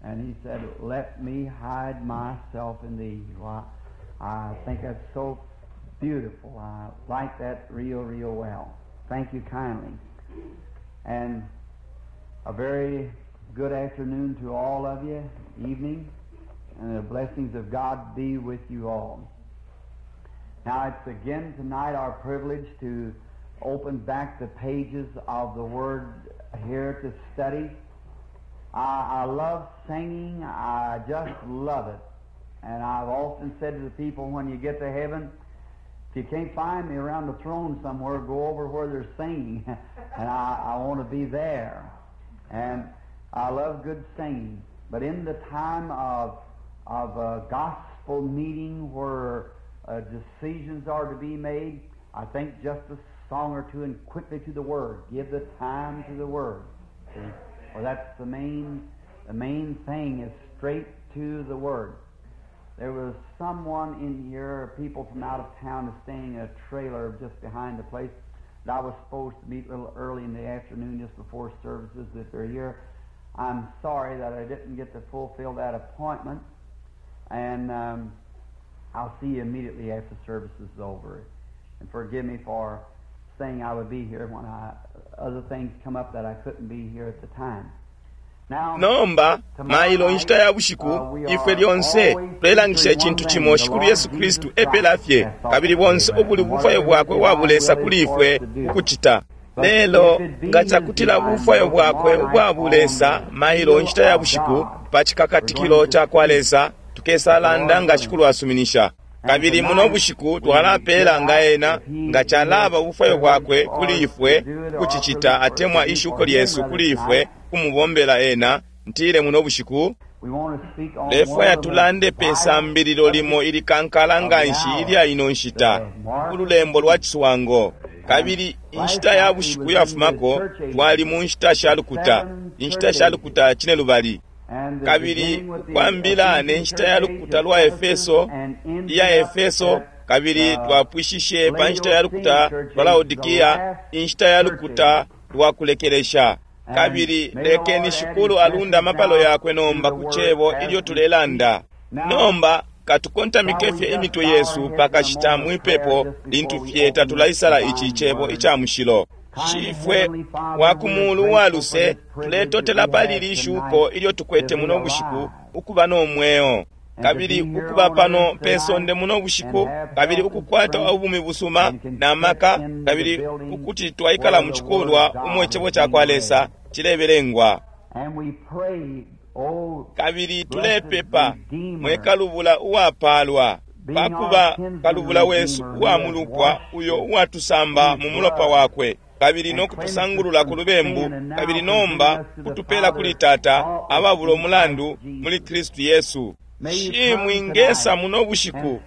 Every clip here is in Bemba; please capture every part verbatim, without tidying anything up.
And he said, Let me hide myself in thee. Well, I think that's so beautiful. I like that real, real well. Thank you kindly. And a very good afternoon to all of you, evening, and the blessings of God be with you all. Now, it's again tonight our privilege to open back the pages of the Word here to study. I, I love singing. I just love it. And I've often said to the people, when you get to heaven, if you can't find me around the throne somewhere, go over where they're singing. And I, I want to be there. And I love good singing. But in the time of, of a gospel meeting where uh, decisions are to be made, I think just a song or two and quickly to the Word. Give the time to the Word. See? Well, that's the main, the main thing is straight to the Word. There was someone in here, people from out of town, is staying in a trailer just behind the place that I was supposed to meet a little early in the afternoon just before services if they're here. I'm sorry that I didn't get to fulfill that appointment, and um, I'll see you immediately after service is over. And forgive me for saying I would be here when I, other things come up that I couldn't be here at the time. Now, nomba mailo inshita ya bushiku ifwe lyonse tulelangisha icintu cimo shikulu Yesu Kristu epela fye kabili bonse ubuli bufwayo bwakwe wabulesa kuli ifwe ukucita lelo nga cakutila bufwayo bwakwe ubwabulesa mailo inshita ya bushiku pa cikakatikilo ca kwa Lesa tukesalanda nga shikulu asuminisha kabili muno bushiku twalapela nga ena nga calaba ubufwayo bwakwe kuli ifwe kucicita atemwa ishuko lyesu kuli ifwe kumubombela ena ntile muno bushiku we want to speak on lefwaya one of the tulande pe sambililo limo ilikankala nga nshi ilya ino nshita ululembo lwa ciswango kabili inshita ya bushiku yafumako twali mu nshita sha lukuta inshita sha lukuta cine lubali and the kabili beginning with the kwambila ne Ephesian nshita ya church lukuta age lwa of Efeso Ephesus and ending iya up Efeso at, kabili uh, twapwishishe pa nshita ya lukuta Laodicean lwa Laodikia church age, the last inshita ya lukuta lwa kulekelesha And kabili may the lekeni Lord add shikulu his alunda blessings amapalo now yakwe to nomba the ku word cebo as ilyo we tulelanda speak. Now, nomba katukontamike fye imitwe yesu pakashita mwipepo lintu fye tatulaisala ici cebo ica mushilo shifwe wa ku mulu wa luse tuletotela pali ili shuko ilyo tukwete muno bushiku ukuba no mweo kabili ukuba pano pe sonde muno bushiku kabili ukukwata ubumi busuma na maka kabili ukuti twaikala mu cikulwa umo icebo ca kwa Lesa cilebelengwa And we pray, oh, kabili tulepepa mwe kalubula uwapalwa pakuba kalubula wesu uwamulupwa uyo uwatusamba mu mulopa wakwe kabili no kutusangulula ku lubembu kabili nomba kutupela kuli tata ababula umulandu muli Kristu Yesu shi mwingesa muno bushiku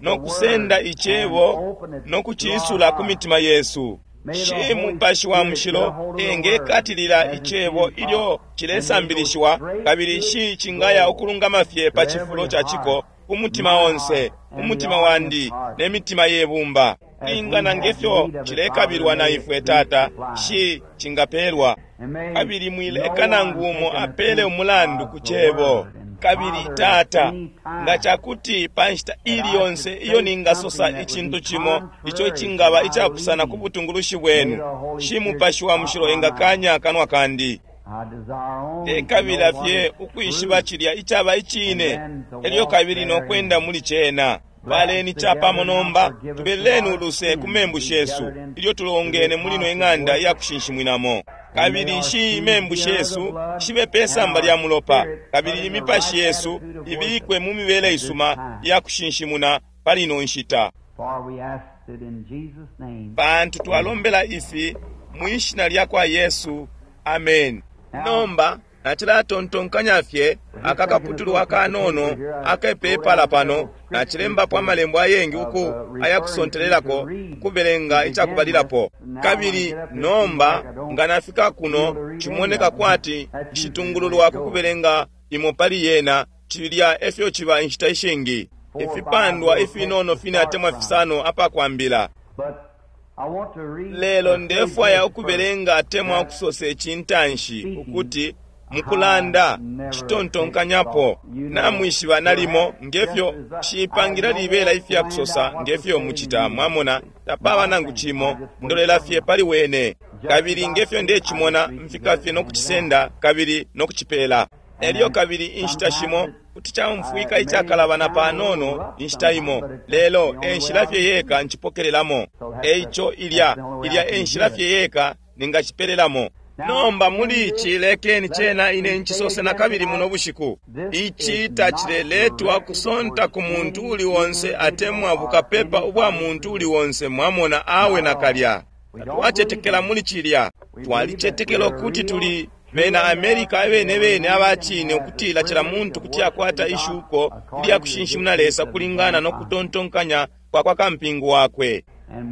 no kusenda icebo no kuciisula ku mitima yesu shi mupashi wa mushilo engekatilila icebo ilyo cilesambilishiwa kabili shi cingaya ukulungama fye pa cifulo ca ciko ku mutima onse umutima wandi ne mitima yebumba lingana ngefyo cilekabilwa na ifwe tata shi cingapelwa and may kabili mwileka no nangu one umo take an apele offense umulandu of ku the cebo word. And kabili Father, tata any time nga cakuti pa nshita that ili I yonse should iyo say ningasosa something that would icintu be cimo ico contrary to cingaba my icapusana ku leading, butungulushi may bwenu the Holy shi Spirit mupashi wa stop mushilo my mouth. engakanya akanwa kandi I desire only to know ndekabila what fye is ukwishiba true cilya icaba and icine then to elyo walk kabili no therein. kwenda muli cena Bless paleni capamo together now, nomba forgive us of tubeleni our uluse ku sins. membu We shesu gathered ilyo into tulongene this muli ino house of ing'anda worship. iya kushinshimwinamo And may kabili our shi sins imembu be under the shesu blood shibe pe and samba our lya mulopa spirit put kabili in the imipashi right yesu attitude of worship ibikwe mu mibele at this isuma time. iya kushinshimuna pali ino nshita For we ask it in Jesus' name. pantu Amen. twalombela ifi mwishina lya kwa Yesu amen Now, nomba nacilatontonkanya fye we're just taking a akakaputulu little piece of paper akanono here. I wrote akepepala down pano several scriptures nacilembapo to, amalembo ayengi of uku uh, referring to ayakusontelelako to read to kubelenga begin with. icakubalilapo Now, when I kabili get up here, it seems like nomba I don't nga nafika be able kuno to read any cimoneka of them. kwati That's usually the way it nshitungululwa ku goes. kubelenga imo pali yena cilya efyo ciba inshita ishingi Four or five ifipandwa little texts ifinono to fine start atemwa from. fisano apakwambila But I want to read lelo or say ndefwaya this first ukubelenga atemwa that ukusosa ici ntanshi speaking ukuti Mukulanda citontonkanyapo namwishiba nalimo ngefyo shipangira libela ifya kusosa ngefyo muchita mwamona tapaba nangu chimo ndolela fye pali wene kabili ngefyo ndechimona mfika fye nokuchisenda kabili nokuchipela elyo kabili inshita shimo kuti chaumfwika ichakalabana panono inshita imo lelo enshila fye yeka nchipokelelamo eicho ilya ilya enshila fye yeka ningachipelelamo nomba muli ichi lekeni chena ine nchisose na kabili muno bushiku ichi tachileletwa kusonta ku muntu uli wonse atemwa bukapepa ubwa muntu uli wonse mwamona awe nakalya twachetekela muli chilya twalichetekela ukuti tuli bena Amerika abene bene abachine ukutila chila muntu kuti akwata ishuko ilya kushinshimuna Lesa kulingana nokutontonkanya kwa kwa kampingu wakwe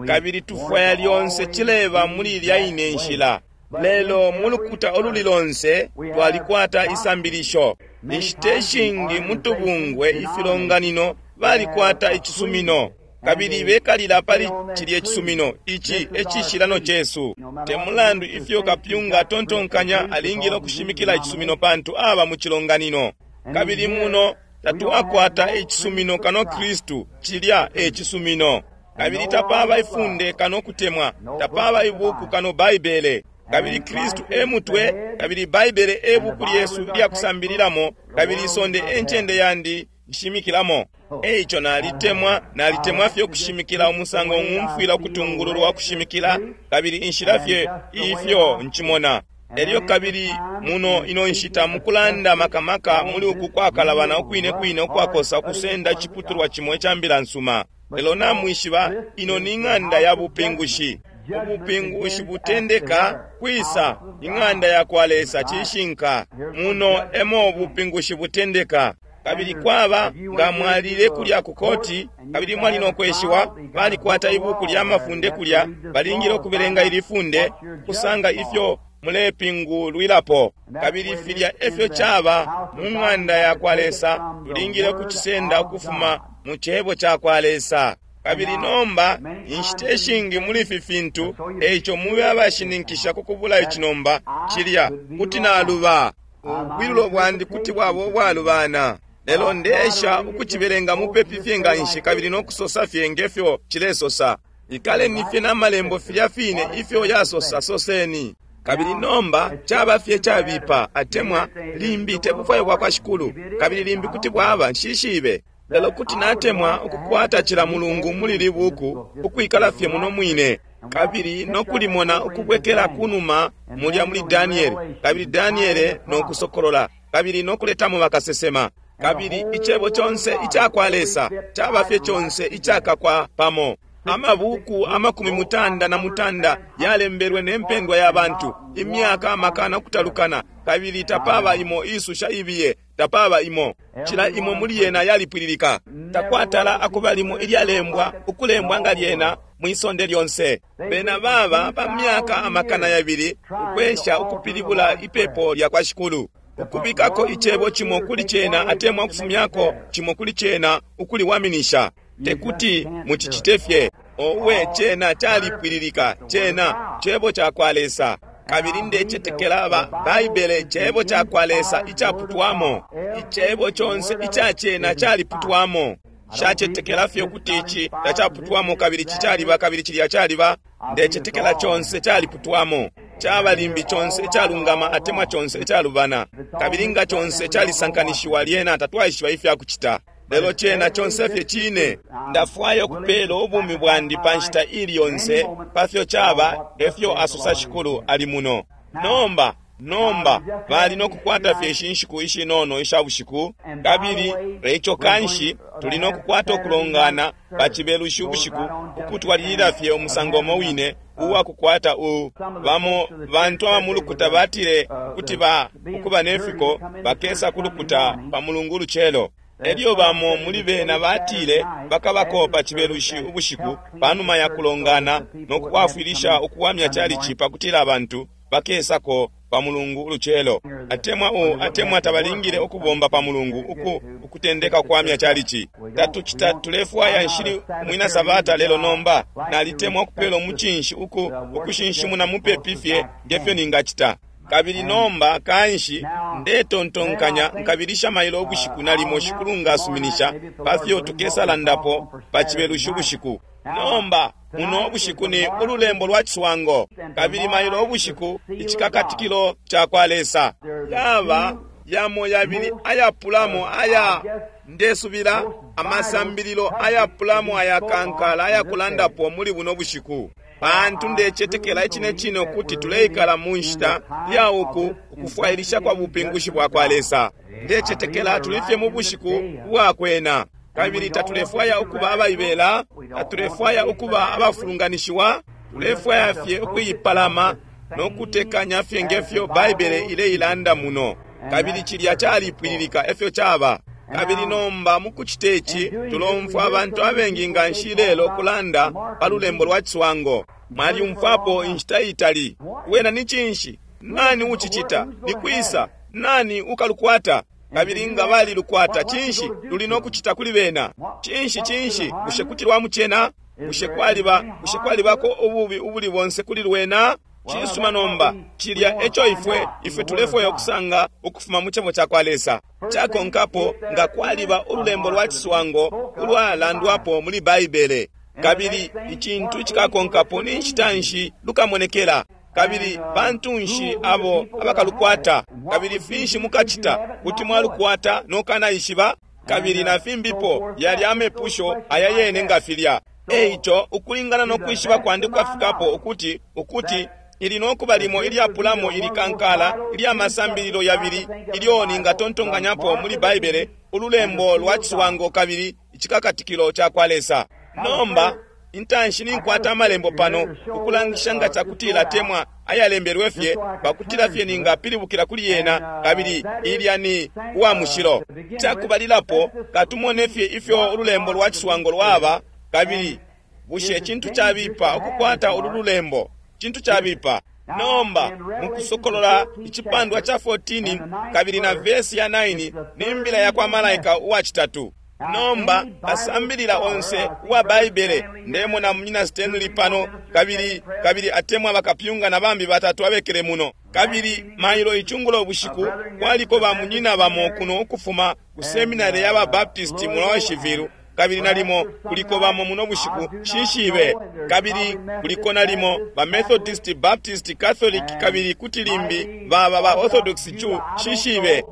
kabili tufwaya lyonse chileba muli ilya ine nshila lelo mulukuta oluli lonse twalikwata isambilisho inshita ishingi mutubungwe ifilonganino balikwata icisumino kabili bekalila pali chilye cisumino ichi ecishilano chesu temulandu ifyo kapyunga atontonkanya alingile okushimikila icisumino pantu aba mu chilonganino kabili muno tatuwakwata icisumino kano Kristu chilya ecisumino kabili tapaba ifunde kano kutemwa tapaba ibuku kano Baibele kabili Kristu emutwe kabili Baibele ebuku lyesu lyakusambililamo kabili isonde enchende yandi nshimikilamo eicho nalitemwa nalitemwa fye okushimikila umusango ng'umfwila okutungululwa okushimikila kabili inshila fye ifyo nchimona elyo kabili muno ino nshita mukulanda makamaka muli uku kwakalabana okwine kwine okwakosa okusenda chiputulwa chimo echambila nsuma lelo namwishiba ino ni ng'anda ya bupingushi ubupingushi butendeka kwisa ing'anda ya kwa Lesa chishinka muno emo ubupingushi butendeka kabili kwaba nga mwalile kulya ku koti kabili mwali nokweshiwa balikwata ibuku lya mafunde kulya balingile okubelenga ili funde kusanga ifyo mulepingulwilapo kabili filya efyo chaba mu ng'anda ya kwa Lesa tulingile okuchisenda ukufuma mu chebo cha kwa Lesa kabili nomba inshita ishingi muli ifi fintu eicho mube abashininkisha kukubula ichinomba chilya kuti naluba ubwilulo bwandi kuti bwaba obwalubana lelo ndesha ukuchibelenga mupepi fye nga nshi kabili nokusosa fye ngefyo chilesosa ikaleni fye n'amalembo filya fine ifyo yasosa soseni kabili nomba chaba fye chabipa atemwa limbi tebufwayo bwa kwa Shikulu kabili limbi kuti bwaba nshishibe lelo kuti natemwa ukukwata chila mulungu muli libuku ukwikala fye muno mwine kabili nokulimona ukubwekela kunuma mulya muli Danieli kabili Daniele nokusokolola kabili nokuletamo bakasesema kabili ichebo chonse ichakwa Lesa chaba fye chonse ichakakwa pamo amabuku amakumi mutanda na mutanda yalembelwe nempendwa ya bantu imyaka amakana okutalukana kabili tapaba imo isusha ibiye tapaba imo chila imo muli yena yalipwililika takwatala akuba limo ilyalembwa ukulembwa nga lyena mwisonde lyonse bena baba pa myaka amakana yabili ukwesha ukupilibula ipepo lya kwa Shikulu ukubikako ichebo chimo kuli chena atemwa ukufumyako chimo kuli chena ukuliwaminisha tekuti muchichite fye owe chena chalipwililika chena chebo cha kwa Lesa kabili ndechetekela ba Baibele chebo cha kwa Lesa ichaputwamo ichebo chonse ichachena chaliputwamo shachetekela fye kuti ichi tachaputwamo kabili chichaliba kabili chilya chaliba ndechetekela chonse chaliputwamo chaba limbi chonse ichalungama atemwa chonse ichalubana kabili nga chonse chalisankanishiwa lyena tatwaishiba ifya kuchita lelo chena chonse fye chine ndafwaya okupela obumi bwandi pa nshita ili yonse pafyo chaba efyo asosa Shikulu ali muno nomba nomba bali nokukwata fye ishi nshiku ishinono isha bushiku kabili eicho kanshi tuli nokukwata okulongana pa chibelushi ubushiku ukutwalilila fye umusango umo wine uwakukwata u bamo bantu abamulukuta batile kuti ba ukuba nefiko bakesa kulukuta pa mulungu uluchelo elyo bamo muli bena batile bakabako pa chibelushi ubushiku panuma ya kulongana nokukwafwilisha ukuwamya chalichi pakutila abantu bakesako pa mulungu uluchelo atemwa u atemwa tabalingile okubomba pa mulungu uku ukutendeka kuwamya chalichi tatuchita tulefwaya nshili mwina sabata lelo nomba nalitemwa okupela omuchinshi uku ukushinshimuna mupepi fye ngefyo ningachita Kabili nomba kanshi ndetontonkanya nkabilisha mailo ubushiku nalimo Shikulu ngasuminisha pafyo tukesalandapo pa Cibelushi ubushiku. Nomba muno ubushiku ni ululembo lwa ciswango, kabili mailo ubushiku icikakatikilo ca kwa Lesa. Yaba yamo yabili ayapulamo aya ndesubila amasambililo ayapulamo ayakankala ayakulandapo muli buno bushiku, pantu ndecetekela icine cine ukuti tuleikala mu nshita ya uku ukufwailisha kwa bupingushi bwa kwa Lesa. Ndecetekela tulifye mu bushiku bwakwena, kabili tatulefwaya ukuba abaibela, tatulefwaya ukuba abafulunganishiwa, tulefwaya fye ukuipalama no kutekanya fye ngefyo Baibele ileilanda muno. Kabili cilya calipwililika efyo caba. Kabili nomba mukucita ici tulomfwa abantu abengi nga nshi lelo kulanda pa lulembo lwa ciswango. Mwalyumfwapo inshita itali. Wena ni cinshi? Nani ucicita? Ni kwisa? Nani ukalukwata? Kabili nga balilukwata, cinshi luli no kucita kuli bena? Cinshi cinshi? Bushe kuti lwamucena? Bushe kwaliba bushe kwalibako ububi ubuli bonse kuli lwena? Cisuma nomba, cilya eco ifwe ifwe tulefwaya ukusanga ukufuma mu cebo ca kwa Lesa. Cakonkapo nga kwaliba ululembo lwa ciswango ulwalandwapo muli Baibele. Kabili icintu icikakonkapo ni nshita nshi lukamonekela, kabili bantu nshi abo abakalukwata, kabili finshi mukacita kuti mwalukwata nokanaishiba, kabili na fimbipo yali amepusho aya yene nga filya. Eico ukulingana no kwishiba kwandi kwafikapo ukuti ukuti ili nokuba limo ilyapulamo ilikankala ilya masambililo yabili ilyo ningatontonkanyapo muli Baibele, ululembo lwa ciswango kabili icikakatikilo ca kwa Lesa. Nomba intanshi ninkwata amalembo pano ukulangisha nga cakutila temwa ayalembelwe fye pakutila fye ningapilibukila kuli yena, kabili ilya ni uwa mushilo. Cakubalilapo katumone fye ifyo ululembo lwa ciswango lwaba, kabili bushe cintu cabipa ukukwata ulu lulembo? Cintu cabipa. Nomba mukusokolola icipandwa ca fourteen kabili na vesi ya nine ni mbila ya kwa malaika uwa citatu. Nomba asambilila onse uwa Baibele, ndemona munyina Stanley pano, kabili kabili atemwa bakapyunga na bambi batatu abekele muno. Kabili mailo icungulo bushiku kwaliko ba munyina bamo kuno ukufuma ku seminary ya ba Baptist mu Louisville, kabili nalimo kuliko bamo muno bushiku shishibe, kabili kuliko nalimo ba Methodist, Baptist, Catholic, kabili kuti limbi baba ba Orthodox chu shishibe.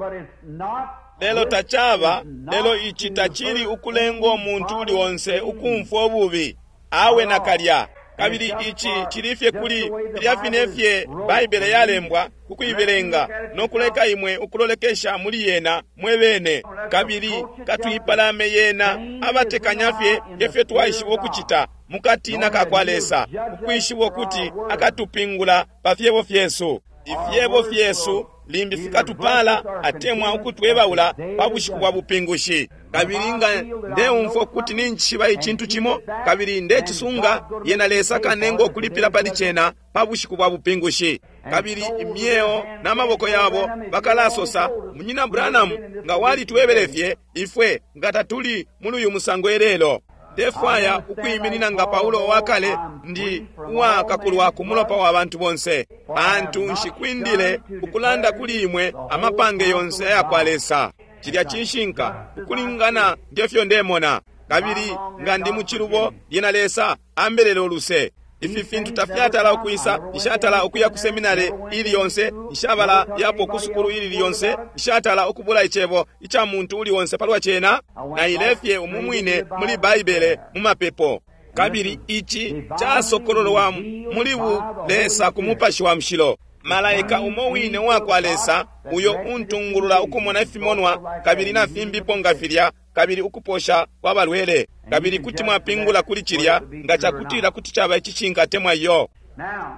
Lelo tacaba, lelo ici tacili ukulenga umuntu uli onse ukumfwa ububi awe nakalya. Kabili ici cilifye kuli filya fine fye Baibele yalembwa kukuibelenga no kuleka imwe ukulolekesha muli yena mwe bene, kabili katuipalame yena abatekanya fye ngefyo twaishiba ukucita mukatina ka kwa Lesa, ukwishiba ukuti akatupingula pa fyebo fyesu. Ifyebo fyesu limbi fikatupala atemwa ukutwebaula pa bushiku bwa bupingushi. Kabili nga ndeumfwa ukuti ninjishiba icintu cimo kabili ndecisunga, yena Lesa kanenga ukulipila pali cena pa bushiku bwa bupingushi. Kabili imyeo na maboko yabo bakalasosa, Munyina Branham nga walitwebele fye ifwe nga tatuli muli uyu musango elelo. Ndefwaya ukwiminina nga Paulo wakale, ndi uwakakulwa ku mulopa wa bantu bonse, pantu nshikwindile ukulanda kuli imwe amapange yonse aya kwa Lesa. Cilya cishinka ukulingana ngefyo ndemona, kabili nga ndi mucilubo, lyena Lesa ambelele uluse. Ifi fintu tafyatala ukwisa, nshatala ukuya ku seminari ili yonse, nshabala yapo ku sukulu ili yonse, nshatala ukubula icebo ica muntu uli onse palwa cena, na ilefye umumwine muli Baibele mu mapepo. Kabili ici casokololwa muli bu Lesa ku Mupashi wa Mushilo. Malaika umo wine uwa kwa Lesa uyo untungulula ukumona ifimonwa kabili na fimbipo nga filya, kabili ukuposha kwa balwele, kabili kuti mwapingula kuli cilya nga cakutila kuti caba icishinka temwa iyo.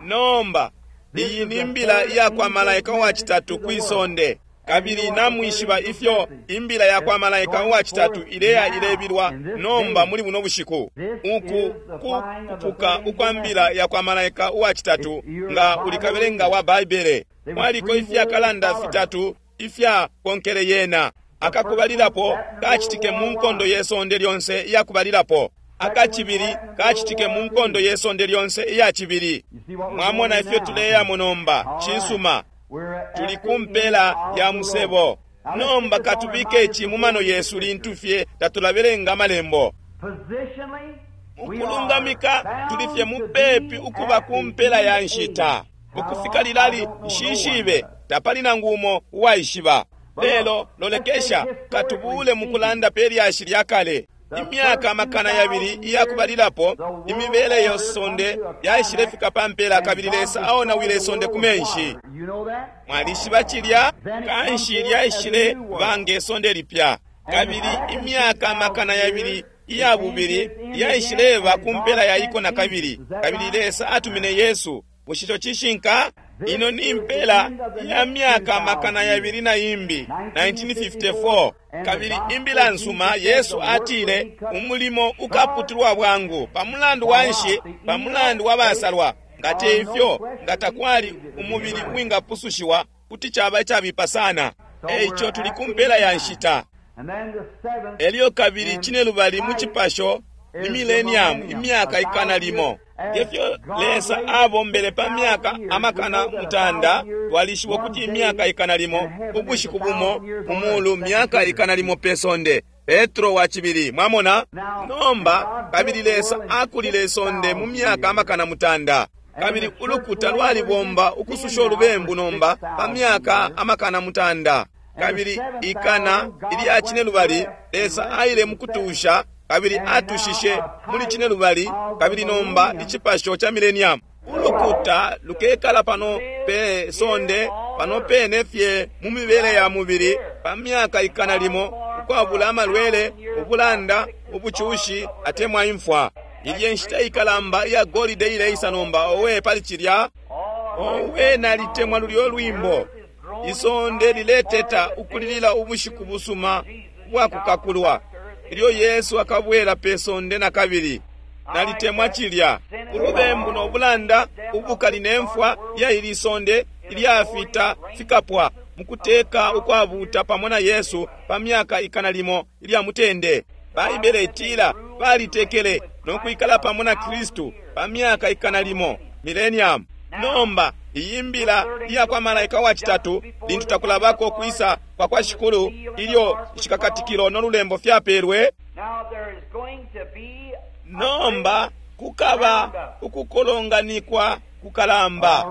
Nomba iyi ni mbila iya kwa malaika uwa citatu kwi sonde, kabili namwishiba ifyo imbila ya kwa malaika uwa citatu ileya ilebilwa nomba muli buno bushiku. Uku kupuka ukwa mbila ya kwa malaika uwa citatu nga ulikabelenga wa Baibele, mwaliko ifyakalanda fitatu ifya konkele yena. Akakubalilapo kacitike mu nkondo ye sonde lyonse iyakubalilapo. Akacibili kacitike mu nkondo ye sonde lyonse iya cibili. Mwamona ifyo tuleyamo nomba. Cisuma. Tuli ku mpela ya musebo. Nomba katubike ici mu mano yesu lintu fye tatulabelenga amalembo. Mukulungamika tuli fye mupepi ukuba ku mpela ya nshita. Ukufika lilali nshishibe, tapali nangu umo uwaishiba. Lelo lolekesha, katubule mukulanda pe lyashi lya kale. Imyaka amakana yabili iyakubalilapo, imibele yesonde yaishilefika pa mpela, kabili Lesa aonawile isonde ku menshi. Mwalishiba cilya? Kanshi lyaishile ba nge sonde lipya. Kabili imyaka amakana yabili iya bubili yaishileba ku mpela ya iko na kabili, kabili Lesa atumine Yesu. Bushe ico cishinka? Ino ni mpela ya myaka amakana yabili na imbi, nineteen fifty-four. Kabili imbila nsuma, Yesu atile umulimo ukaputulwa bwangu. Pamulandu wa nshi? Pamulandu wa basalwa. Nga te ifyo, nga takwali umubili uwingapusushiwa, kuti caba icabipa sana. Eico tuli ku mpela ya nshita. Elyo kabili cinelubali mu cipasho ni millennium, imyaka ikana limo. Ngefyo Lesa abombele pa myaka amakana mutanda, twalishiba ukuti imyaka ikana limo, ubushiku bumo mu mulu, myaka ikana limo pe sonde. Petro wa cibili, mwamona? Nomba kabili Lesa akulile isonde mu myaka amakana mutanda. Kabili ulukuta lwalibomba ukususha ulubembu nomba pa myaka amakana mutanda. Kabili ikana ilya cinelubali Lesa aile mukutusha, kabili atushishe muli cinelubali, kabili nomba icipasho ca millennium. Ulukuta lukekala pano pe sonde, pano pene fye mu mibele ya mubili pa myaka ikana limo, ukwabula amalwele, ubulanda, ubucushi atemwa imfwa. Ilye nshita ikalamba iya golide ileisa nomba. Owe pali cilya! Owe, nalitemwa lulyo lwimbo. Isonde lileteta ukulilila ubushiku busuma bwakukakulwa, ilyo Yesu akabwela pe sonde na kabili. Nalitemwa cilya. Ulubembu no bulanda, ubukali ne mfwa ya ili sonde ilyafita fikapwa mukuteka ukwabuta pamo na Yesu pa myaka ikana limo ilya mutende. Baibele itila balitekele no kwikala pamo na Kristu pa myaka ikana limo, millennium. Nomba iyi mbila iya kwa malaika wa citatu, lintu takulabako kwisa kwa kwa Shikulu, ilyo icikakatikilo no lulembo fyapelwe. Nomba kukaba ukukolonganikwa kukalamba,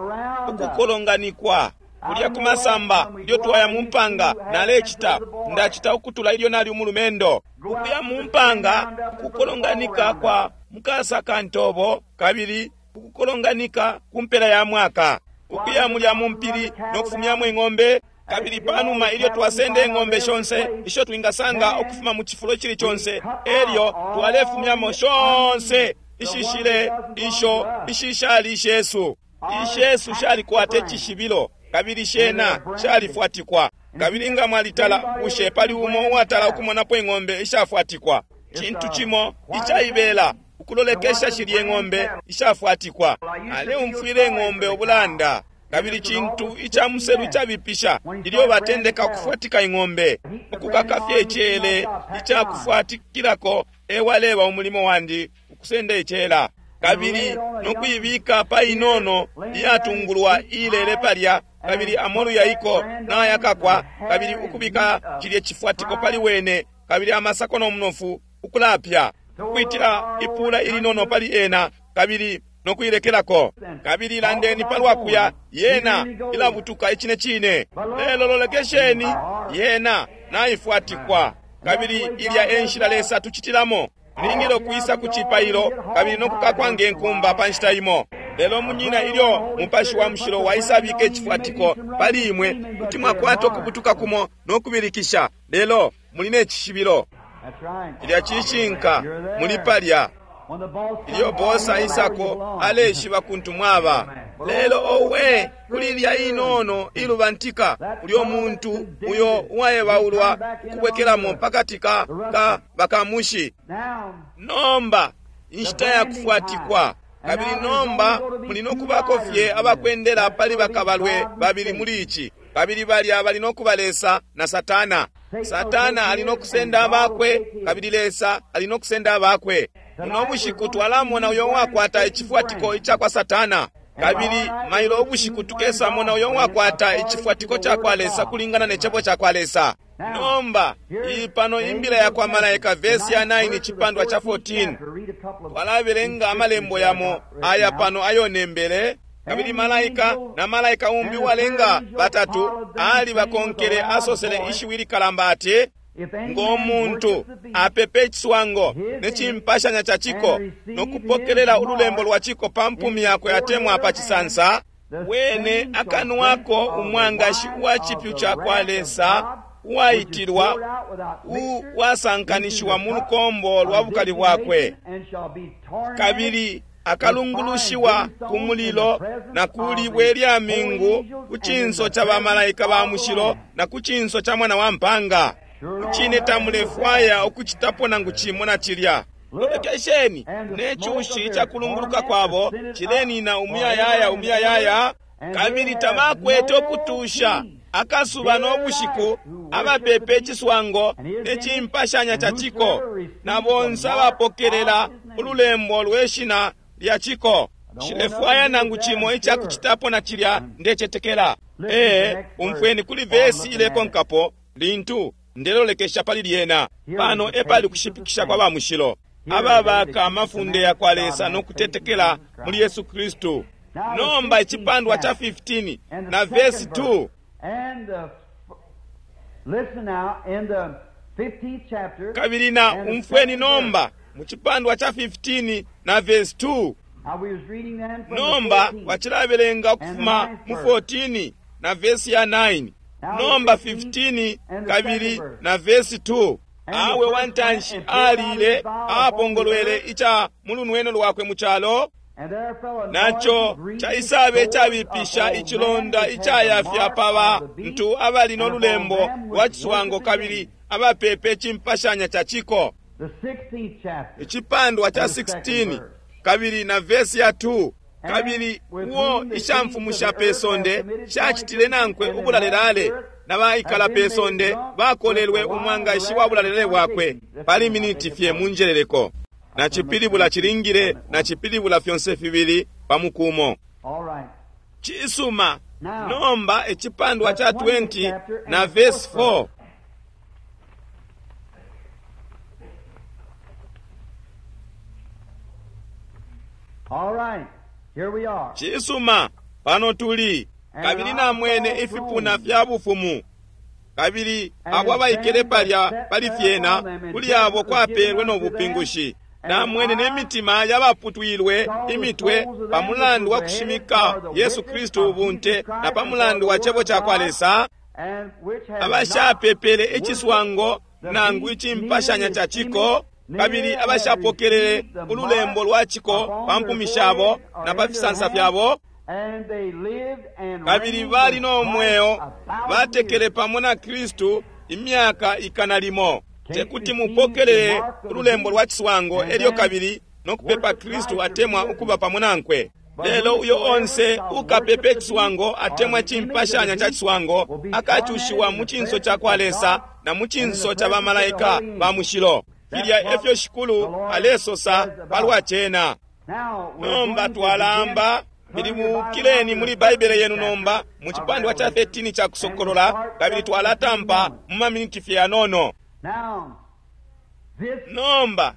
ukukolonganikwa kulya kumasamba. Ilyo twaya mu mpanga, nalecita ndacita ukutula ilyo nali umulumendo, ukuya mu mpanga, ukukolonganika kwa mukasa kantobo, kabili ukukolonganika ku mpela ya mwaka, ukuya mulya mu mpili no kufumyamo ing'ombe. Kabili panuma ilyo twasenda ing'ombe shonse isho twingasanga ukufuma mu cifulo cili conse, elyo twalefumyamo shonse ishishile isho ishishali ishesu. Ishesu shalikwata icishibilo, kabili shena shalifwatikwa. Kabili nga mwalitala, bushe pali umo uwatala ukumonapo ing'ombe ishafwatikwa? Cintu cimo icaibela ukulolekesha shilye ng'ombe ishafwatikwa. Aleumfwile ing'ombe ubulanda, kabili cintu ica muselu icabipisha ilyo batendeka kufwatika ing'ombe. Ukukakafye icele icakufwatikilako ewaleba umulimo wandi, ukusenda icela, kabili nokuibika pa inono iyatungulwa ilele palya, kabili amolu yaiko nayakakwa, kabili ukubika cilye cifwatiko pali wene, kabili amasako no munofu ukulapya, ukwitila ipula ilinono pali ena, kabili nokuilekelako. Kabili landeni palwa kuya, yena ilabutuka icine cine. Lelo lolekesheni, yena naifwatikwa. Kabili ilya enshila Lesa tucitilamo. Mulingile ukwisa ku cipailo kabili nokukakwa nge nkumba pa nshita imo. Lelo munyina, ilyo Mupashi wa Mushilo waisabika icifwatiko pali imwe, kuti mwakwata ukubutuka kumo nokubilikisha, lelo muli ne cishibilo. Ilya cishinka, muli palya. Ilyo bosa isako aleshiba kuntu mwaba. Lelo owe, kuli ilya inono ilubantika, ulyo muntu uyo uwaebaulwa ukubwekelamo pakati ka ka bakamushi. Nomba inshita ya kufwatikwa. Kabili nomba muli nokubako fye abakwendela pali bakabalwe babili muli ici, kabili balya bali nokuba Lesa na Satana. Satana ali nokusenda abakwe, kabili Lesa ali nokusenda abakwe. Muno bushiku twalamona uyo uwakwata icifwatiko ica kwa Satana. Kabili mailo ubushiku tukesamona uyo uwakwata icifwatiko cakwa Lesa kulingana ne cebo cakwa Lesa. Nomba iyi pano imbila yakwa malaika, vesi ya nine, icipandwa ca fourteen. Twalabelenga amalembo yamo aya pano ayonembele. Kabili malaika na malaika umbi uwalenga batatu ali bakonkele, asosele ishiwi likalamba ati, ngo muntu apepe iciswango ne cimpashanya ca ciko no kupokelela ululembo lwa ciko pa mpumi yakwe atemwa pa cisansa, wene akanwako umwangashi uwa cipyu ca kwa Lesa uwaitilwa uwasankanishiwa mu lukombo lwa bukali bwakwe, kabili akalungulushiwa ku mulilo na ku libwe lya mingu ku cinso ca bamalaika ba mushilo na ku cinso ca mwana wa mpanga. Cine tamulefwaya ukucitapo nangu cimo na cilya. Lolekesheni ne cushi ca kulunguluka kwabo cilenina umuyayaya umuyayaya, kabili tabakwete ukutusha akasuba no bushiku abapepe iciswango ne cimpashanya ca ciko na bonse abapokelela ululembo lwe shina lya ciko. Nshilefwaya nangu cimo icakucitapo na cilya, ndecetekela. Ee, umfweni kuli vesi ilekonkapo lintu ndelolekesha pali lyena. Pano epali kushipikisha kwa bamushilo ababaka amafunde ya kwa Lesa no kutetekela muli Yesu Kristu. Nomba icipandwa ca fifteen na vesi two. Kabili na umfweni nomba mu cipandwa ca fifteen na vesi two. Nomba wacilabelenga ukufuma mu fourteen na vesi ya nine. Nomba fifteen kabili na vesi two. Awe wantanshi alile apongolwele ica mulunweno lwakwe mu calo, naco caisabe icabipisha icilonda icayafya pa bantu abali no lulembo lwa ciswango kabili abapepe cimpashanya ca ciko. Icipandwa ca sixteen kabili na vesi ya two. Kabili uo ishamfumu sha pe sonde shacitile nankwe ubulalelale na baikala pe sonde bakolelwe umwangashi wa bulalelale bwakwe. Pali miniti fye munjeleleko. Na cipilibula cilingile na cipilibula fyonse fibili pa mukumo. Cisuma. Nomba icipandwa ca twenty na verse four. All right. Here we are. Cisuma, pano tuli. Kabili namwene ifipuna fya bufumu, kabili abo abaikele palya pali fyena, kuli abo kwapelwe no bupingushi. Namwene ne mitima yabaputwilwe imitwe pa mulandu wa kushimika Yesu Kristu ubunte na pa mulandu wa cebo ca kwa Lesa, abashapepele iciswango nangu icimpashanya ca ciko, kabili abashapokelele ululembo lwa ciko pa mpumi shabo na pa fisansa fyabo, kabili bali no mweo batekele pamo na Kristu imyaka ikana limo. Tekuti mupokelele ululembo lwa ciswango elyo kabili no kupepa Kristu atemwa ukuba pamo nankwe. Lelo uyo onse ukapepe ciswango atemwa cimpashanya ca ciswango akacushiwa mu cinso ca kwa Lesa na mu cinso ca bamalaika ba mushilo. Filya efyo Shikulu alesosa palwa cena. Nomba twalamba Pilibukileni muli Baibele yenu nomba mu cipandwa ca thirteen ca Kusokolola, kabili twalatampa mu maminiti fye yanono. Nomba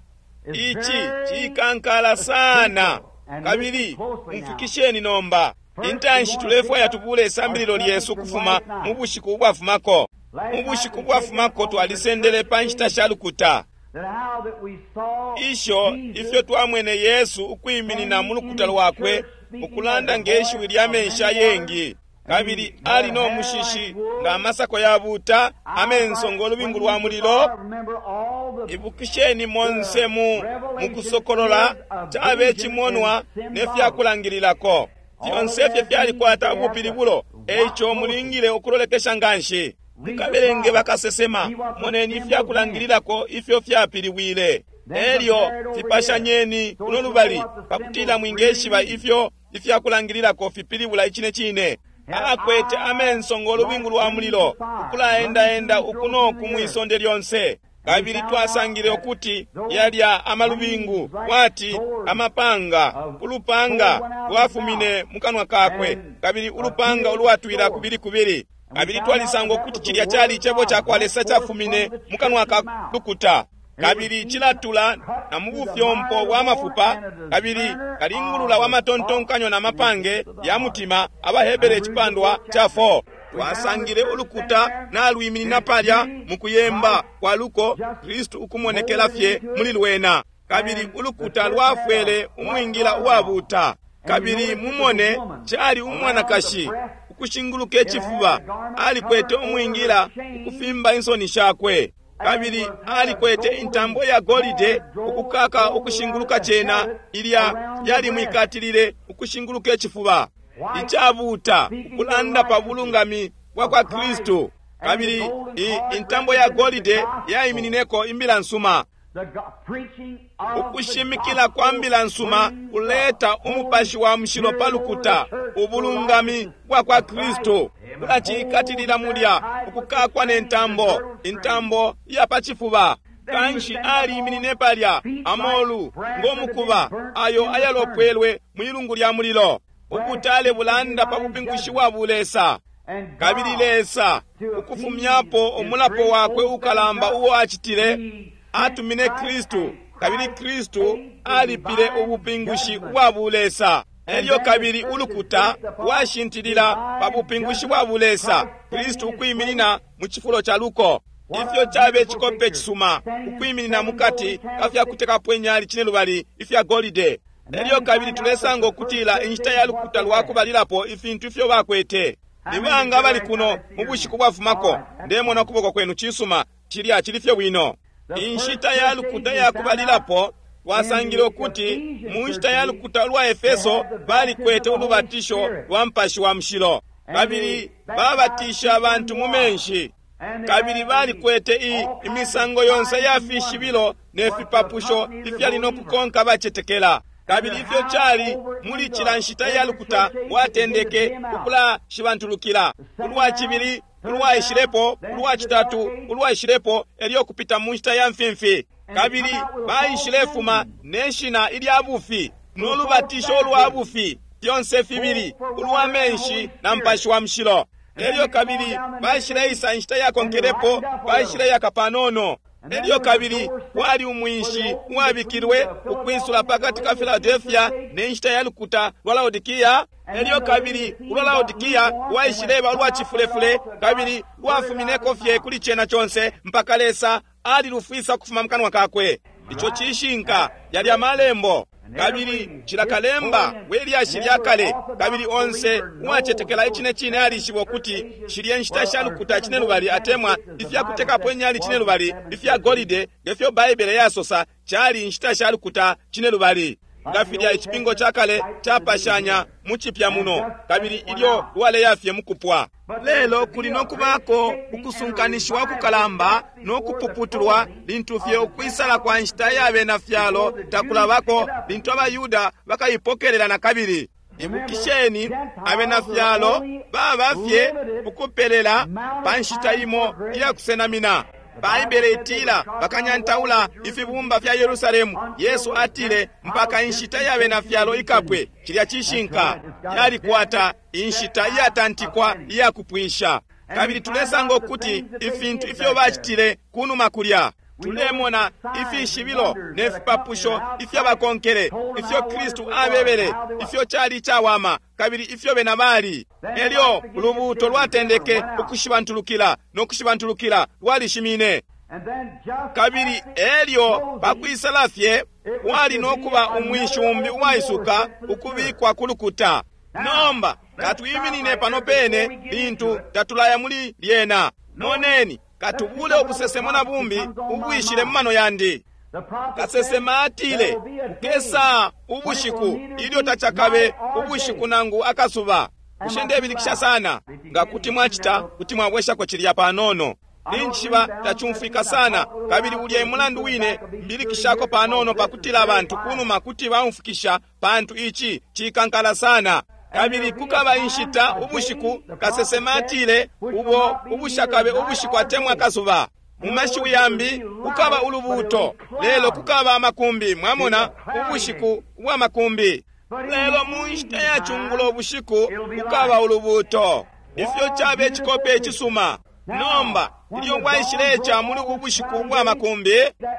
ici cikankala sana, kabili mfikisheni nomba. Intanshi tulefwaya tubule isambililo lyesu kufuma mu bushiku ubwafumako. Mu bushiku ubwafumako twalisendele pa nshita sha lukuta isho ifyo twamwene Yesu ukwiminina mu lukuta lwakwe ukulanda nge shiwi lya menshi ayengi, kabili ali no mushishi nga amasako yabuta, amenso ngo lubingu lwa mulilo. Ibukisheni monse mu mukusokolola cabe cimonwa ne fyakulangililako fyonse fye fyalikwata ubupilibulo. Eico mulingile ukulolekesha nganshi. Mukabelenge bakasesema, moneni ifyakulangililako ifyo fyapiliwile, elyo fipashanyeni kuno lubali pakutila mwingeshiba ifyo ifyakulangililako fipilibula icine cine. Akwete amenso ngo lubingu lwa mulilo, ukulaendaenda uku no ku mwisonde lyonse. Kabili twasangile ukuti yalya amalubingu kwati amapanga, ulupanga lwafumine mu kanwa kakwe, kabili ulupanga ulwatwila kubili kubili. Kabili twalisanga ukuti cilya cali icebo ca kwa Lesa cafumine mu kanwa ka lukuta, kabili cilatula na mu bufyompo bwa mafupa, kabili kalingulula wa matontonkanyo na mapange ya mutima. AbaHebere icipandwa ca four. Twasangile ulukuta nalwiminina palya mu kuyemba kwa luko, Kristu ukumonekela fye muli lwena, kabili ulukuta lwafwele umwingila uwabuta. Kabili mumone, cali umwanakashi ukushinguluka icifuba, alikwete umwingila ukufimba insoni shakwe, kabili alikwete intambo ya golide ukukaka ukushinguluka cena, ilya yalimwikatilile ukushinguluka icifuba icabuta, ukulanda pa bulungami bwa kwa Kristu. Kabili intambo ya golide yaiminineko imbila nsuma. Ukushimikila kwa mbila nsuma kuleta umupashi wa mushilo pa lukuta, ubulungami bwa kwa Kristu kulacikatilila mulya, ukukakwa ne ntambo, intambo ya pa cifuba. Kanshi aliiminine palya, amolu ngomukuba ayo ayalopwelwe mwilungu lya mulilo. Ubutale bulanda pa bupingushi bwa bulesa. Kabili Lesa ukufumyapo umulapo wakwe ukalamba uo acitile, atumine Kristu, kabili Kristu alipile ubupingushi bwa bulesa. Elyo kabili ulukuta lwashintilila pa bupingushi bwa bulesa, Kristu ukwiminina mu cifulo ca luko. Ifyo cabe cikope cisuma, ukwiminina mukati ka fya kutekapo inyali cinelubali ifya golide. Elyo kabili tulesanga ukutila inshita ya lukuta lwakubalilapo ifintu ifyo bakwete. Nibanga abali kuno mu bushiku bwafumako? Ndemona ukuboko kwenu. Cisuma, cilya cili fye bwino. Inshita ya lukuta yakubalilapo twasangile ukuti mu nshita ya lukuta lwa Efeso balikwete ulubatisho lwa Mupashi wa Mushilo, kabili babatisha abantu mu menshi, kabili balikwete i imisango yonse ya fishibilo ne fipapusho ifyali no kukonka bacetekela. Kabili ifyo cali muli cila nshita ya lukuta lwatendeke ukulashibantulukila, ulwa cibili ulwaishilepo, ulwa citatu ulwaishilepo, elyo kupita mu nshita ya mfimfi. Kabili baishilefuma ne shina ilya bufi no lubatisho ulwa bufi, fyonse fibili, ulwa menshi na Mupashi wa Mushilo. Elyo kabili baishileisa inshita yakonkelepo, baishileyaka panono. Elyo kabili kwali umwinshi uwabikilwe ukwisula pakati ka Philadelphia ne nshita ya lukuta lwa Laodikia. Elyo kabili ulwa Laodikia lwaishileba ulwa cifulefule, kabili lwafumineko fye kuli cena conse mpaka Lesa alilufwisa kufuma mukanwa kakwe. Ico cishinka, yali amalembo. Kabili cila kalemba we lyashi lya kale, kabili onse uwacetekela icine cine alishiba ukuti shilye nshita sha lukuta cinelubali atemwa ifya kutekapo inyali cinelubali ifya golide, ngefyo Baibele yasosa, cali inshita sha lukuta cinelubali. Nga filya icipingo ca kale capashanya mu cipya muno, kabili ilyo lwaleya fye mukupwa. Lelo kuli no kubako ukusunkanishiwa kukalamba no kupuputulwa lintu fye ukwisala kwa nshita ya bena fyalo takulabako, lintu abaYuda bakaipokelela na kabili. Ibukisheni, abena fyalo baba fye ukupelela pa nshita imo iya kusenamina. Baibele itila bakanyantaula ifibumba fya Yerusalemu. Yesu atile mpaka inshita ya bena fyalo ikapwe. Cilya cishinka, yalikwata inshita iyatantikwa iya kupwisha. Kabili tulesanga ukuti ifintu ifyo bacitile kunuma kulya, tulemona ifishibilo ne fipapusho ifyabakonkele, ifyo Kristu abebele, ifyo cali icawama, kabili ifyo bena bali. Elyo ulubuuto lwatendeke ukushibantulukila no kushibantulukila, lwalishimine. Kabili elyo pakwisala fye wali no kuba umwinshi umbi uwaisuka ukubikwa ku lukuta. Nomba katwiminine pano pene lintu tatulaya muli lyena. Moneni, katubule ubusesemo na bumbi ubwishile mu mano yandi. Kasesema atile kukesa ubushiku ilyo tacakabe ubushiku nangu akasuba. Bushe ndebilikisha sana? Nga kuti mwacita, kuti mwabweshako cilya panono. Ninchiba tacumfwika sana, kabili ulya emulandu wine mbilikishako panono pakutila abantu kunuma kuti baumfukisha, pantu ici cikankala sana. Kabili kukaba inshita ubushiku, kasesema atile, ubo ubushakabe ubushiku atemwa akasuba. Mu mashiwi yambi, kukaba ulubuuto, lelo kukaba amakumbi. Mwamona, ubushiku ubwa makumbi. Lelo mu nshita ya cungulo bushiku kukaba ulubuuto. Ifyo cabe cikope icisuma. Nomba ilyo bwaishileca muli ubu bushiku bwa makumbi,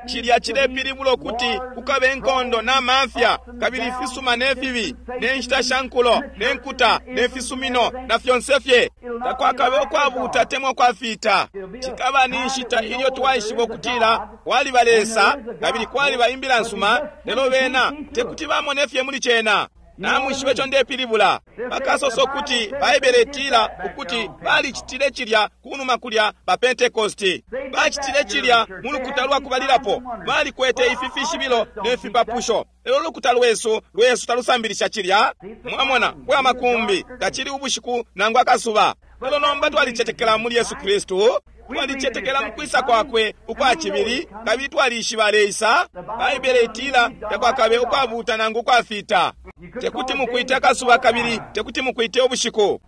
cilya cilepilibula ukuti kukabe inkondo na mafya, kabili ifisuma ne fibi, ne nshita sha nkulo, ne nkuta, ne fisumino, na fyonse fye. Takwakabe ukwabuuta atemwa ukwafita. Cikaba ni nshita ilyo twaishiba ukutila kwaliba Lesa kabili kwaliba imbila nsuma, lelo bena tekuti bamone fye muli cena. Namwishiba ico ndepilibula. Bakasosa ukuti Baibele itila ukuti balicitile cilya kunuma kulya pa Pentekosti. Bacitile cilya mu lukuta lwa kubalilapo. Balikwete ifi fishibilo ne fipapusho. Lelo ulukuta lwesu lwesu talusambilisha cilya. Mwamona, kwa makumbi tacili ubushiku nangu akasuba. Lelo nomba twalicetekela muli Yesu Kristu. Twalicetekela mu kwisa kwakwe ukwa cibili, kabili twalishiba aleisa. Baibele itila takwakabe ukwabuuta nangu ukwafita. Tekuti mukwite akasuba kabili tekuti mukwite ubushiku.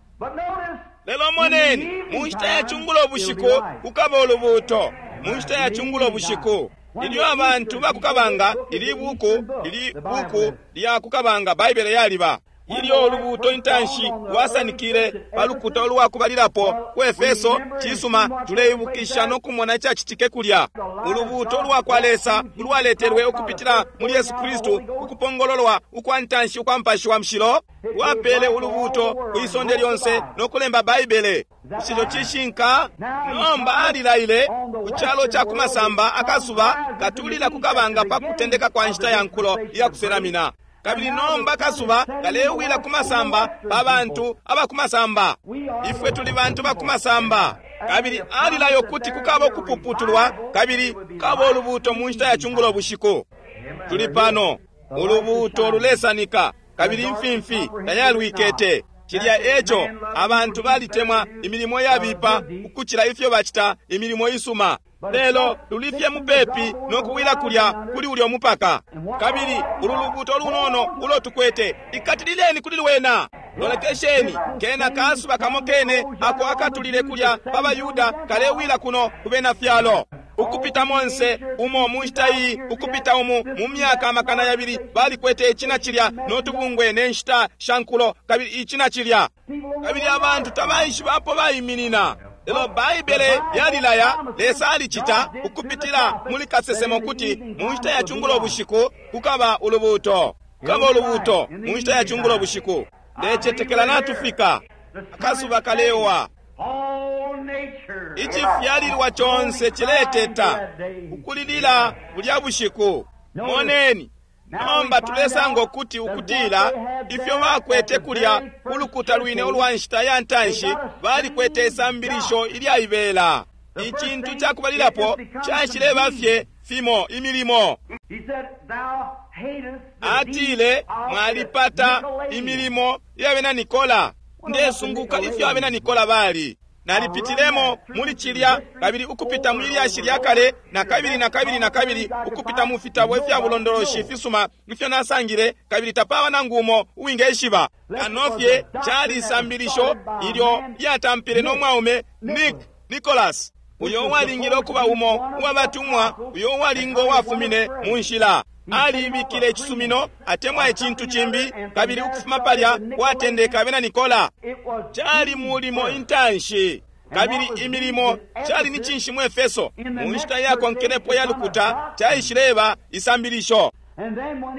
Lelo moneni, mu nshita ya cungulo ubushiku kukaba ulubuuto. Mu nshita ya cungulo ubushiku, ilyo abantu bakukabanga, ili buku ili buku lya kukabanga, Baibele yaliba ilyo ulubuuto intanshi lwasanikile pa lukuta ulwakubalilapo ku Efeso. Cisuma, tuleibukisha no kumona icacitike kulya. Ulubuuto lwa kwa Lesa ulwaletelwe ukupitila muli Yesu Kristu, ukupongololwa ukwa ntanshi ukwa Mupashi wa Mushilo, lwapele ulubuuto ku isonde lyonse no kulemba Baibele. Ico cishinka. Nomba alilaile ku calo ca kumasamba akasuba katulila ku kabanga pa kutendeka kwa nshita ya nkulo iya kuselamina. Kabili nomba kasuba kalewila kumasamba pa bantu abakumasamba. Ifwe tuli bantu bakumasamba. Kabili alilayo kuti kukaba ukupuputulwa, kabili kukaba ulubuuto mu nshita ya cungulo bushiku. Tuli pano, ulubuuto lulesanika, kabili imfimfi tayalwikete. Cilya eco abantu balitemwa imilimo yabipa ukucila ifyo bacita imilimo isuma. Lelo lulifye mupepi no kuwila kulya kuli ulyo mupaka. Kabili ulu lubuuto lunono ulo tukwete, ikatilileni kuli lwena. Lolekesheni, kena kasuba kamo kene ako akatulile kulya pa Bayuda kalewila kuno ku bena fyalo. Ukupita monse umo mu nshita iyi, ukupita umu mu myaka amakana yabili, balikwete icina cilya no tubungwe ne nshita sha nkulo, kabili icina cilya. Kabili abantu tabaishiba apo baiminina. Lelo Baibele yalilaya, Lesa alicita ukupitila muli kasesemo kuti mu nshita ya cungulo bushiku kukaba ulubuuto. Kukaba ulubuuto mu nshita ya cungulo bushiku. Ndecetekela natufika. Akasuba kalewa. Icifyalilwa conse cileteta ukulilila bulya bushiku. Moneni, nomba tulesanga ukuti ukutila ifyo bakwete kulya ulukuta lwine ulwa nshita ya ntanshi, balikwete isambilisho ilyaibela. Icintu cakubalilapo caishileba fye fimo imilimo. Atile, mwalipata imilimo ya bena Nikola. Ndesunguka ifyo abena Nikola bali. Nalipitilemo muli cilya, kabili ukupita mu lyashi lya kale, na kabili na kabili na kabili, ukupita mu fitabo ifya bulondoloshi ifisuma ifyo nasangile, kabili tapaba nangu umo uwingeshiba. Kano fye cali isambilisho ilyo lyatampile no mwaume Nick Nicholas, uyo uwalingile ukuba umo uwabatumwa, uyo uwalinga uwafumine mu nshila. Alibikile icisumino atemwa icintu cimbi, kabili ukufuma palya kwatendeka abena Nikola. Cali mulimo intanshi, kabili imilimo cali ni cinshi mu Efeso. Mu nshita yakonkelepo ya lukuta caishileba isambilisho.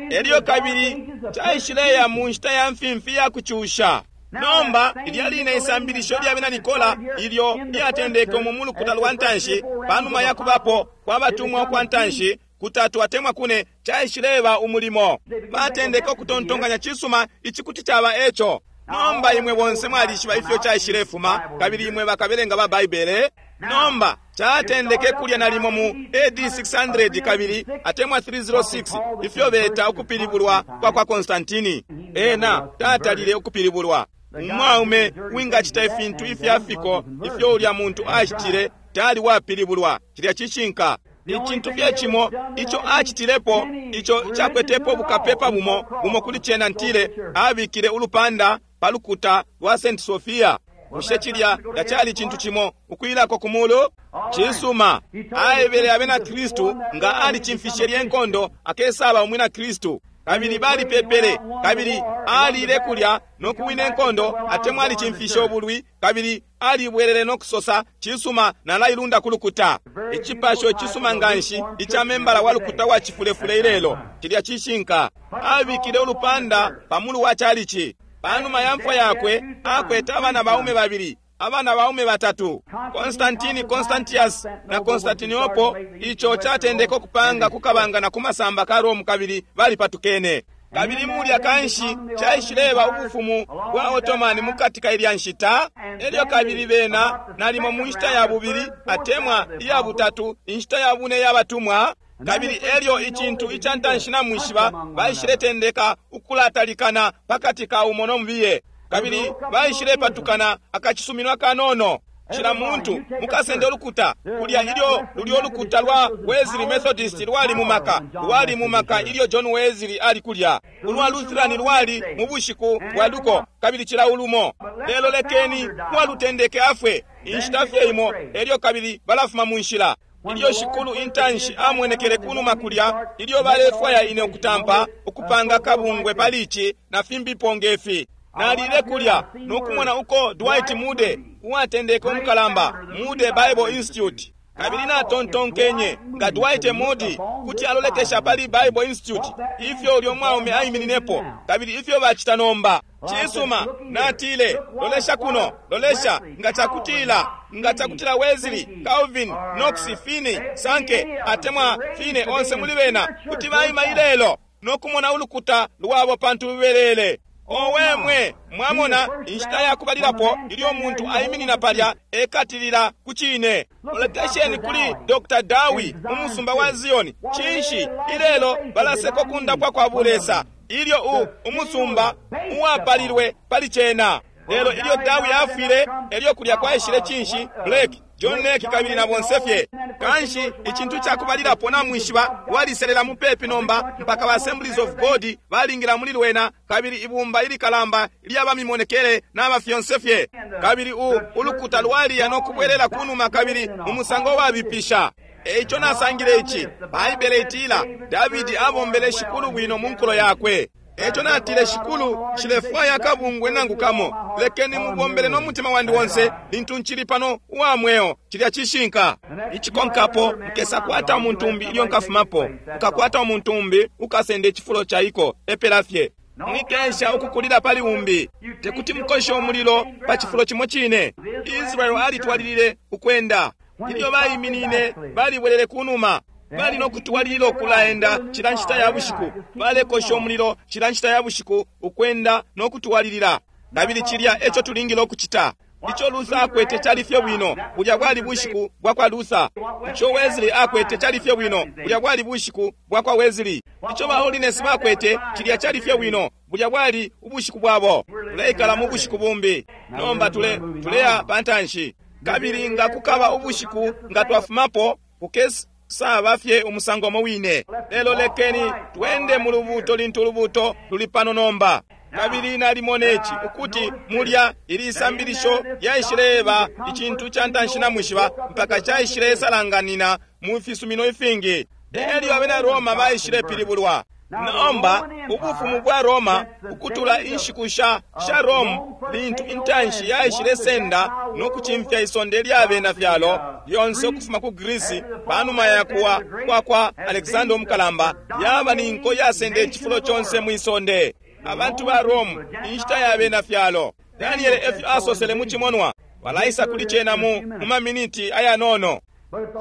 Elyo kabili caishileya mu nshita ya mfimfi ya kucusha. Nomba ilya line isambilisho lya bena Nikola ilyo lyatendeke mu mulukuta lwa ntanshi, panuma ya kubapo kwa batumwa kwa ntanshi kutatu atemwa kune, caishileba umulimo. Batendeke ukutontonkanya, cisuma, ici kuti caba eco. Nomba imwe bonse mwalishiba ifyo caishilefuma, kabili imwe bakabelenga ba Baibele. Nomba catendeke kulya nalimo mu A D six hundred kabili atemwa three oh six, ifyo beta ukupilibulwa kwa kwa Konstantini. Ena tatalile ukupilibulwa. Umwaume wingacita ifintu ifyafiko ifyo ulya muntu acitile tali wapilibulwa. Cilya cishinka. Icintu fye cimo ico acitilepo, ico cakwetepo bukapepa bumo bumo kuli cena, ntile abikile ulupanda pa lukuta lwa Saint Sophia. Bushe cilya tacali cintu cimo ukwilako ku mulu? Cisuma. Aebele abena Kristu nga alicimfishe lye nkondo akesaba umwina Kristu. Kabili balipepele, kabili alile kulya no kuwina enkondo, atemwa alicimfishe ubulwi, kabili alibwelele no kusosa, cisuma, nalailunda ku lukuta. Icipasho icisuma nganshi ica membala wa lukuta wa cifulefule ilelo. Cilya cishinka. Abikile ulupanda pa mulu wa chalichi. Panuma ya mfwa yakwe, akwete abana baume babili, abana baume batatu, Constantine, Constantius na Constantinople. Ico catendeka ukupanga kukabanga na kumasamba ka Rome, kabili balipatukene. Kabili mulya kanshi caishileba ubufumu bwa Ottoman mukati ka ilya nshita. Elyo kabili bena nalimo mu nshita ya bubili atemwa iya butatu, inshita ya bune ya batumwa. Kabili elyo icintu icantanshi namwishiba, baishiletendeka ukulatalikana pakati ka umo no mubiye. Kabili baishilepatukana akacisumino akanono. Cila muntu mukasende ulukuta kulya, ilyo lulyo lukuta lwa Wesley Methodist lwali mu maka, lwali mu maka ilyo John Wesley ali kulya. Ulwa Lutheran lwali mu bushiku bwa luko, kabili cila ulumo. Lelo lekeni uwalutendeke afwe inshita fye imo, elyo kabili balafuma mu nshila. Ilyo Shikulu intanshi amwenekele kunuma kulya, ilyo balefwaya ine ukutampa ukupanga kabungwe pali ici na fimbipo ngefi, nalile kulya nokumona uko Dwight Moody uwatendeke umukalamba Moody Bible Institute. Kabili natontonkenye nga Dwight Moody kuti alolekesha pali Bible Institute, ifyo ulyo mwaume aimininepo, kabili ifyo bacita nomba. Cisuma, natile, lolesha kuno, lolesha, nga cakutila, nga cakutila Wesley, Calvin, Knox, Finney, Sankey, atemwa Finney onse muli bena kuti baima ilelo nokumona ulukuta lwabo pantu lubelele. Owe mwe, mwamona inshita ya kubalilapo ilyo muntu aiminina palya ekatilila ku cine. Lolekesheni kuli Doctor Dawi mu musumba wa Zion. Cinshi ilelo balaseko kundapwa kwa bulesa, ilyo u umusumba uwapalilwe pali cena. Lelo ilyo Dawi afwile, elyo kulya kwaishile cinshi? Blake, John Lake kabili na bonse fye. Kanshi icintu cakubalilapo namwishiba waliselela mupepi nomba mpaka ba Assemblies of God balingila muli lwena, kabili ibumba ilikalamba lyabamimonekele naba fyonse fye. Kabili u ulukuta lwaliya no kubwelela kunuma kabili mu musango wabipisha. Eico nasangile ici, Baibele itila Davidi abombele Shikulu bwino mu nkulo yakwe. Eco natile, Shikulu, nshilefwaya akabungwe nangu kamo, lekeni mubombele no mutima wandi wonse lintu ncili pano uwa mweo. Cilya cishinka. Icikonkapo mukesa kwata umuntu umbi ilyo nkafumapo, mukakwata umuntu umbi ukasenda icifulo caiko. Epela fye. Mwikesha ukukulila pali umbi. Tekuti mukoshe umulilo pa cifulo cimo cine. Israel alitwalilile ukwenda. Ilyo baiminine balibwelele kunuma. Bali no kutwalilila ukulaenda cila nshita ya bushiku, balekosha umulilo cila nshita ya bushiku, ukwenda no kutwalilila. Kabili cilya eco tulingile ukucita. Ico Luther akwete cali fye bwino, bulya bwali bushiku bwa kwa Luther. Ico Wesley akwete cali fye bwino, bulya bwali bushiku bwa kwa Wesley. Ico ba Holiness bakwete cilya cali fye bwino, bulya bwali ubushiku bwabo. Tuleikala mu bushiku bumbi. Nomba tule tuleya pantanshi. Kabili nga kukaba ubushiku nga twafumapo, kukesi saba fye umusango umo wine. Lelo lekeni twende mu lubuto lintu ulubuto luli pano nomba. Kabili nalimona ici ukuti mulya ili isambilisho lyaishileba icintu ca ntanshi namwishiba mpaka caishilesalanganina mu fisumino ifingi. Elyo abena Roma baishilepilibulwa. Nomba ubufumu bwa Roma ukutula inshiku sha sha Rome lintu intanshi yaishilesenda no kucimfya isonde lya bena fyalo lyonse ukufuma ku Greece panuma ya kuwa kwa kwa Alexander Umukalamba, yaba ni nko yasenda icifulo conse mwi sonde. Abantu ba Rome inshita ya bena fyalo. Daniel efyo asosele mu cimonwa, balaisa kuli cena mu mu maminiti ayanono.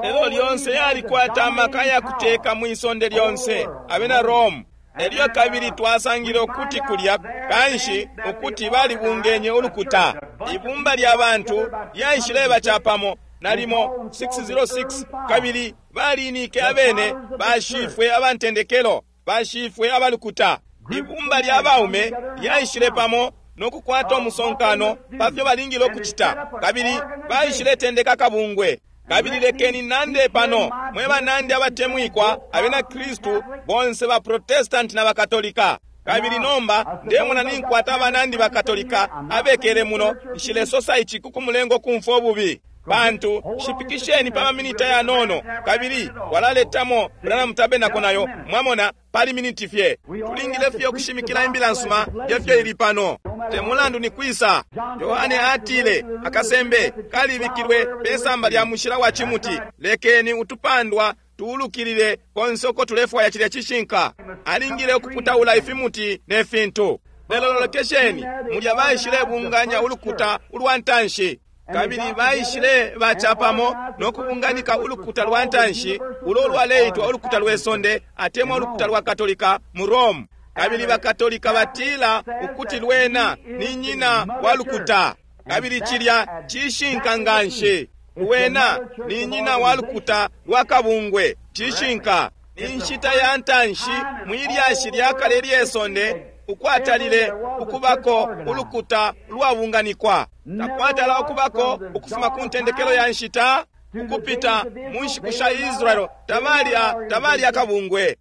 Lelo lyonse yalikwata amaka ya kuteka mwi sonde lyonse abena Rome. Elyo kabili twasangile ukuti kulya kanshi ukuti balibungenye ulukuta. Ibumba lya bantu lyaishileba capamo nalimo six oh six, kabili balinike abene bashifwe abantendekelo bashifwe abalukuta. Ibumba lya baume lyaishile pamo no kukwata umusonkano pafyo balingile ukucita, kabili baishiletendeka kabungwe. Kabili lekeni nande pano mwe banandi abatemwikwa abena Kristu bonse ba Protestant na Bakatolika. Kabili nomba ndemona ninkwata abanandi bakatolika abekele muno. Nshilesosa ici kukumulenga ukumfwa ububi, pantu shipikisheni pa maminiti ayanono, kabili walaletamo Branham Tabernacle nayo, mwamona, pali miniti fye. Tulingile fye ukushimikila imbila nsuma yefyo ili pano. Te mulandu ni kwisa. Yohane atile akasembe kalibikilwe pesamba lya mushila wa chimuti, lekeni utupandwa tuulukilile konse uko tulefwaya. Cilya cishinka. Alingile ukuputaula ifimuti ne fintu. Lelo lolekesheni, mulya baishile bunganya ulukuta ulwa ntanshi, kabili baishile bacapamo no kubunganika ulukuta lwa ntanshi ulo lwaleitwa ulukuta lwe sonde atemwa ulukuta lwa Katolika mu Rome. Kabili bakatolika batila ukuti lwena ni nyina wa lukuta, kabili cilya cishinka nganshi. Lwena ni nyina wa lukuta lwa kabungwe, cishinka. Inshita ya ntanshi mwilyashi lya kale lye sonde ukwatalile ukubako ulukuta lwabunganikwa, takwatala ukubako ukufuma ku ntendekelo ya nshita ukupita mu nshiku sha Israeli. Tabali tabali akabungwe,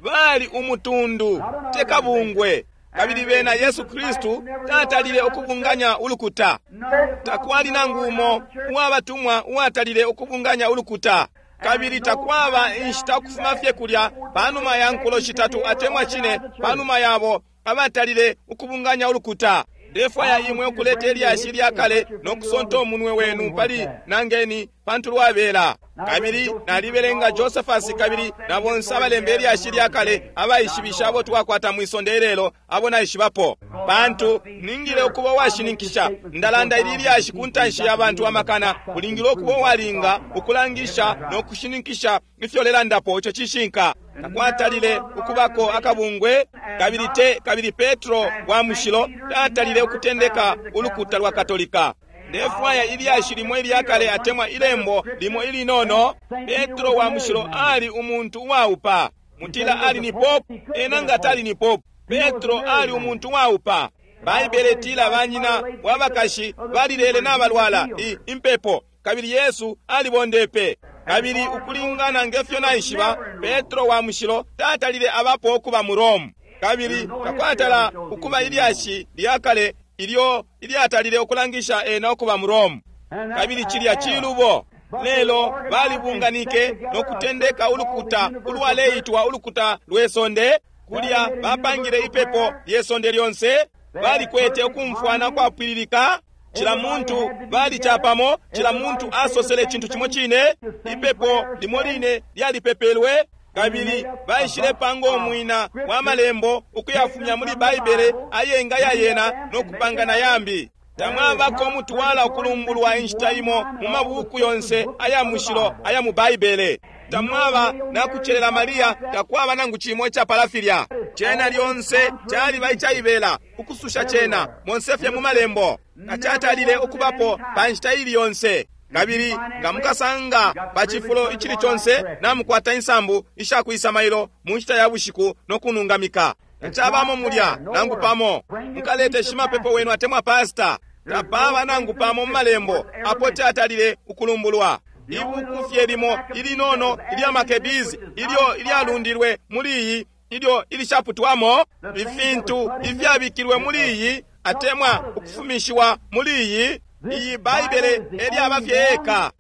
bali umutundu, te kabungwe. Kabili bena Yesu Kristu tatalile ukubunganya ulukuta. Takwali nangu umo uwabatumwa uwatalile ukubunganya ulukuta. Kabili takwaba inshita ukufuma fye kulya panuma ya nkulo shitatu atemwa cine panuma yabo abatalile ukubunganya ulukuta. Ndefwaya imwe ukuleta ilyashi lya kale no kusonta umunwe wenu pali nangeni pantu lwabela. Kabili nalibelenga Josephus kabili na bonse abalemba ilyashi lya kale abaishibisha abo twakwata mwisonde ilelo abo naishibapo, pantu ningile ukuba uwashininkisha. Ndalanda ili lyashi ku ntanshi ya bantu amakana. Ulingile ukuba uwalinga ukulangisha no kushininkisha ifyo lelandapo. Ico cishinka. Takwatalile ukubako akabungwe, kabili te kabili Petro wa mushilo tatalile ukutendeka ulukuta lwa Katolika. Ndefwaya ilyashi limo ilyakale atemwa ilembo limo ilinono. Petro wa mushilo ali umuntu uwaupa. Mutila ali ni pope? Ena nga tali ni pope. Petro ali umuntu uwaupa. Baibele tila banyina wabakashi balilele n'abalwala impepo, kabili Yesu alibondepe. Kabili ukulingana ngefyo naishiba, Petro wa mushilo tatalile abapo ukuba mu Rome, kabili takwatala ukuba ilyashi lyakale ilyo ilyatalile ukulangisha ena ukuba mu Rome, kabili cilya cilubo. Lelo balibunganike no kutendeka ulukuta ulwaleitwa ulukuta lwe sonde. Kulya bapangile ipepo lye sonde lyonse. Balikwete ukumfwana kwapwililika, cila muntu bali capamo, cila muntu asosele icintu cimo cine, ipepo limo line lyalipepelwe. Kabili baishile panga umwina wa malembo ukuyafumya muli Baibele ayenga yayena no kupanga na yambi. Tamwabako umutwala ukulumbulwa inshita imo mu mabuku yonse aya mushilo aya mu Baibele. Tamwaba nakucelela Maria, takwaba nangu cimo icapala filya. Cena lyonse caliba icaibela ukususha cena monse fye mu malembo. Tacatalile ukubapo pa nshita ili yonse. Kabili nga mukasanga pa cifulo icili conse namukwata insambu ishakwisa mailo mu nshita ya bushiku no kunungamika. Tacabamo mulya nangu pamo. Mukalete shimapepo wenu atemwa pasta. Tapaba nangu pamo mu malembo apo catalile ukulumbulwa. Ibuku fye limo ilinono ilya Makebizi ilyo ilyalundilwe muli iyi, ilyo ilishaputwamo, ifintu ifyabikilwe muli iyi atemwa ukufumishiwa muli iyi. Iyi Baibele elyaba fye eka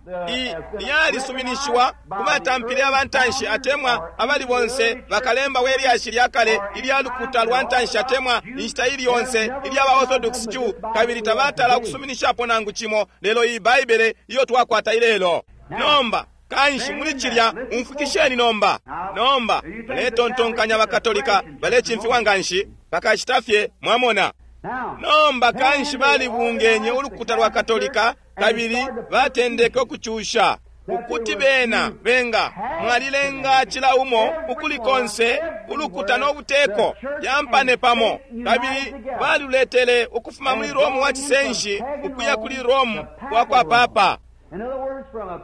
lyalisuminishiwa ku batampile abantanshi atemwa abali bonse bakalemba we lyashi lya kale ilya lukuta lwa ntanshi atemwa inshita ili yonse ilya ba Orthodox Jew, kabili tabatala ukusuminishapo nangu cimo lelo iyi Baibele iyo twakwata ilelo. Nomba kanshi muli cilya umfwikisheni nomba. Nomba muletontonkanya bakatolika balecimfiwa nganshi bakacita fye, mwamona. Nomba kanshi balibungenye ulukuta lwa Katolika kabili batendeke ukucusha ukuti bena benga mwalilenga cila umo ukuli konse ulukuta no buteko yampane pamo, kabili baluletele ukufuma muli Rome wa cisenshi ukuya kuli Rome wa kwa papa.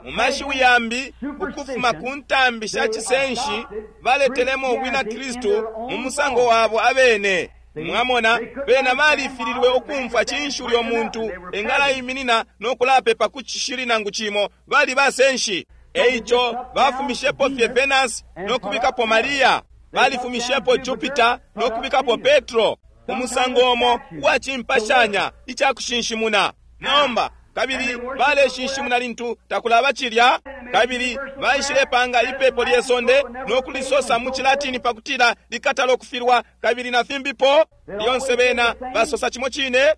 Mu mashiwi yambi, ukufuma ku ntambi sha cisenshi baletelemo ubwina Kristu mu musango wabo abene. Mwamona, bena balifililwe ukumfwa cinshi ulyo muntu engalaiminina no kulapepa ku cishili nangu cimo. Bali basenshi. Eico bafumishepo fye Venus no kubikapo Maria. Balifumishepo Jupiter no kubikapo Petro, umusango umo uwacimpashanya icakushinshimuna. Nomba kabili baleshinshimuna lintu takulaba cilya, kabili baishilepanga ipepo lye sonde no kulisosa mu Cilatini pakutila likatala okufilwa, kabili na fimbipo. Lyonse bena basosa cimo cine.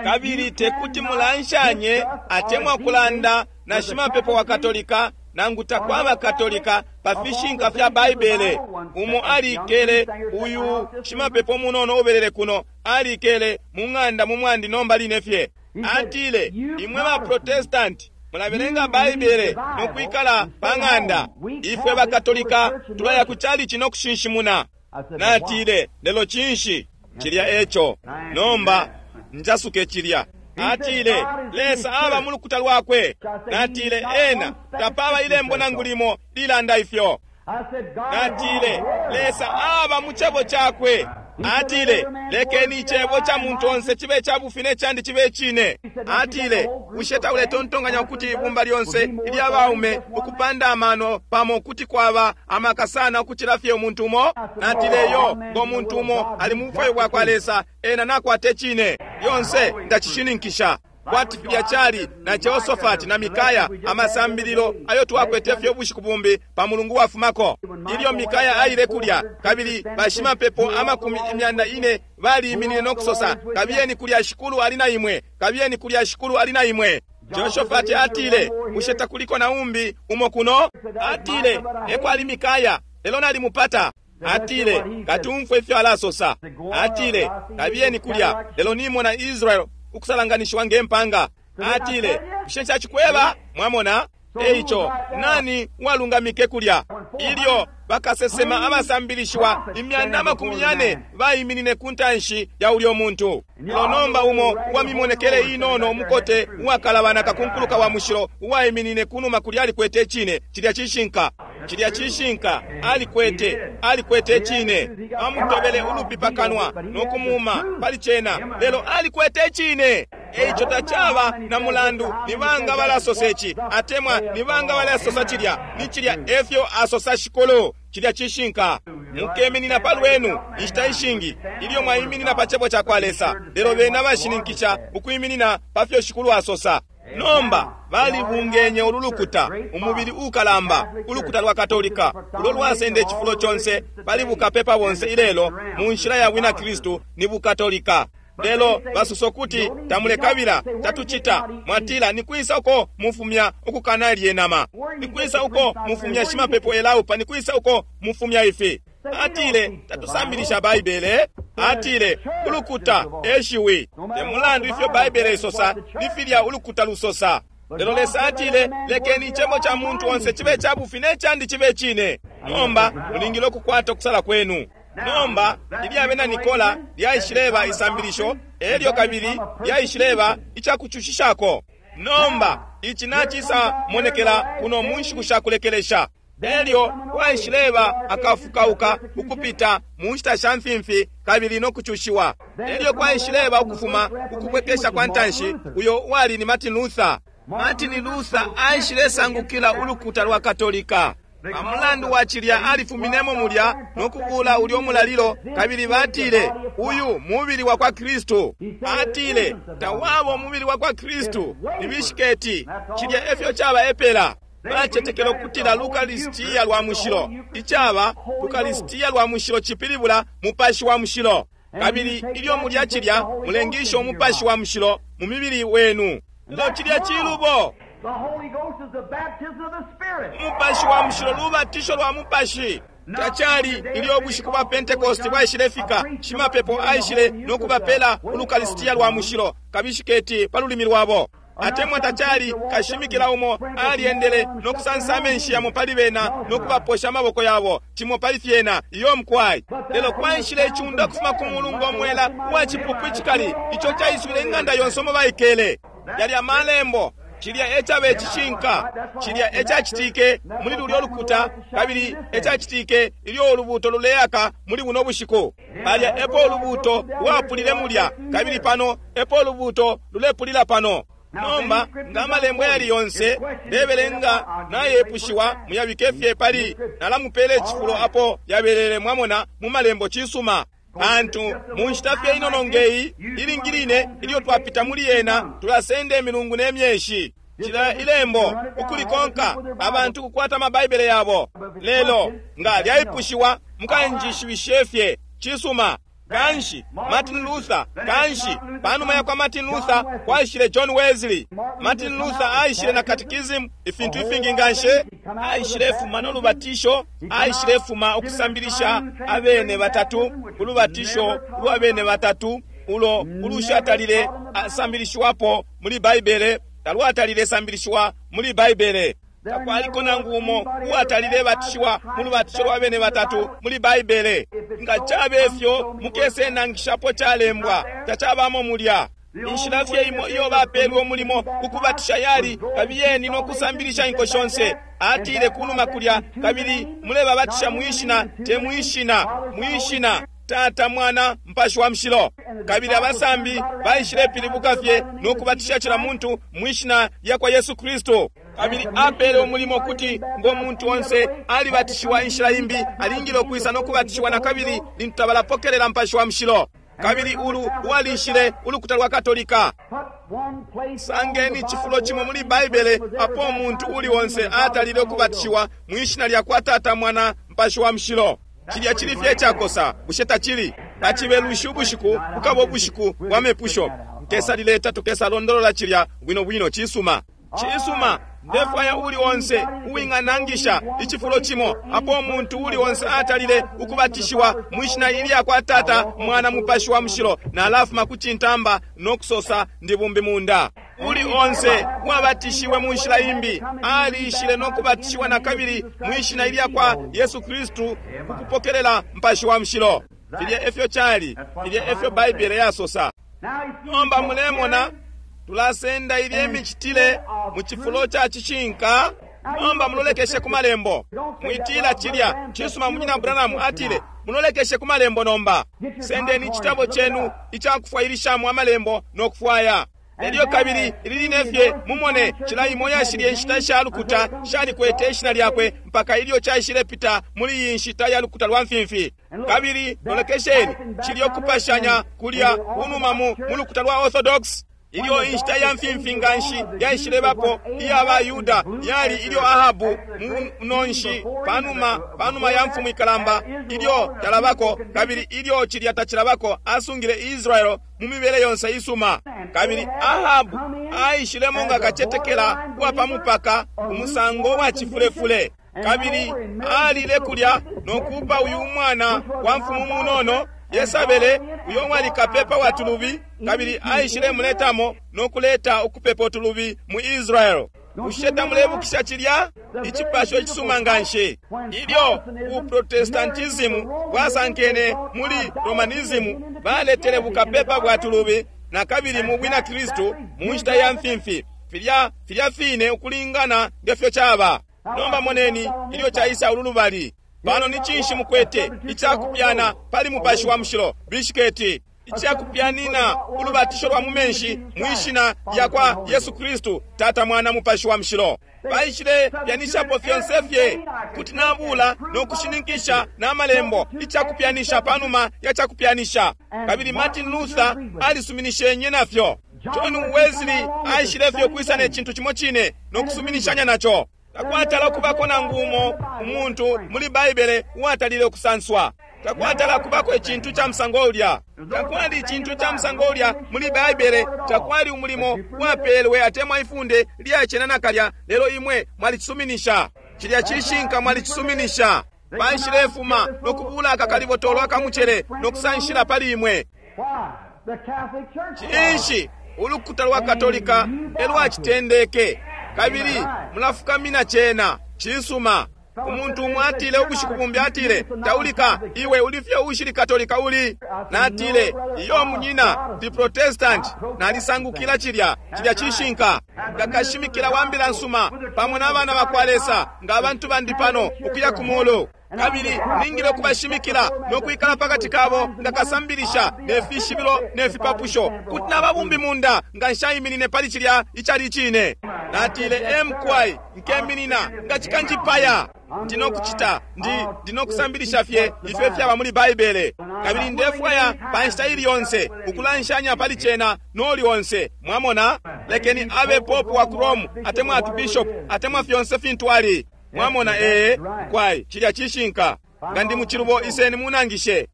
Kabili tekuti mulanshanye atemwa kulanda na shimapepo wa Katolika nangu takwaba Katolika pa fishinka fya Baibele. Umo alikele, uyu shimapepo munono ubelele kuno, alikele mu ng'anda mu mwandi nomba line fye. Atile, imwe ba Protestant mulabelenga Baibele no kwikala pa ng'anda, ifwe ba Katolika tulaya ku chalichi no kushinshimuna. Natile, lelo cinshi cilya eco? Nomba njasuke cilya. Atile, Lesa aba mu lukuta lwakwe. Natile, ena tapaba ilembo nangu limo lilanda ifyo. Natile, Lesa aba mu cebo cakwe. Atile, lekeni icebo ca muntu onse chibe ca bufi ne candi chibe chine. Atile, bushe tauletontonkanya ukuti ibumba lyonse ilya baume ukupanda amano pamo kuti kwaba amaka sana ukucila fye umuntu umo? Natile, yo ngo muntu umo ali mu bufwayo bwa kwa Lesa, ena nakwate chine. Lyonse ndacishininkisha. Kwati filya cali na Jehoshaphat na Mikaya, amasambililo ayo twakwete fye ubushiku bumbi pa mulungu wafumako. Ilyo Mikaya aile kulya, kabili bashimapepo amakumi imyanda ine baliiminine no kusosa, kabiyeni kulya shikulu ali na imwe, kabiyeni kulya shikulu ali na imwe. Jehoshaphat atile, bushe takuliko na umbi umo kuno? Atile, ekwali Mikaya, lelo nalimupata. Atile, katumfwe ifyo alasosa. Atile, kabiyeni kulya, lelo nimona Israel ukusalanganishiwa ngempanga. Atile, bushe ncacikweba? Mwamona? Eico nani walungamike kulya? Ilyo bakasesema abasambilishiwa imyanda amakumi yane baiminine ku ntanshi ya ulyo muntu. Lelo nomba umo uwamimonekele inono umukote uwakalabana kakunkuluka wa mushilo uwaiminine kunuma kulya alikwete icine. Cilya cishinka, cilya cishinka, alikwete, alikwete icine. Amutobele ulupi pakanwa no kumuma pali cena, lelo alikwete icine. Eico tacaba na mulandu ni banga balasosa ici atemwa ni banga balasosa cilya, ni cilya efyo asosa shikulu. Cilya cishinka. Mukeminina pa lwenu inshita ishingi ilyo mwaiminina pa cebo ca kwa Lesa, lelo bena bashininkisha ukwiminina pa fyo shikulu asosa. Nomba balibungenye ulu lukuta, umubili ukalamba, ulukuta lwa Katolika ulo lwasenda icifulo conse pali bukapepa bonse ilelo mu nshila ya bwina Kristu ni bukatolika. Lelo basosa kuti tamulekabila, tatucita. Mwatila, nikwisa uko mufumya ukukana lyenama? Nikwisa uko mufumya shimapepo elaupa? Nikwisa uko mufumya ifi? Atile, tatusambilisha Baibele. Atile, ulukuta eshiwi. Te mulandu ifyo Baibele isosa, ni filya ulukuta lusosa. Lelo Lesa atile, lekeni icebo ca muntu onse chibe ca bufi ne candi chibe chine. Nomba mulingile ukukwata okusala kwenu. Nomba ilya bena Nikola lyaishileba isambilisho, elyo kabili lyaishileba icakucushishako. Nomba ici nacisa monekela kuno mu nshiku sha kulekelesha. Elyo kwaishileba akafukauka ukupita mu nshita sha mfimfi kabili no kucushiwa. Elyo kwaishileba ukufuma ukubwekesha kwa ntanshi, uyo wali ni Martin Luther. Martin Luther aishilesangukila ulukuta lwa Katolika. Pamulandu wa cilya alifuminemo mulya no kubula ulyo mulalilo, kabili batile uyu mubili wa kwa Kristu. Atile tawaba umubili wa kwa Kristu, ni bishiketi. Cilya efyo caba epela. Bacetekela ukutila Lukalisitiya lwa mushilo, icaba Lukalisitiya lwa mushilo cipilibula mupashi wa mushilo, kabili ilyo mulya cilya mulengisha umupashi wa mushilo mu mibili wenu. Lelo cilya cilubo. Umupashi wa mushilo lubatisho lwa mupashi. Tacali ilyo ubushiku bwa Pentecost bwaishilefika, shimapepo aishile no kubapela ulukalisitiya lwa mushilo kabishiketi pa lulimi lwabo. Atemwa tacali kashimikila umo aliendele no kusansa amenshi yamo pali bena no kubaposha amaboko yabo cimo pali fyena iyo mkwai. Lelo kwaishile icunda kufuma ku mulungu omwela uwa cipupu icikali ico caiswile ing'anda yonse omo baikele. Yali amalembo. Cilya ecabe cishinka, cilya ecacitike muli lulyo lukuta, kabili ecacitike ilyo ulubuto luleaka muli buno bushiku. Palya epo ulubuto lwapulile mulya, kabili pano epo ulubuto lulepulila pano. Nomba nga amalembo yali yonse ndebelenga nayepushiwa, muyabike fye pali nalamupela icifulo apo yabelele, mwamona, mu malembo. Cisuma. Pantu mu nshita fye inono ngeyi ilingi line ilyo twapita muli yena tulasenda imilungu ne myeshi cila ilembo ukulikonka, abantu kukwata amabaibele yabo. Lelo nga lyaipushiwa mukanjishibishe fye. Cisuma. Kanshi Martin Luther, kanshi panuma ya kwa Martin Luther kwaishile John Wesley. Martin Luther aishile na catechism, ifintu ifingi nganshi. Aishile fuma no lubatisho, aishile fuma ukusambilisha abene batatu, ulubatisho lwa bene batatu ulo ulushatalile asambilishiwapo muli Baibele, talwatalile sambilishiwa muli Baibele. Takwaliko nangu umo uwatalile batishiwa mu lubatisho lwa bene batatu muli Baibele. Nga cabe fyo mukese nangishapo calembwa, tacabamo mulya. Inshila fye imo iyo bapelwe umulimo ukubatisha yali kabiyeni no kusambilisha inko shonse. Atile kunuma kulya, kabili mulebabatisha mwishina, te mwishina, mwishina Tata, Mwana, Mpashi wa Mushilo. Kabili abasambi baishile pilibuka fye no kubatisha cila muntu mwishina lya kwa Yesu Kristo. Kabili apele umulimo kuti ngo muntu onse alibatishiwa inshila imbi alingile ukwisa no kubatishiwa na kabili lintu tabalapokelela Mpashi wa Mushilo. Kabili ulu uwalishile ulukuta lwa Katolika. Sangeni cifulo cimo muli Baibele apo umuntu uli onse atalile ukubatishiwa mwishina lya kwa Tata, Mwana, Mpashi wa Mushilo. Cilya cili fye cakosa, bushe tacili? Pacibelushi ubushiku bukaba ubushiku bwa mepusho. Nkesalileta tukesalondolola cilya bwino bwino. Cisuma. Cisuma. Ndefwaya uli onse uwinganangisha icifulo cimo apo umuntu uli onse atalile ukubatishiwa mwishina ilya kwa Tata, Mwana, Mupashi wa Mushilo, nalafuma ku cintamba no kusosa ndi bumbi munda. Uli onse uwabatishiwe mu nshila imbi alishile no kubatishiwa na kabili mwishina ilya kwa Yesu Kristu kukupokelela Mpashi wa Mushilo. Filya efyo cali, filya efyo Baibele yasosa. Nomba mulemona tulasenda ilye micitile mu cifulo ca cishinka. Nomba mulolekeshe ku malembo. Mwitila cilya cisuma. Munyina Branham atile mulolekeshe ku malembo. Nomba sendeni icitabo cenu icakufwailishamo amalembo no kufwaya. Elyo kabili ili line fye mumone cila imo yashilye nshita sha lukuta shalikwete ishina lyakwe mpaka ilyo caishile pita muli iyi nshita ya lukuta lwa mfimfi. Kabili lolekesheni cilya kupashanya kulya kunuma mu lukuta lwa Orthodox. Ilyo inshita ya mfimfi nganshi yaishilebapo iya ba Yuda yali ilyo Ahabu munonshi panuma panuma ya mfumu ikalamba ilyo talabako, kabili ilyo cilya tacilabako asungile Israel mu mibele yonse isuma. Kabili Ahabu aishilemo nga kacetekela uwa pa mupaka, umusango wa cifulefule, kabili alile kulya no kupa uyu mwana wa mfumu munono Yesabele, uyo wali kapepa wa tulubi, kabili aishile muletamo no kuleta ukupepa tulubi mu Israel. Bushe tamulebukisha cilya icipasho icisuma nganshi? Ilyo uprotestantism bwasankene muli Romanism, baletele bukapepa bwa tulubi na kabili mu bwina Kristu mu nshita ya mfimfi. Filya filya fine ukulingana ngefyo caba. Nomba moneni ilyo caisa ululubali. Pano ni cinshi mukwete icakupyana pali Mupashi wa Mushilo, bishiketi icakupyanina ulubatisho lwa mu menshi mwishina lya kwa Yesu Kristu, Tata, Mwana, Mupashi wa Mushilo. Baishile pyanishapo fyonse fye kuti nabula no kushininkisha na malembo icakupyanisha panuma ya cakupyanisha. Kabili Martin Luther alisuminishenye nafyo. John Wesley aishile fye kwisa ne cintu cimo cine no kusuminishanya naco. Takwatala kubako nangu umo umuntu muli Baibele uwatalile ukusanswa. Takwatala kubako icintu ca musango ulya. Takwali icintu ca musango ulya muli Baibele. Takwali umulimo wapelwe atemwa ifunde lyacena nakalya, lelo imwe mwalicisuminisha. Cilya cishinka, mwalicisuminisha. Baishilefuma no kubula akakalibotolo akamucele no kusanshila pali imwe. Cinshi? Ulukuta lwa Katolika elwacitendeke, kabili mulafukamina cena. Cisuma. Umuntu umwe atile ubushiku bumbi, atile, taulika iwe ulifye ushili Katolika uli. Natile, iyo munyina, ndi Protestant, nalisangukila cilya. Cilya cishinka. Ngakashimikila wa mbila nsuma pamo n'abana bakwa Lesa nga abantu bandi pano ukuya ku mulu. Kabili ningile ukubashimikila no kwikala pakati kabo nga kasambilisha ne fishibilo ne fipapusho. Kuti nababumbi munda nga nshaiminine pali cilya icali icine. Natile, emkwai nkeminina nga cikanjipaya. Ndi nokucita, ndi ndi nokusambilisha fye ifyo fyaba muli Baibele. Kabili ndefwaya pa nshita ili yonse ukulanshanya pali cena noli onse. Mwamona? Lekeni abe popu wa ku Rome, atemwa archbishop, atemwa fyonse fintu ali. Mwamona? Ee, kwai cilya cishinka. Nga ndi muchilubo, iseni munangishe.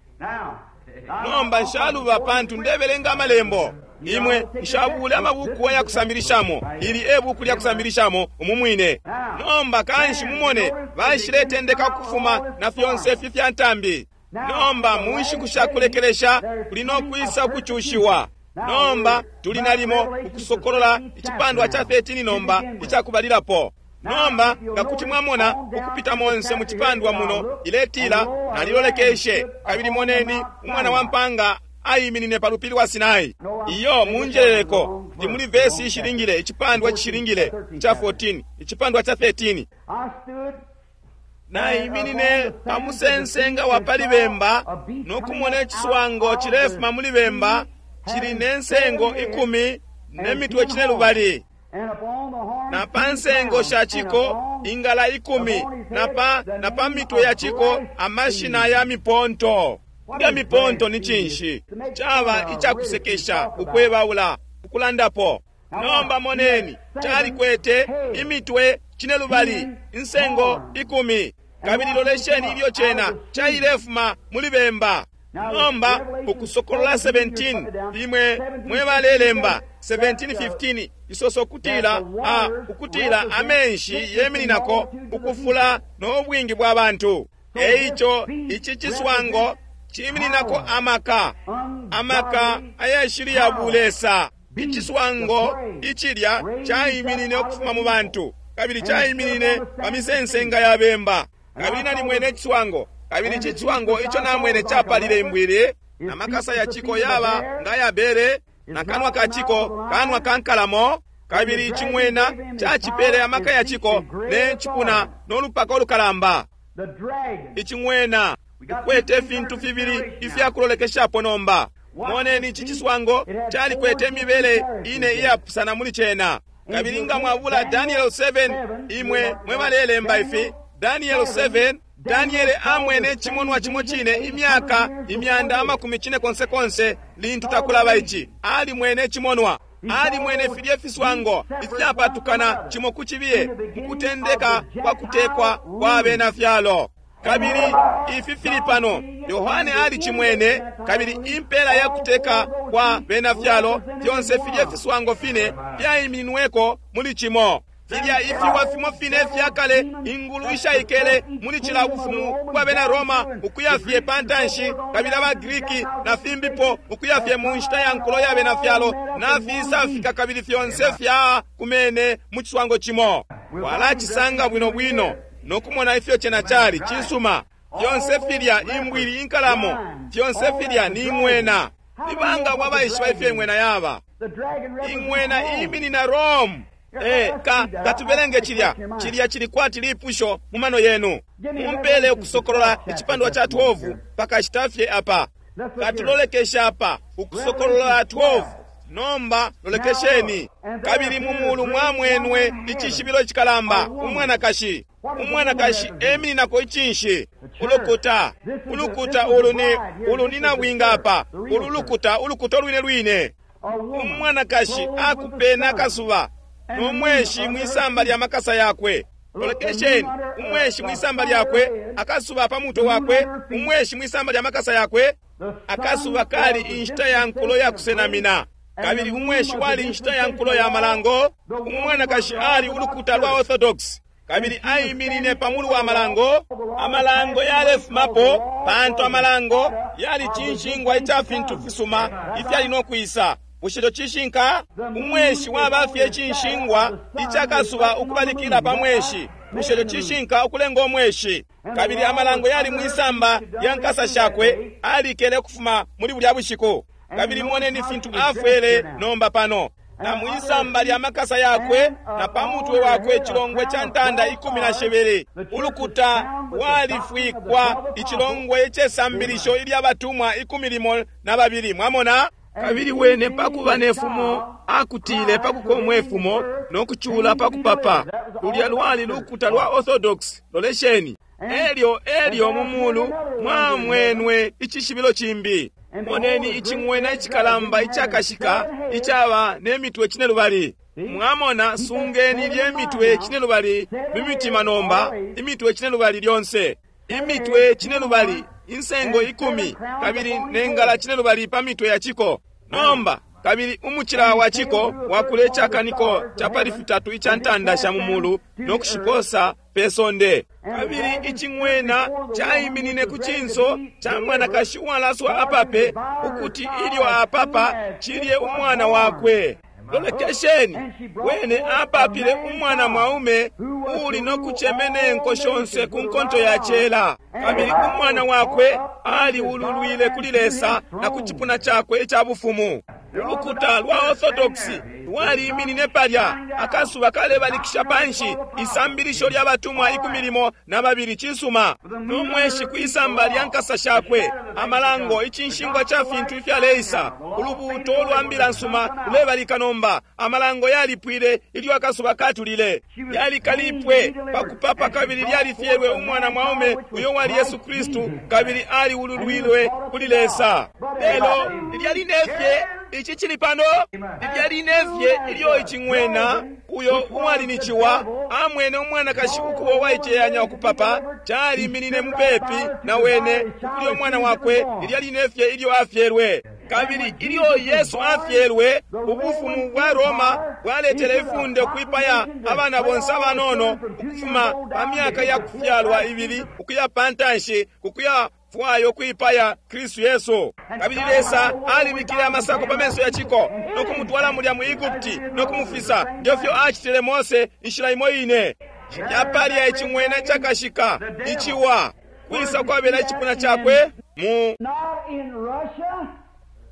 Nomba nshaluba pantu ndebelenga amalembo. Imwe nshabule amabuku aya kusambilishamo. Ili e buku lya kusambilishamo umu mwine. Nomba kanshi mumone baishiletendeka kufuma na fyonse ifi fya ntambi. Nomba mu nshiku sha kulekelesha kuli no kwisa ukucushiwa. Nomba tuli nalimo ukusokolola icipandwa cha thirteen nomba icakubalilapo. Nomba nga kuti mwamona ukupita monse mu cipandwa muno iletila nalilolekeshe kabili moneni umwana wa mpanga aiminine pa lupili wa Sinai. Iyo munjeleleko ndi muli vesi ishilingile icipandwa chishilingile cha fourteen icipandwa cha thirteen. Naiminine pa musensenga wa pali bemba no kumona iciswango chilefuma muli bemba chili ne nsengo ikumi ne mitwe chine lubali. Na pa nsengo sha chiko ingala ikumi na pa na pa mitwe ya chiko amashina ya miponto. Nga miponto ni chinshi chaba ichakusekesha ukwebaula ukulandapo. Nomba moneni chalikwete imitwe chine lubali insengo ikumi kabili lolesheni ilyo chena chailefuma muli bemba. Nomba ukusokolola seventeen imwe mwebalelemba seventeen fifteen isoso kutila a ukutila amenshi yemininako ukufula no bwingi bwa bantu. Eicho ichi chiswango chimininako amaka amaka ayashili ya bulesa. Ichiswango ichilya chaiminine ukufuma mu bantu kabili chaiminine pa misensenga ya bemba. Kabili nalimwene ichiswango kabili ichiswango icho namwene chapalile imbwili na makasa ya chiko yaba nga ya bere na kanwa ka chiko kanwa kankalamo. Kabili ichimwena chachipele amaka ya chiko ne chipuna n'olupaka olukalamba. Ichimwena ukwete fintu fibili ifyakulolekeshapo nomba. Moneni ichi chiswango chalikwete imibele ine iyapusana muli chena. Kabili nga mwabula Daniel seven imwe mwebalelemba ifi Daniel seven Daniel amwene chimonwa chimo chine imyaka imyanda amakumi chine konse konse lintu takulaba ichi ali mwene chimonwa ali mwene filye fiswango ifyapatukana chimo kuchibiye mukutendeka kwa kutekwa kwa bena fyalo. Kabili ifi fili pano Yohane ali chimwene kabili impela ya kuteka kwa bena fyalo fyonse filye fiswango fine fyaiminweko muli chimo. Filya ifiwa fimo fine fyakale ingulu ishaikele muli chila bufumu kwa bena Roma ukuyafye pantanshi kabili abaGriki na fimbipo ukuyafye mu nshita ya nkulo ya bena fyalo na fisafika kabili fyonse fya kumene mu chiswango chimo. Walachisanga bwino bwino nokumona ifyo chena chali chisuma. Fyonse filya imbwili inkalamo fyonse filya ni ing'wena. Nibanga bwabaishiba ifyo ing'wena yaba. Ing'wena iminina Rome. Eh, ka katubelenge chilya chilya chili kwati lipusho mu mano yenu. Mumpele ukusokolola icipandwa cha twelve pakashitafye apa. Katulolekesha apa ukusokolola twelve. Nomba lolekesheni kabili mumulu mwamwenwe icishibilo chikalamba umwanakashi umwanakashi emininako ichinshi ulukuta ulukuta ulu ni ulu ni nabwinga apa ulu lukuta ulukuta lwine lwine umwanakashi akupena kasuba no mweshi mwisamba lya makasa yakwe. Lolekesheni umweshi mwisamba lyakwe akasuba pa mutwe wakwe umweshi mwisamba lya makasa yakwe akasuba kali inshita ya nkulo ya kusenamina kabili umweshi wali inshita ya nkulo ya malango. Umwanakashi ali ulukuta lwa Orthodox kabili aiminine pamulu wa malango. Amalango yalefumapo pantu amalango yali chinshingwa icha fintu fisuma ifyali nokwisa. Bushe chishinka umweshi wabafye chinshingwa ichakasuba ukubalikila pa mweshi. Bushe chishinka ukulenga umweshi. Kabili amalango yali mwisamba ya nkasa shakwe alikele kufuma muli bulya bushiku. Kabili moneni fintu afwele nomba pano. Na mwisamba lya makasa yakwe na pa mutwe wakwe chilongwe cha ntanda ikumi na shibili. Ulukuta walifwikwa ichilongwe ichesambilisho ilya batumwa ikumi limo na babili. Mwamona? Kabili wene pakuba nefumo akutile pakukomwe fumo nokuchula pakupapa. Lulya lwali lukuta lwa Orthodox. Lolesheni. Elyo elyo mumulu mwamwenwe ichishibilo chimbi. Moneni iching'wena ichikalamba ichakashika ichaba nemitwe chine lubali. Mwamona, sungeni lye mitwe chine lubali mimitima nomba, imitwe chine lubali lyonse. Imitwe chine lubali, insengo ikumi, kabili nengala chine lubali pa mitwe ya chiko. Nomba kabili umuchila wa chiko wakule chakaniko chapali fitatu icha ntanda sha mumulu nokushiposa pesonde. Kabili iching'wena chaiminine ku chinso cha mwanakashi uwalaswa apape, ukuti ilyo apapa chilye umwana wakwe. Lolekesheni, wene apapile umwana mwaume uli nokuchemene nko shonse ku nkonto ya chela. Kabili umwana wakwe aliululwile kuli Lesa na ku chipuna chakwe icha bufumu. Ulukuta lwa Orthodox lwaliiminine palya, akasuba kalebalikisha panshi isambilisho lya batumwa ikumi limo na babili. Chisuma n'umweshi kwisamba lya nkasa shakwe, amalango ichinshingwa cha fintu ifyaleisa, ulubuuto lwa mbila nsuma lulebalika nomba. Amalango yalipwile ilyo akasuba katulile, yalikalipwe pakupapa, kabili lyalifyelwe umwana mwaume uyo wali Yesu Kristu, kabili aliululwilwe kuli Lesa. Lelo lyalinefye ichi chili pano, lyalinefye ilyo iching'wena uyo uwali ni chiwa amwene umwanakashi ukubo waicheyanya okupapa, chaliminine mupepi na wene ukulya umwana wakwe. Lyalinefye ilyo afyelwe. Kabili ilyo Yesu afyelwe, ubufumu bwa Roma bwaletele ifunde ukwipaya abana bonse abanono ukufuma pa myaka ya kufyalwa ibili ukuya pantanshi, kukuya fwayo kwipaya Kristu Yesu. Kabili Lesa alibikile amasako pa menso ya chiko nokumutwala mulya mu Egupti nokumufisa. Ndefyo achitile Mose inshila imo ine. Yapalya iching'wena chakashika ichiwa kwisa kwabela ichipuna chakwe mu Not in Russia,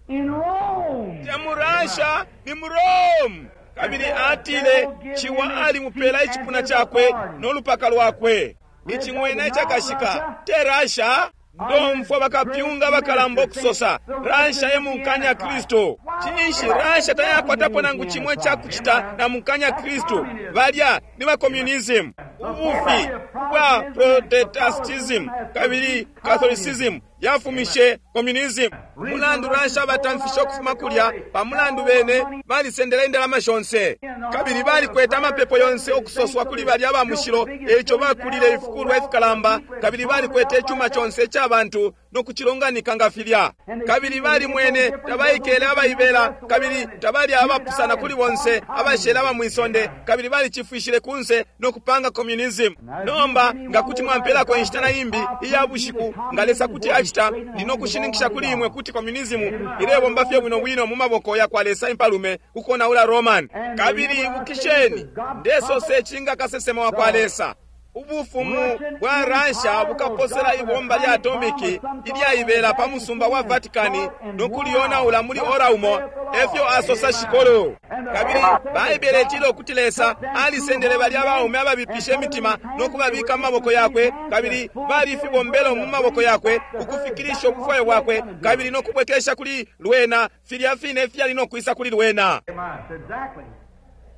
in Rome. Te mu Russia, ni mu Rome. Kabili atile chiwa alimupela ichipuna chakwe nolupaka lwakwe. Iching'wena chakashika te Russia. Ndomfwa bakapyunga bakalamba okusosa Russia ye munkanya Kristu. Chinshi Russia tayakwatapo nangu chimwe chakuchita na munkanya Kristu. Balya ni ba communism, ubufi bwa Protestantism kabili Catholicism yafumishe communism. Mulandu Russia batamfisha okufuma kulya pamulandu bene balisendela indalama shonse, kabili balikweta amapepo yonse okusoswa kuli balya aba mushilo. Echo bakulile ifikulwa ifikalamba, kabili balikwete ichuma chonse chabantu nokuchilonganika nga filya. Kabili balimwene tabaikele abaibela, kabili tabali abapusana kuli bonse abashele aba mwisonde, kabili balichifwishile kunse nokupanga communism. Nomba nga kuti mwampelako inshita na imbi iya bushiku, nga Lesa kuti achita, ndinokushininkisha kuli imwe kuti communism ilebomba fye bwino bwino mu maboko ya kwa Lesa impalume kukonaula Roman. Kabili ibukisheni, ndesose chinga kasesema wa kwa Lesa, ubufumu bwa Russia bukaposela ibomba lya atomiki ilyaibela pa musumba wa Vatikani nokulionaula muli ora umo, efyo asosa shikolo. Kabili Baibele itila ukuti Lesa alisendele balya abaume ababipisha imitima nokubabika mu maboko yakwe, kabili balifibombelo mu maboko yakwe ukufikilisha ubufwayo bwakwe, kabili nokubwekesha kuli lwena filya fine fyali nokwisa kuli lwena. Exactly.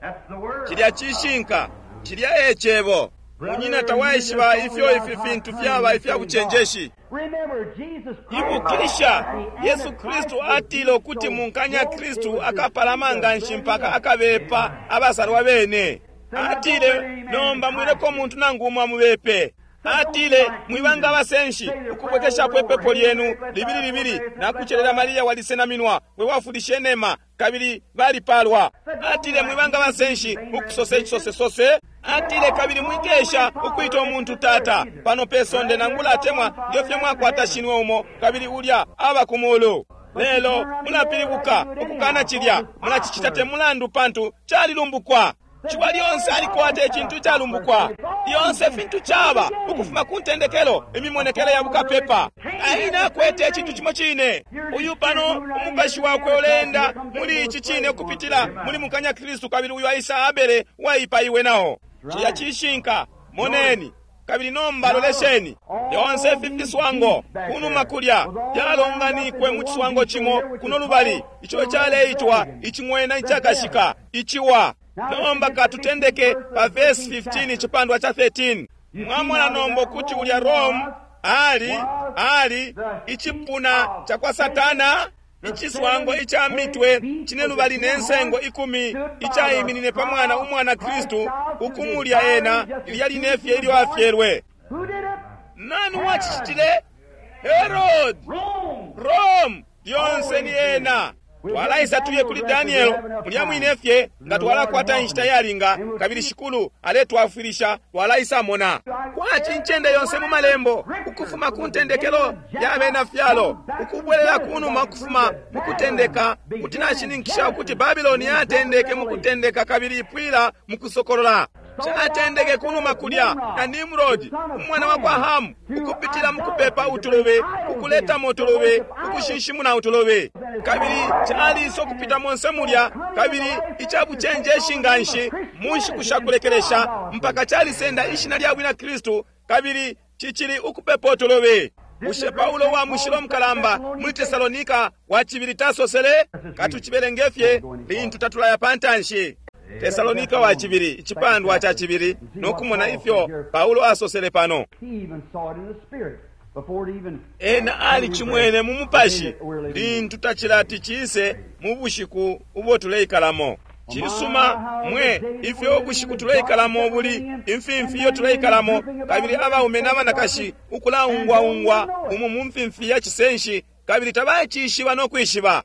That's the word. Chilya chishinka, chilya echebo. Munyina tawaishiba ifyo ifi fintu fyaba ifya buchenjeshi. Remember, Jesus Christ. Ibukisha, Yesu Kristu atile ukuti munkanya Kristu akapalama nganshi mpaka akabepa abasalwa bene. Atile, nomba mwileko muntu nangu umwe amubepe. Atile, mwibanga abasenshi ukubwekeshapo ipepo lyenu libili libili nakuchelela Maria walisenaminwa we wafulishe nema, kabili balipalwa. Atile, mwibanga abasenshi ukusosa ichisosesose. Atile, kabili mwikesha ukwita umuntu tata pano pesonde nangula atemwa ngefyo mwakwata shinwe umo, kabili ulya aba kumulu. Lelo mulapilibuka ukukana chilya, mulachichita te mulandu pantu chalilumbukwa. Ciwa lyonse alikwata icintu icalumbukwa. Lyonse fintu caba ukufuma ku ntendekelo, imimonekele ya bukapepa. Kaini akwete icintu cimo cine. Uyu pano umupashi wakwe uleenda muli ici cine ukupitila muli mukanya Kristu, kabili uyu aisa Abele uwaipaiwe nao. Cilya cishinka. Moneni. Kabili nomba lolesheni, yonse ifi fiswango kunuma kulya yalonganikwe mu ciswango cimo kuno lubali, ico caleitwa icing'wena icakashika, iciwa. Nomba katutendeke pa verse fifteen, icipandwa ca thirteen. Mwamona nomba ukuti ulya Rome ali ali icipuna ca kwa Satana, iciswango ica mitwe cine lubali ne nsengo ikumi icaiminine pa mwana umwana Kristu ukumulya ena ilya linefye ilyo afyelwe. Nani wacicitile? Herod. Rome lyonse ni ena. Twalaisa tuye kuli Daniel mulya mwinefye nga twalakwata inshita yalinga, kabili Shikulu aletwafwilisha twalaisa mona. Kwaci incende yonse mu malembo ukufuma ku ntendekelo ya bena fyalo ukubwelela kunuma ukufuma mu kutendeka, kuti nashininkisha ukuti Babiloni yatendeke mu kutendeka kabili ipwila mu kusokolola. Catendeke kunuma kulya na Nimrod umwana wa kwa Hamu ukupitila mu kupepa utulubi, ukuletamo utulubi, ukushinshimuna utulubi, kabili caliisa ukupita monse mulya, kabili icabucenjeshi nganshi mu nshiku sha kulekelesha mpaka calisenda ishina lya bwina Kristu kabili cicili ukupepa utulubi. Bushe Paulo wa mushilo mukalamba muli Tesalonika wa cibili tasosele? Katucibelengefye lintu tatulaya pantanshi. Tesalonika wa cibili, icipandwa ca cibili, no kumona ifyo Paulo asosele pano. Ena alicimwene mu mupashi lintu tacilati cise mu bushiku ubo tuleikalamo. Cisuma mwe ifyo ubushiku tuleikalamo buli, imfimfi iyo tuleikalamo, kabili abaume n'abanakashi ukulaungwaungwa umu mu mfimfi ya cisenshi, kabili tabacishiba no kwishiba.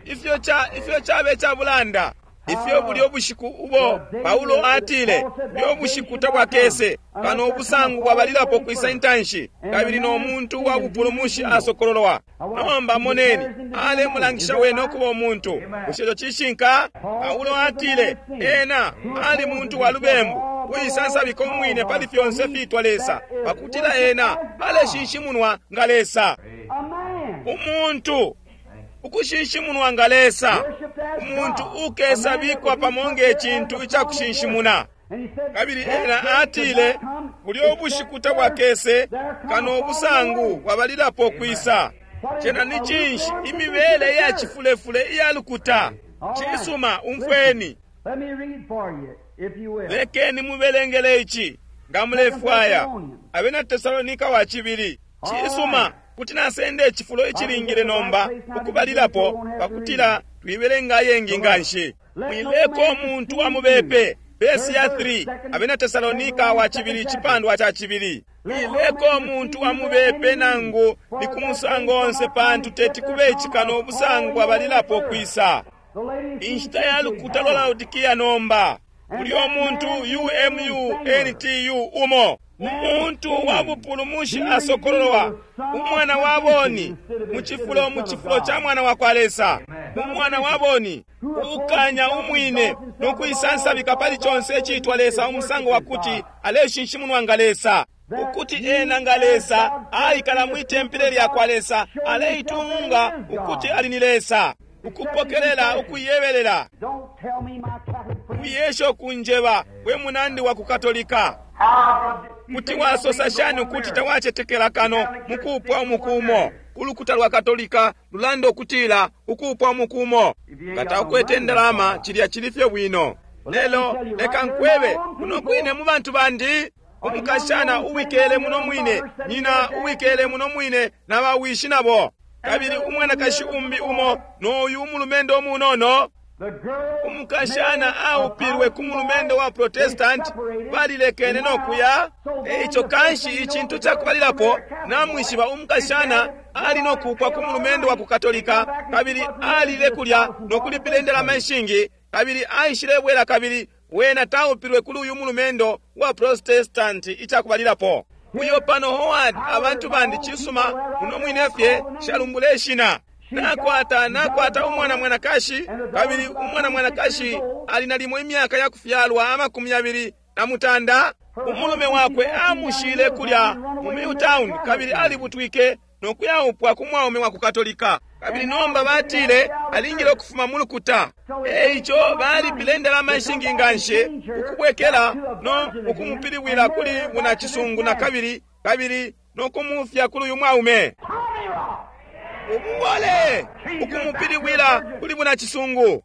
Ifyo cha ifyo chabe cha bulanda, ifyo buli obushiku ubo Paulo atile byo bushiku tabwakese kano obusangu bwabalilapo kwisa intanshi, kabili no muntu wa bupulumushi asokololwa. Nomba moneni, alemulangisha wene okuba omuntu. Bushe ico cishinka? Paulo atile ena ali muntu wa lubembu, uisansabika umwine pali fyonse fitwa Lesa, pakutila ena aleshinshimunwa nga Lesa. Umuntu ukushinshimunwa nga Lesa, umuntu ukesabikwa pamo nge cintu icakushinshimuna. Kabili ena atile bulyo ubushiku tabwakese kano obusangu bwabalilapo kwisa. Cena ni cinshi? Imibele iya cifulefule iya lukuta. Cisuma, umfweni. Lekeni mubelengele ici nga mulefwaya. Abena Tesalonika wa cibili. Cisuma, kuti nasenda icifulo icilingile nomba ukubalilapo pakutila twibelenga ayengi nganshi. Mwileko umuntu amubepe. Vesi ya three, Abena Tesalonika wa cibili, icipandwa ca cibili. Mwileko umuntu amubepe nangu ni ku musango onse, pantu teti kube icikano obusangu bwabalilapo kwisa. Inshita ya lukuta lwa Laodikia nomba. Buli omuntu U M U N T U umo. Umuntu wa bupulumushi asokololwa, umwana wa boni mu cifulo mu cifulo ca mwana wa kwa Lesa. Umwana wa boni ukanya umwine no kuisansabika pali conse icitwa Lesa, umusango wa kuti aleshinshimunwa nga Lesa, ukuti ena nga Lesa aikala mwi tempele lya kwa Lesa, aleitunga ukuti ali ni Lesa, ukupokelela ukuyebelela. Wiyesha kunjeba we munandi wa kukatolika, kuti wasosa shani ukuti tawacetekela kano mukupwa umukumo? Ulukuta lwa Katolika lulanda ukutila ukupwa umukumo nga takwete indalama, cilya cili fye bwino. Lelo leka nkwebe muno kwine mu bantu bandi, umukashana uwikele muno mwine, nyina uwikele muno mwine na bawishi nabo, kabili umwanakashi umbi umo n'oyu umulumendo umunono. Umukashana aupilwe ku mulumendo wa Protestant, balilekene no kuya. Eico kanshi icintu cakubalilapo namwishiba umukashana ali no kupwa ku mulumendo wa ku Katolika, kabili alile kulya no kulipila indalama ishingi, kabili aishilebwela, kabili wena taupilwe kuli uyu mulumendo wa Protestant icakubalilapo. Uyo pano Howard, abantu bandi, cisuma muno mwine fye shalumbula ishina. Nakwata nakwata umwana mwanakashi, kabili umwana mwanakashi ali nalimo imyaka ya kufyalwa amakumi yabili na mutanda. Umulume wakwe amushile kulya mu Milltown, kabili alibutwike no kuyaupwa ku mwaume wa ku Katolika. Kabili nomba batile alingile ukufuma mu lukuta. Eico balipile indalama ishingi nganshi ukubwekela no ukumupiliwila kuli bunacisungu na kabili, kabili no kumufya kuli uyu mwaume. Ububole ukumupiliwila kuli bunacisungu.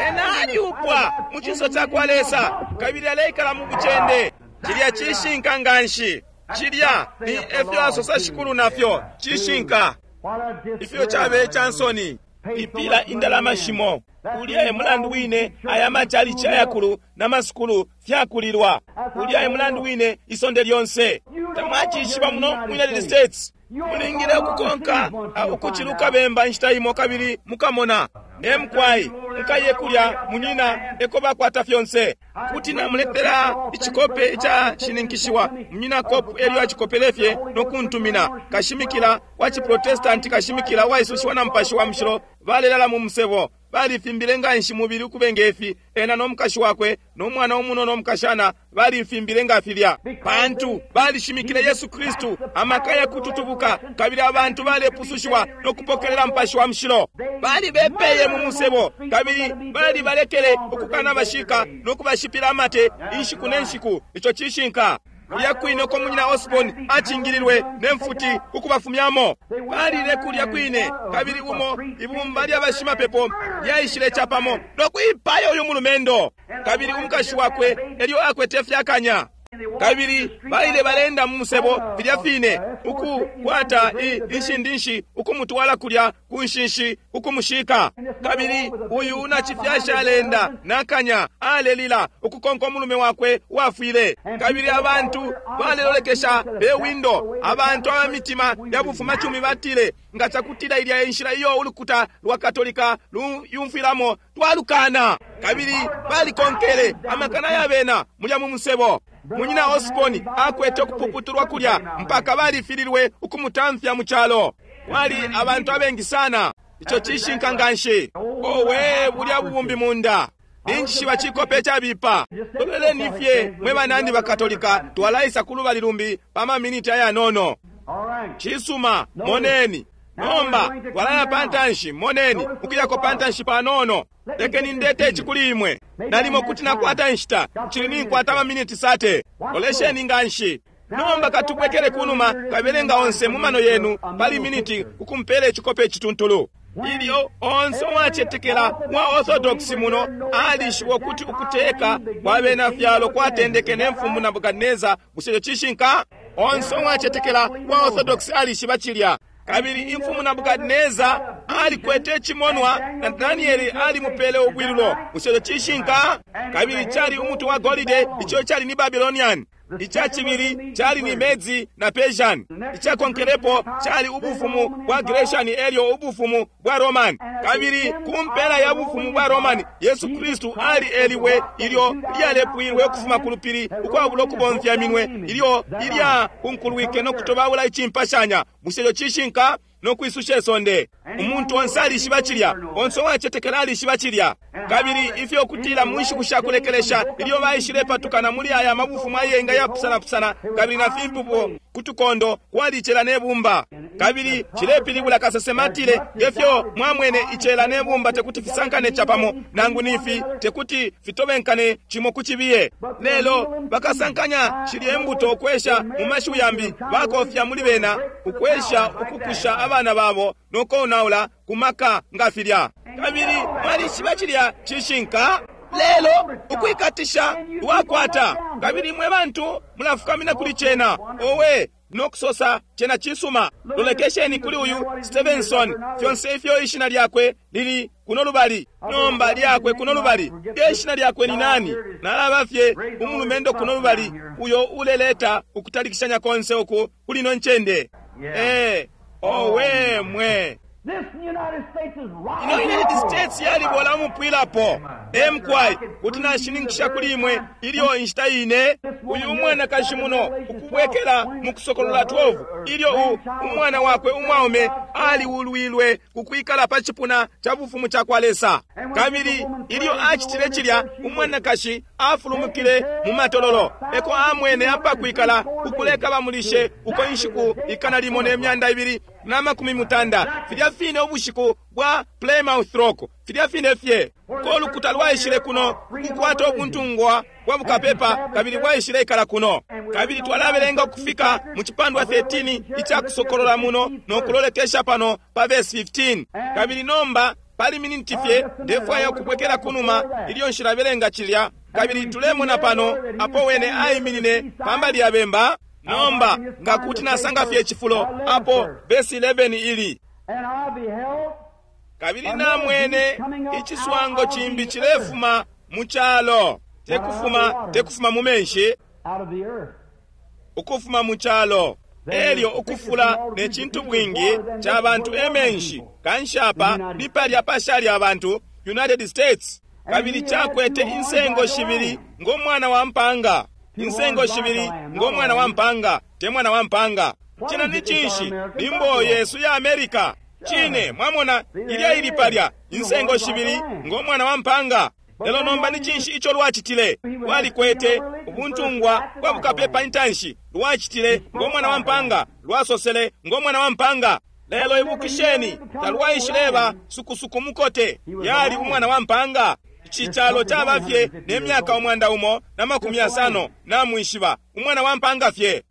Ena aliupwa mu cinso cakwa Lesa, kabili aleikala mu bucende. Cilya cishinka nganshi. Cilya ni efyo asosa Shikulu nafyo cishinka. Ifyo cabe cansoni ipila indalama shimo. Ulya e mulandu wine aya machalichi ayakulu na masukulu fyakulilwa. Ulya e mulandu wine isonde lyonse. Tamwacishiba muno mu United States. Mulingile ukukonka ukuciluka bemba inshita imo, kabili mukamona. Emkwai mukaye kulya munyina eko bakwata fyonse. Kuti namuletera icikope ica shininkishiwa. Munyina kopu elyo acikopelefye no kuntumina. Kashimikila wa chiprotestanti, kashimikila waisushiwa na Mupashi wa Mushilo, balelala mu musebo. Balifimbile nganshi mubili ukubenge ifi. Ena no mukashi wakwe no mwana umuno no mukashana balifimbile nga filya, pantu balishimikile Yesu Kristu amaka ya kututubuka, kabili abantu balepusushiwa no kupokelela Mupashi wa Mushilo. Balibepeye mu musebo, kabili balibalekele ukukana bashika no kubashipila amate inshiku ne nshiku. Ico cishinka. Kulya kwine uko munyina Osborne acingililwe ne mfuti ukubafumyamo. Balile kulya kwine, kabili umo ibumba lya bashimapepo lyaishile capamo no kuipaya uyu mulumendo, kabili umukashi wakwe elyo akwete fyakanya. Kabili baile balenda mu musebo filya fine, ukukwata inshindinshi ukumutwala kulya ku nshinshi ukumushika. Kabili uyu unacifyasha alenda nakanya alelila ukukonka umulume wakwe wafwile. Kabili abantu balelolekesha pe windo. Abantu aba mitima ya bufumacumi batile, nga cakutila ilya inshila iyo ulukuta lwa Katolika luyumfwilamo, twalukana. Kabili balikonkele amakana ya bena mulya mu musebo. Munyina Osborne akwete ukupuputulwa kulya mpaka balifililwe ukumutamfya mu calo. Kwali abantu abengi sana. Ico cishinka nganshi. Owe, bulya bubumbi munda. Ninjishiba cikope cabipa. Loleleni fye mwe banandi ba Katolika, twalaisa kulubali lumbi pa maminiti ayanono. Cisuma, moneni. Nomba twalaya pantanshi, moneni, ukuyako pantanshi panono. Lekeni ndete ici kuli imwe. Nalimo kuti nakwata inshita, cili ninkwata amaminiti sate. Lolesheni nganshi. Nomba katubwekele kunuma, kabelenga onse mu mano yenu pali miniti ukumpela icikope icituntulu. Ilyo onse uwacetekela wa Orthodox muno alishiba ukuti ukuteka kwa bena fyalo kwatendeke ne mfumu Nebukadneza. Bushe ico cishinka? Onse uwacetekela wa Orthodox alishiba cilya. Kabili imfumu Nebukadneza alikwete icimonwa na Danieli alimupele ubwilulo. Bushe ico cishinka? Kabili cali umuti wa golide, ico cali ni Babylonian. Ica cibili cali ni Medi na Persian. Icakonkelepo cali ubufumu bwa Grecian elyo ubufumu bwa Roman. Kabili kumpela ya bufumu bwa Roman, Yesu Kristu ali eliwe ilyo lyalepwilwe ukufuma ku lupili ukwabula ukubomfya minwe, ilyo ilya kunkulwike no kutobaula icimpashanya. Bushe ico cishinka? No kwisusha isonde. Umuntu onse alishiba cilya. Onse uwacetekela alishiba cilya. Kabili ifyo kutila mu nshiku sha kulekelesha ilyo baishile patukana muli aya mabufumu ayenga yapusanapusana, kabili na fimpupo kutukondo kwalicela ne bumba. Kabili cilepilibula kasesema atile, ngefyo mwamwene icela ne bumba tekuti fisankane capamo, nangu nifi tekuti fitobenkane cimo ku cibiye. Lelo bakasankanya shilye mbuto ukwesha mu mashiwi yambi bakofya muli bena ukwesha ukukusha abana babo no konaula kumaka nga filya. Kabili mwalishiba cilya cishinka. Lelo ukwikatisha lwakwata, kabili mwe bantu mulafukamina kuli cena. Owe, no kusosa cena cisuma. Lolekesheni kuli uyu Stevenson, fyonse ifyo ishina lyakwe lili kuno lubali, nomba lyakwe kuno lubali. Ishina lyakwe ni nani? Nalaba fye umulumendo kuno lubali uyo uleleta ukutalikishanya konse uku kuli no ncende. Eh, owe mwe. Ino United States yalibola umupwilapo. Emkwai kuti nashininkisha kuli imwe ilyo inshita ine uyu umwanakashi muno ukubwekela mu Kusokolola twelve ilyo u umwana wakwe umwaume aliulwilwe ku kwikala pa cipuna ca bufumu ca kwa Lesa. Kabili ilyo acitile cilya, umwanakashi afulumukile mu matololo, eko amwene apakwikala ukuleka bamulishe uko inshiku ikana limo ne myanda ibili na makumi mutanda, filya fine ubushiku bwa Plymouth Rock, filya fine fye ko lukuta lwaishile kuno kukwata ubuntungwa bwa bukapepa, kabili bwaishile ikala kuno. Kabili twalabelenga ukufika mu cipandwa thirteen ica Kusokolola muno no kulolekesha pano pa verse fifteen. Kabili nomba pali miniti fye ndefwaya ukubwekela kunuma ilyo nshilabelenga cilya. Kabili tulemona pano apo wene aiminine pambali ya bemba. Nomba nga kuti nasanga fye cifulo apo verse eleven ili. Kabili namwene iciswango chimbi chilefuma mu chalo, tekufuma tekufuma mu menshi, ukufuma mu chalo. Elyo ukufula ne cintu bwingi cha bantu emenshi kanshapa ni palya pashali abantu United States. Kabili chakwete insengo shibili ng'omwana wa mpanga, insengo shibili ng'omwana wa mpanga, te mwana wa mpanga. China ni chinshi? Limbo Yesu ya America. Chine mwamona ilya ili palya insengo shibili ng'omwana wa mpanga. Lelo nomba ni cinshi ico lwacitile? Lwalikwete ubuntungwa bwa bukapepa intanshi, lwacitile ng'omwana wa mpanga, lwasosele ng'omwana wa mpanga. Lelo ibukisheni, talwaishileba sukusuku mukote, yali umwana wa mpanga. Ici calo caba fye ne myaka umwanda umo na makumi yasano namwishiba, umwana wa mpanga fye.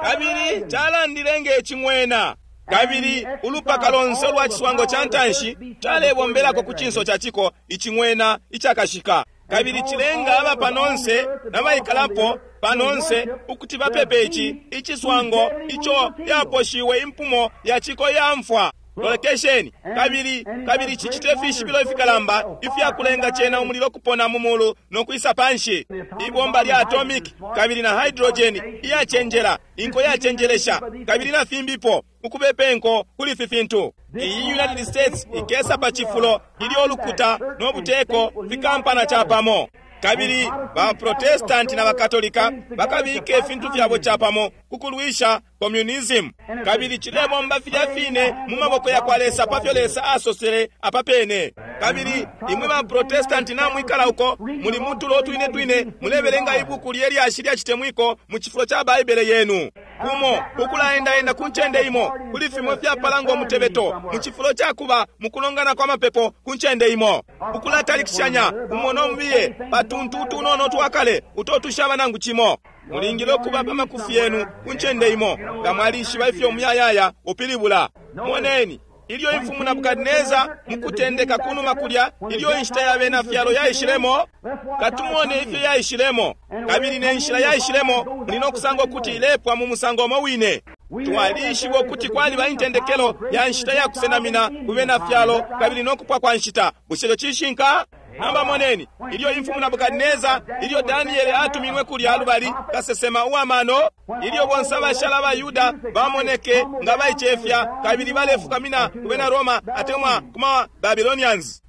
Kabili calandile ng'ecing'wena. Kabili ulupaka lonse lwa ciswango ca ntanshi calebombelako ku cinso ca ciko icing'wena icakashika. Kabili cilenga aba panonse nabaikalapo panonse ukuti bapepe ici iciswango ico yaposhiwe impumo ya ciko ya mfwa. Lolekesheni. Kabili kabili cicite fishibilo ifikalamba ifyakulenga cena umulilo kupona mu mulu no kwisa panshi. Ibomba lya atomic kabili na hydrogen iyacenjela, inko yacenjelesha, kabili na fimbipo ukubepe nko kuli ifi fintu. Iyi United States ikesa pa cifulo ilyo ulukuta no buteko fikampana chapamo. Kabili ba Protestant na Bakatolika bakabike ifintu fyabo chapamo kukulwisha communism. Kabili chilebomba filya fine mu maboko ya kwa Lesa pafyo Lesa asosele apapene. Kabili imwe ba Protestant na mwikala uko muli mutulo twine twine mulebelenga ibuku lyelyashi lya chitemwiko mu chifulo cha Baibele yenu. Kumo ukulaendaenda ku ncende imo kuli fimwe fyapalangwa mutebeto mu chifulo chakuba mukulongana kwa mapepo ku ncende imo. Ukulatalikishanya umono mbiye patuntu tunono twakale utotushaba nangu chimo. Mulingile okuba pa makufi yenu ku ncende imo nga mwalishiba ifyo muyayaya upilibula. Moneni ilyo imfumu Nebukadineza mukutendeka kunuma kulya ilyo inshita ya bena fyalo yaishilemo, katumone ifyo yaishilemo. Kabili ne nshila yaishilemo muli nokusanga ukuti ilepwa mu musango umo wine. Twalishiba ukuti kwaliba intendekelo ya nshita ya kusenamina ku bena fyalo kabili nokupwa kwa nshita. Bushe ico cishinka? Namba moneni ilyo imfumu Nebukadineza ilyo Daniele atuminwe kulya lubali kasesema uwamano, ilyo bonse abashala aba Yuda bamoneke nga baicefya kabili balefukamina ku bena Roma atemwa kuma Babylonians.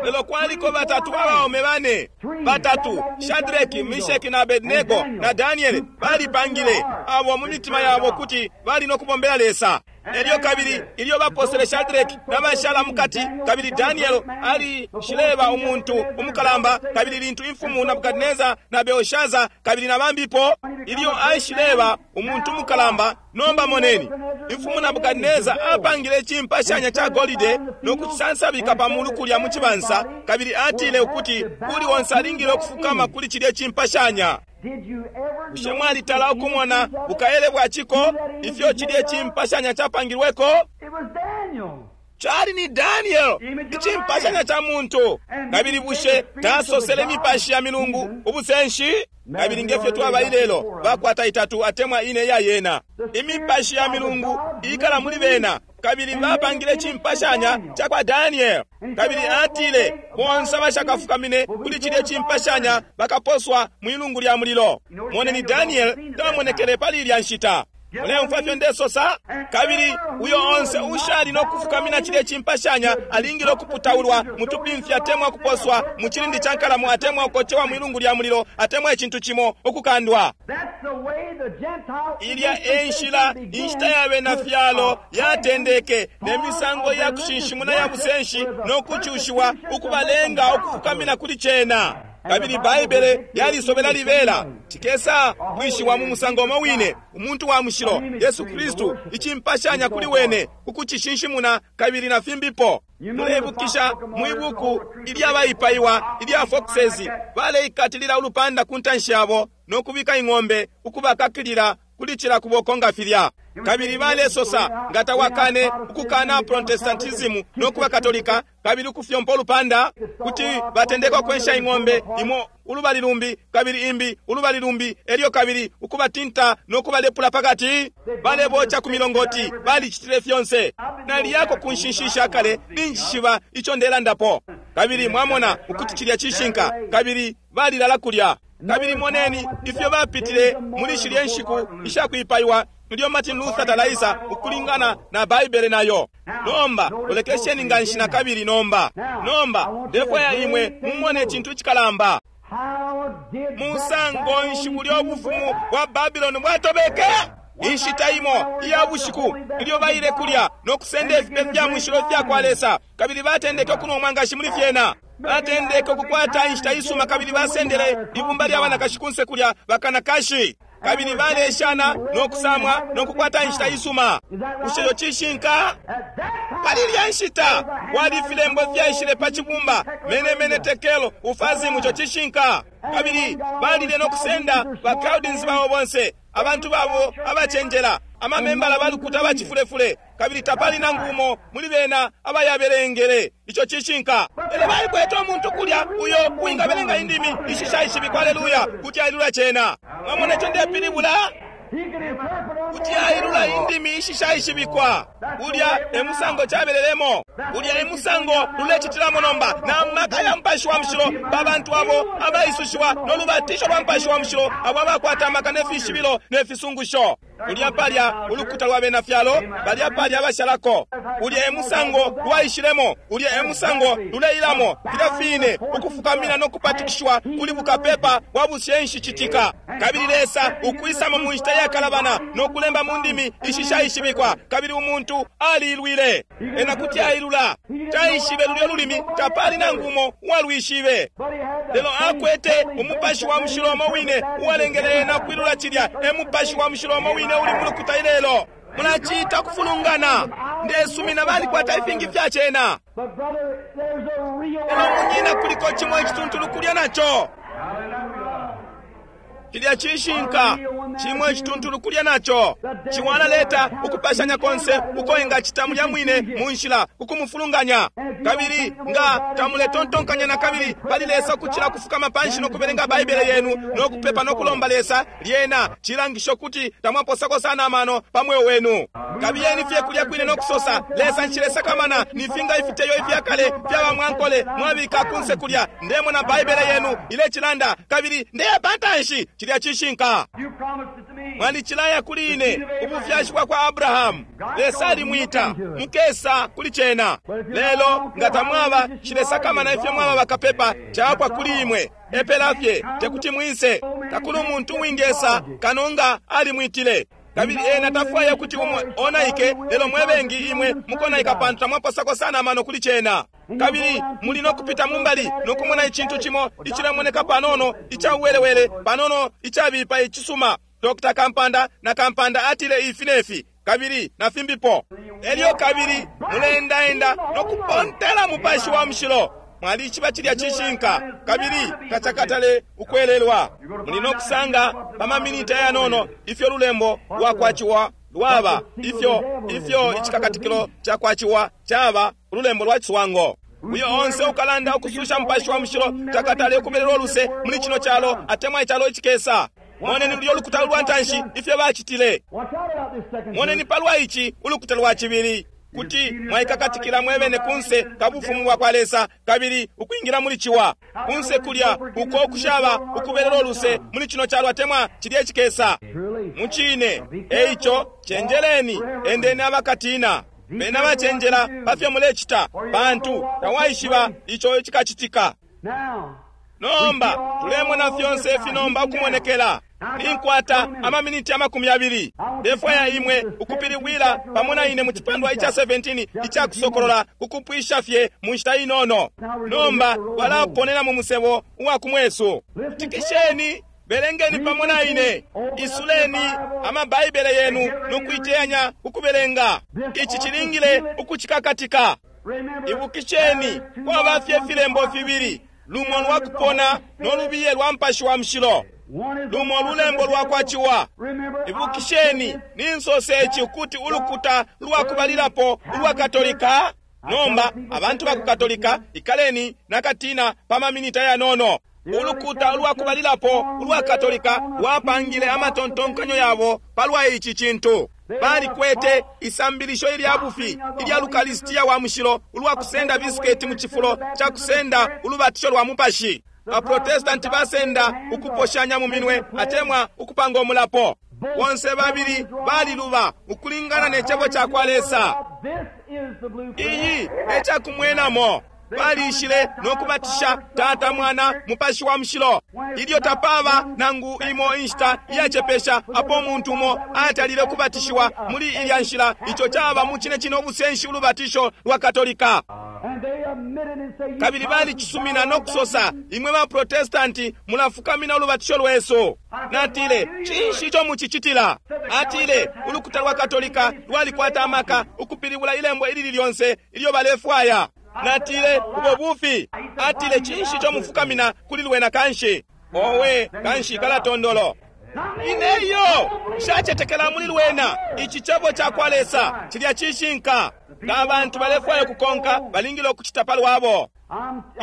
Lelo kwaliko batatu abaume bane, batatu Shadraki, Meshaki na Abednego na Daniele balipangile abo mu mitima yabo kuti bali no kubombela Lesa. Elyo kabili ilyo baposele Shadraki n'abashala mukati, kabili Daniel ali shileba umuntu umukalamba, kabili lintu imfumu Nebukadineza na Belshaza kabili na bambipo ilyo aishileba umuntu umukalamba. Nomba moneni imfumu Nebukadineza apangile chimpashanya cha golide no kuchisansabika pa mulu kulya mu chibansa, kabili atile ukuti kuli wonse alingile okufukama kuli chilye chimpashanya. Bushe mwalitala ukumona bukaele bwa chiko ifyo chilye chimpashanya chapangilweko? Chali ni Daniel ichimpashanya cha muntu. Kabili bushe tasosele mipashi ya milungu ubusenshi? Kabili ngefyo twaba ilelo bakwata itatu atemwa ine ya yena imipashi ya milungu ikala muli bena. Kabili bapangile chimpashanya cha kwa Daniel. Kabili atile bonse abashakafukamine kuli chilye chimpashanya bakaposwa mwilungu lya mulilo. Moneni Daniel tamonekele pali ilya nshita. Muleumfwa ifyo ndesosa? Kabili uyo onse ushali no kufukamina cilye cimpashanya alingile ukuputaulwa mutupimfya atemwa kuposwa mu cilindi ca nkalamo atemwa ukocewa mwilungu lya mulilo atemwa icintu cimo ukukandwa. Ilya e nshila inshita ya bena fyalo yatendeke ne misango ya kushinshimuna ya busenshi no kucushiwa ukubalenga ukufukamina kuli cena. Kabili Baibele yalisobela libela cikesa kwishiwa mu musango umo wine umuntu wa mushilo Yesu Kristu icimpashanya kuli wene ukucishinshimuna kabili na fimbipo. Muleibukisha mwibuku ilyabaipaiwa ilya foxes baleikatilila ulupanda ku ntanshi yabo no kubika ing'ombe ukubakakilila kuli cila kuboko nga filya. Kabili balesosa nga tawakane ukukana Protestantism no kuba Katolika kabili ukufyompa ulupanda kuti batendeka kwensha ing'ombe imo ulubali lumbi kabili imbi ulubali lumbi elyo kabili ukubatinta no kubalepula pakati balebocha ku milongoti balicitile fyonse. Naliyako ku nshinshisha kale ninjishiba ico ndelandapo. Kabili mwamona ukuti cilya cishinka kabili balilala kulya. Kabili moneni ifyo bapitile muli shilye nshiku ishakwipaiwa ilyo Martin Luther talaisa ukulingana na Baibele nayo. Nomba lolekesheni nga nshi na kabili nomba. Nomba ndefwaya imwe mumone icintu icikalamba. Musango nshi bulya ubufumu bwa Babylon bwatobeke? Inshita imo iya bushiku ilyo baile kulya no kusenda ifipe fya mushilo fya kwa Lesa kabili batendeke ukunwa umwangashi muli fyena. Batendeke ukukwata inshita isuma kabili basendele ibumba lya banakashi kunse kulya bakanakashi. Kabili baleshana no kusamwa no kukwata inshita isuma. Bushe yo cishinka? Pali ilya nshita kwali filembo fyaishile pa cibumba mene mene tekelo ufazimu co cishinka. Kabili balile no kusenda ba Chaldeans babo bonse abantu babo abacenjela amamembala balukuta bacifulefule kabili tapali nangu umo muli bena abayabelengele ico cishinka. Lelo balikwete umuntu kulya uyo uwingabelenga indimi ishishaishibikwa, aleluya, kuti ailula cena. Mwamona ico ndepilibula? Kuti ailula indimi ishishaishibikwa. Ulya e musango cabelelemo, ulya e musango lulecitilamo nomba na maka ya Mupashi wa Mushilo pa bantu abo abaisushiwa no lubatisho lwa Mupashi wa Mushilo abo abakwata amaka ne fishibilo ne fisungusho. Ulya palya ulukuta lwa bena fyalo, balya palya abashalako. Ulya e musango lwaishilemo, ulya e musango luleilamo, filya fine ukufukamina no kupatikishwa kuli bukapepa bwa bushenshi citika. Kabili Lesa ukwisamo mu nshita yakalabana no kulemba mu ndimi ishishaishibikwa, kabili umuntu aliilwile. Ena kuti ailula, taishibe lulyo lulimi, tapali nangu umo uwalwishibe. Lelo akwete umupashi wa mushilo umo wine uwalengele ena kwilula cilya. E mupashi wa mushilo umo wine uli mulukuta ilelo. Mulacita kufulungana. Ndesumina balikwata ifingi fya cena. Lelo munyina kuliko cimo icituntulu kulya naco. Cilya cishinka cimo icituntulu kulya naco. Ciwalaleta ukupashanya konse uko ingacita mulya mwine mu nshila kukumufulunganya. Kabili nga tamuletontonkanya na kabili pali Lesa ukucila kufukama panshi no kubelenga Baibele yenu no kupepa no kulomba Lesa, lyena cilangisho kuti tamwaposako sana amano pa mweo wenu. Kabiyeni fye kulya kwine no kusosa, Lesa nshilesakamana nifinga ifiteyo ifyakale fyaba mwankole mwabika kunse kulya. Ndemona Baibele yenu ilecilanda kabili ndeya pantanshi. Cilya cishinka. Mwalicilaya kuli ine ubufyashi bwa kwa Abrahamu. Lesa alimwita mukesa kuli cena. Lelo nga tamwaba shilesakamana ifyo mwaba bakapepa chapwa kuli imwe. Epela fye tekuti mwise. Takuli umuntu uwingesa kano nga alimwitile. Kabili ena tafwaya kuti umwe onaike, lelo mwebengi imwe mukonaika pantu tamwaposako sana amano kuli cena. Kabili muli no kupita mumbali no kumona icintu cimo icilemoneka panono icauwelewele panono icabipa icisuma. Dokta Kampanda na Kampanda atile ifi nefi kabili na fimbipo. Elyo kabili muleendaenda no kupontela Mupashi wa Mushilo. Mwalichiba cilya cishinka kabili tacakatale ukwelelwa. Muli no kusanga pa maminita yanono ifyo lulembo lwakwaciwa lwaba, ifyo ifyo icikakatikilo cakwaciwa caba ululembo lwa ciswango. Uyo onse ukalanda ukususha Mupashi wa Mushilo takatale ukubelelwa uluse muli cino calo atemwa icalo icikesa. Moneni lulyo lukuta lwa ntanshi ifyo bacitile. Moneni palwa ici ulukuta lwa cibili kuti mwaikakatikila mwebene kunse kabufumu bwa kwa Lesa kabili ukwingira muli ciwa kunse kulya uko kushaba ukubelela uluse muli cino calo atemwa cilye cikesa. Mucine. Eico cenjeleni, endeni abakatina, bena bacenjela pafyo mulecita, pantu tawaishiba ico cikacitika. Nomba tulemona fyonse ifi nomba ukumonekela. Ninkwata amaminiti amakumi abili. Ndefwaya imwe ukupilibwila pamo na ine mu cipandwa ica seventeen ica Kusokolola, kukupwisha fye mu nshita inono. Nomba twalaponena mu musebo uwa kumwesu. Tikisheni, belengeni pamo na ine, isuleni amabaibele yenu nokuiteyanya ukubelenga. Ici cilingile ukucikakatika. Ibukisheni, kwaba fye filembo fibili, lumo lwa kupona no lubiye lwa Mupashi wa Mushilo, lumo lulembo lwa kwa Ciwa. Ibukisheni, ninsose ici ukuti ulukuta lwa kubalilapo ulwa Katolika. Nomba abantu ba ku Katolika, ikaleni nakatina pa maminita yanono. Ulukuta ulwa kubalilapo ulwa Katolika lwapangile amatontonkanyo yabo palwa ici cintu. Balikwete isambilisho ilya bufi ilya Lukalisitiya wa Mushilo, ulwa kusenda bisiketi mu cifulo ca kusenda ulubatisho lwa Mupashi. Baprotestanti basenda ukuposhanya mu minwe atemwa ukupanga umulapo. Bonse babili baliluba ukulingana ne cebo ca kwa Lesa. Iyi e cakumwenamo. Balishile no kubatisha Tata, Mwana, Mupashi wa Mushilo. Ilyo tapaba nangu imo inshita iyacepesha apo umuntu umo atalile kubatishiwa muli ilya nshila, ico caba mu cine cine ubusenshi ulubatisho lwa Katolika. Kabili balicisumina no kusosa, imwe ba Protestanti mulafukamina ulubatisho lwesu. Natile, cinshi ico mucicitila? Atile, ulukuta lwa Katolika lwalikwata amaka ukupilibula ilembo ilili lyonse ilyo balefwaya. Natile, ubo bufi. Atile, cinshi ico mufukamina kuli lwena kanshi? Owe, kanshi kalatondolo. Ineyo nshacetekela muli lwena. Ici cebo ca kwa Lesa cilya cishinka. Nga abantu balefwaya ukukonka, balingile ukucita palwabo.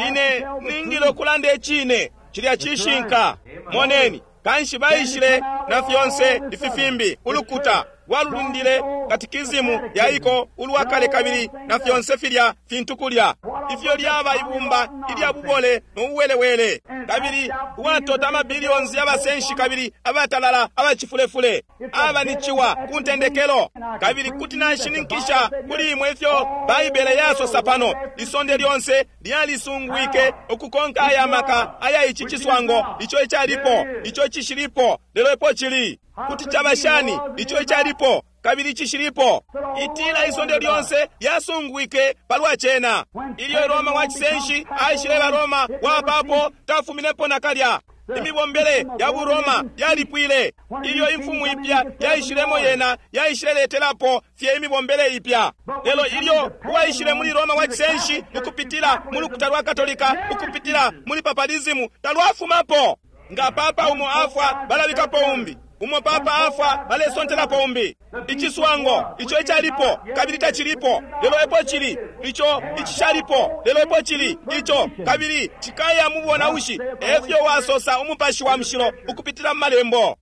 Ine ningile ukulanda icine, cilya cishinka. Moneni, kanshi baishile na fyonse ifi fimbi. Ulukuta lwalulundile katikizimu yaiko ulwa kale kabili na fyonse filya fintu kulya. Ifyo lyaba ibumba ilya bubole no buwelewele, kabili uwatota amabiliyonzi y'abasenshi kabili abatalala abacifulefule, aba ni ciwa ku ntendekelo. Kabili kuti nashininkisha kuli imwe ifyo Baibele yasosa pano, isonde lyonse lyalisungwike ukukonka aya maka aya ici ciswango, ico icalipo, ico icishilipo, lelo epo cili. Kuti caba shani ico icalipo kabili icishilipo? Itila isonde lyonse lyasungwike palwa cena. Ilyo Roma wa cisenshi aishileba Roma wa papo, tafuminepo nakalya. Imibombele ya buRoma yalipwile. Ilyo imfumu ipya yaishilemo, yena yaishileletelapo fye imibombele ipya. Lelo ilyo uwaishile muli Roma wa cisenshi ukupitila mu lukuta lwa Katolika, ukupitila muli papalizimu, talwafumapo. Nga papa umo afwa, balabikapo umbi. Umo papa afwa, balesontelapo umbi. Iciswango ico icalipo kabili tacilipo, lelo epo cili. Ico icishalipo, lelo epo cili. Ico kabili cikaya mu bonaushi, efyo wasosa Umupashi wa Mushilo ukupitila mu malembo.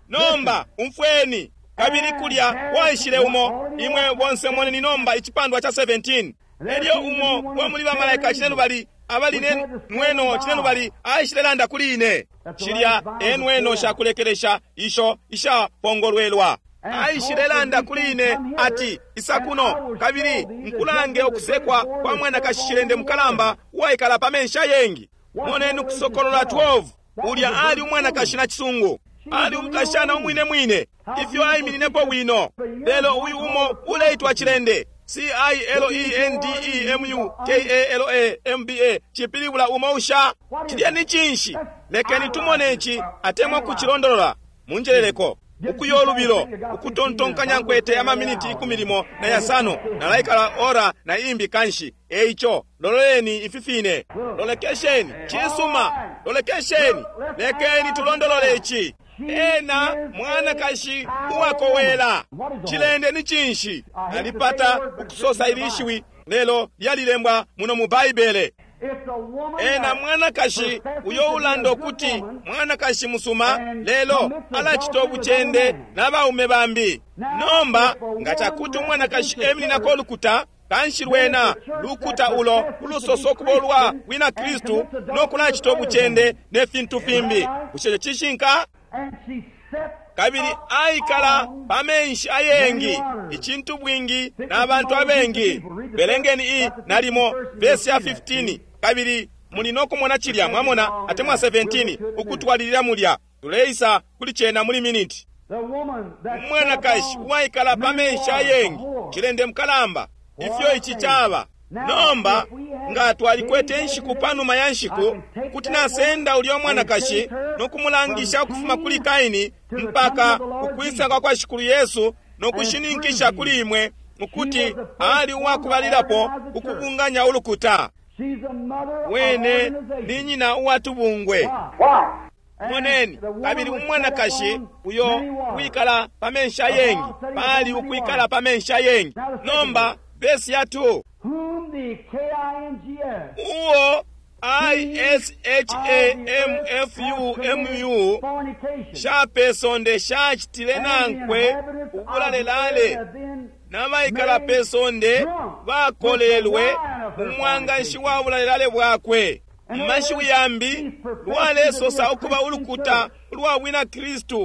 Nomba umfweni. Kabili kulya waishile umo, imwe bonse moneni nomba icipandwa ca seventeen. Elyo umo wa muli bamalaika cinelubali abali ne nweno cinelubali aishile landa kuli ine. Shilya enweno shakulekelesha isho ishapongolwelwa. Aishile landa kuli ine ati, isa kuno kabili nkulange ukusekwa kwa mwanakashi cilende mukalamba uwaikala pa mensha yengi. Moneni Kusokolola twelve. Ulya ali umwanakashi na cisungu, ali umukashana umwine mwine, ifyo aimininepo bwino. Lelo uyu umo uleitwa cilende, C I L E N D E M U K A L A M B A, cipilibula umo usha. Cilya ni cinshi? Lekeni tumone ici atemwa kucilondolola. Munjeleleko ukuyo lubilo ukutontonkanya nkwete amaminiti ikumi limo na yasano nalaikala ora na imbi kanshi. Eico lololeni ifi fine, lolekesheni cisuma, lolekesheni, lekeni tulondolole ici. Ena mwanakashi uwakowela. Cilende ni cinshi? Alipata ukusosa ilishiwi lelo lyalilembwa muno mu Baibele. Ena mwanakashi uyo ulanda ukuti mwanakashi musuma, lelo alacita ubucende n'abaume bambi. Nomba nga cakuti umwanakashi emininako ulukuta, kanshi lwena lukuta ulo ulusoso kuba ulwa wina Kristu no kulacita ubucende ne fintu fimbi. Bushe cishinka? Kabili aikala pa menshi ayengi, icintu bwingi na bantu abengi. Belengeni i nalimo vesi ya fifteen, kabili muli no kumona cilya, mwamona, atemwa seventeen, ukutwalilila mulya. Tuleisa kuli cena muli miniti. Umwanakashi uwaikala pa menshi ayengi, cilende mukalamba, ifyo ici caba. Nomba nga twalikwete inshiku panuma ya nshiku, kuti nasenda ulya mwanakashi no kumulangisha ukufuma kuli Kaini mpaka ukwisa kwa kwa Shikulu Yesu, no kushininkisha kuli imwe ukuti ali uwakubalilapo ukubunganya ulukuta. Wene ni nyina uwatubungwe. Moneni, kabili umwanakashi uyo wikala pa menshi ayengi, pali ukwikala pa menshi ayengi. Nomba vesi ya two, uo I S H A M F U M U shapesonde shachitile nankwe ubulalelale, n'abaikala pesonde bakolelwe umwanganshi wa bulalelale bwakwe. Mu yambi lwalesosa ukuba ulukuta ulwa bwina Kristu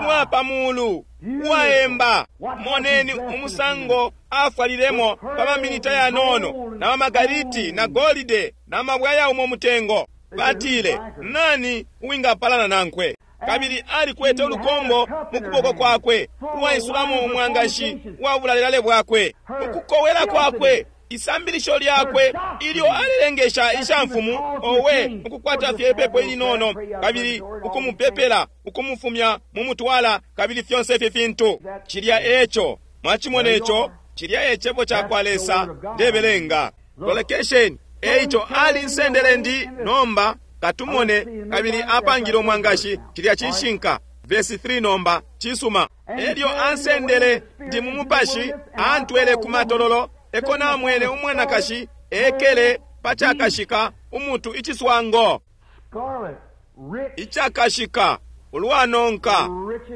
uwa pamulu uwaemba. Moneni umusango afwalilemo pa maminita yanono na mamagariti na golide na mabwe ayaumo mutengo. Batile, nani uwingapalana nankwe? Kabili alikwete ulukombo mu kuboko kwakwe uwaisulamo umwangashi wa bulalelale bwakwe. Ukukowela kwakwe, isambilisho lyakwe ilyo alilengesha ishamfumu, owe, ukukwata fye ipepo ilinono, kabili ukumupepela, ukumufumya mumutwala, kabili fyonse ifi fintu. Cilya eco mwachimona eco, cilya ecebo cakwa Lesa ndebelenga. Lolekesheni, eico alinsendele ndi nomba katumone, kabili apangile umwangashi. Cilya cishinka. Verse three nomba cisuma. Elyo ansendele ndi mu mupashi, antwele ku matololo, eko namwene umwanakashi ekele pacakashika umutu iciswango icakashika ulwanonka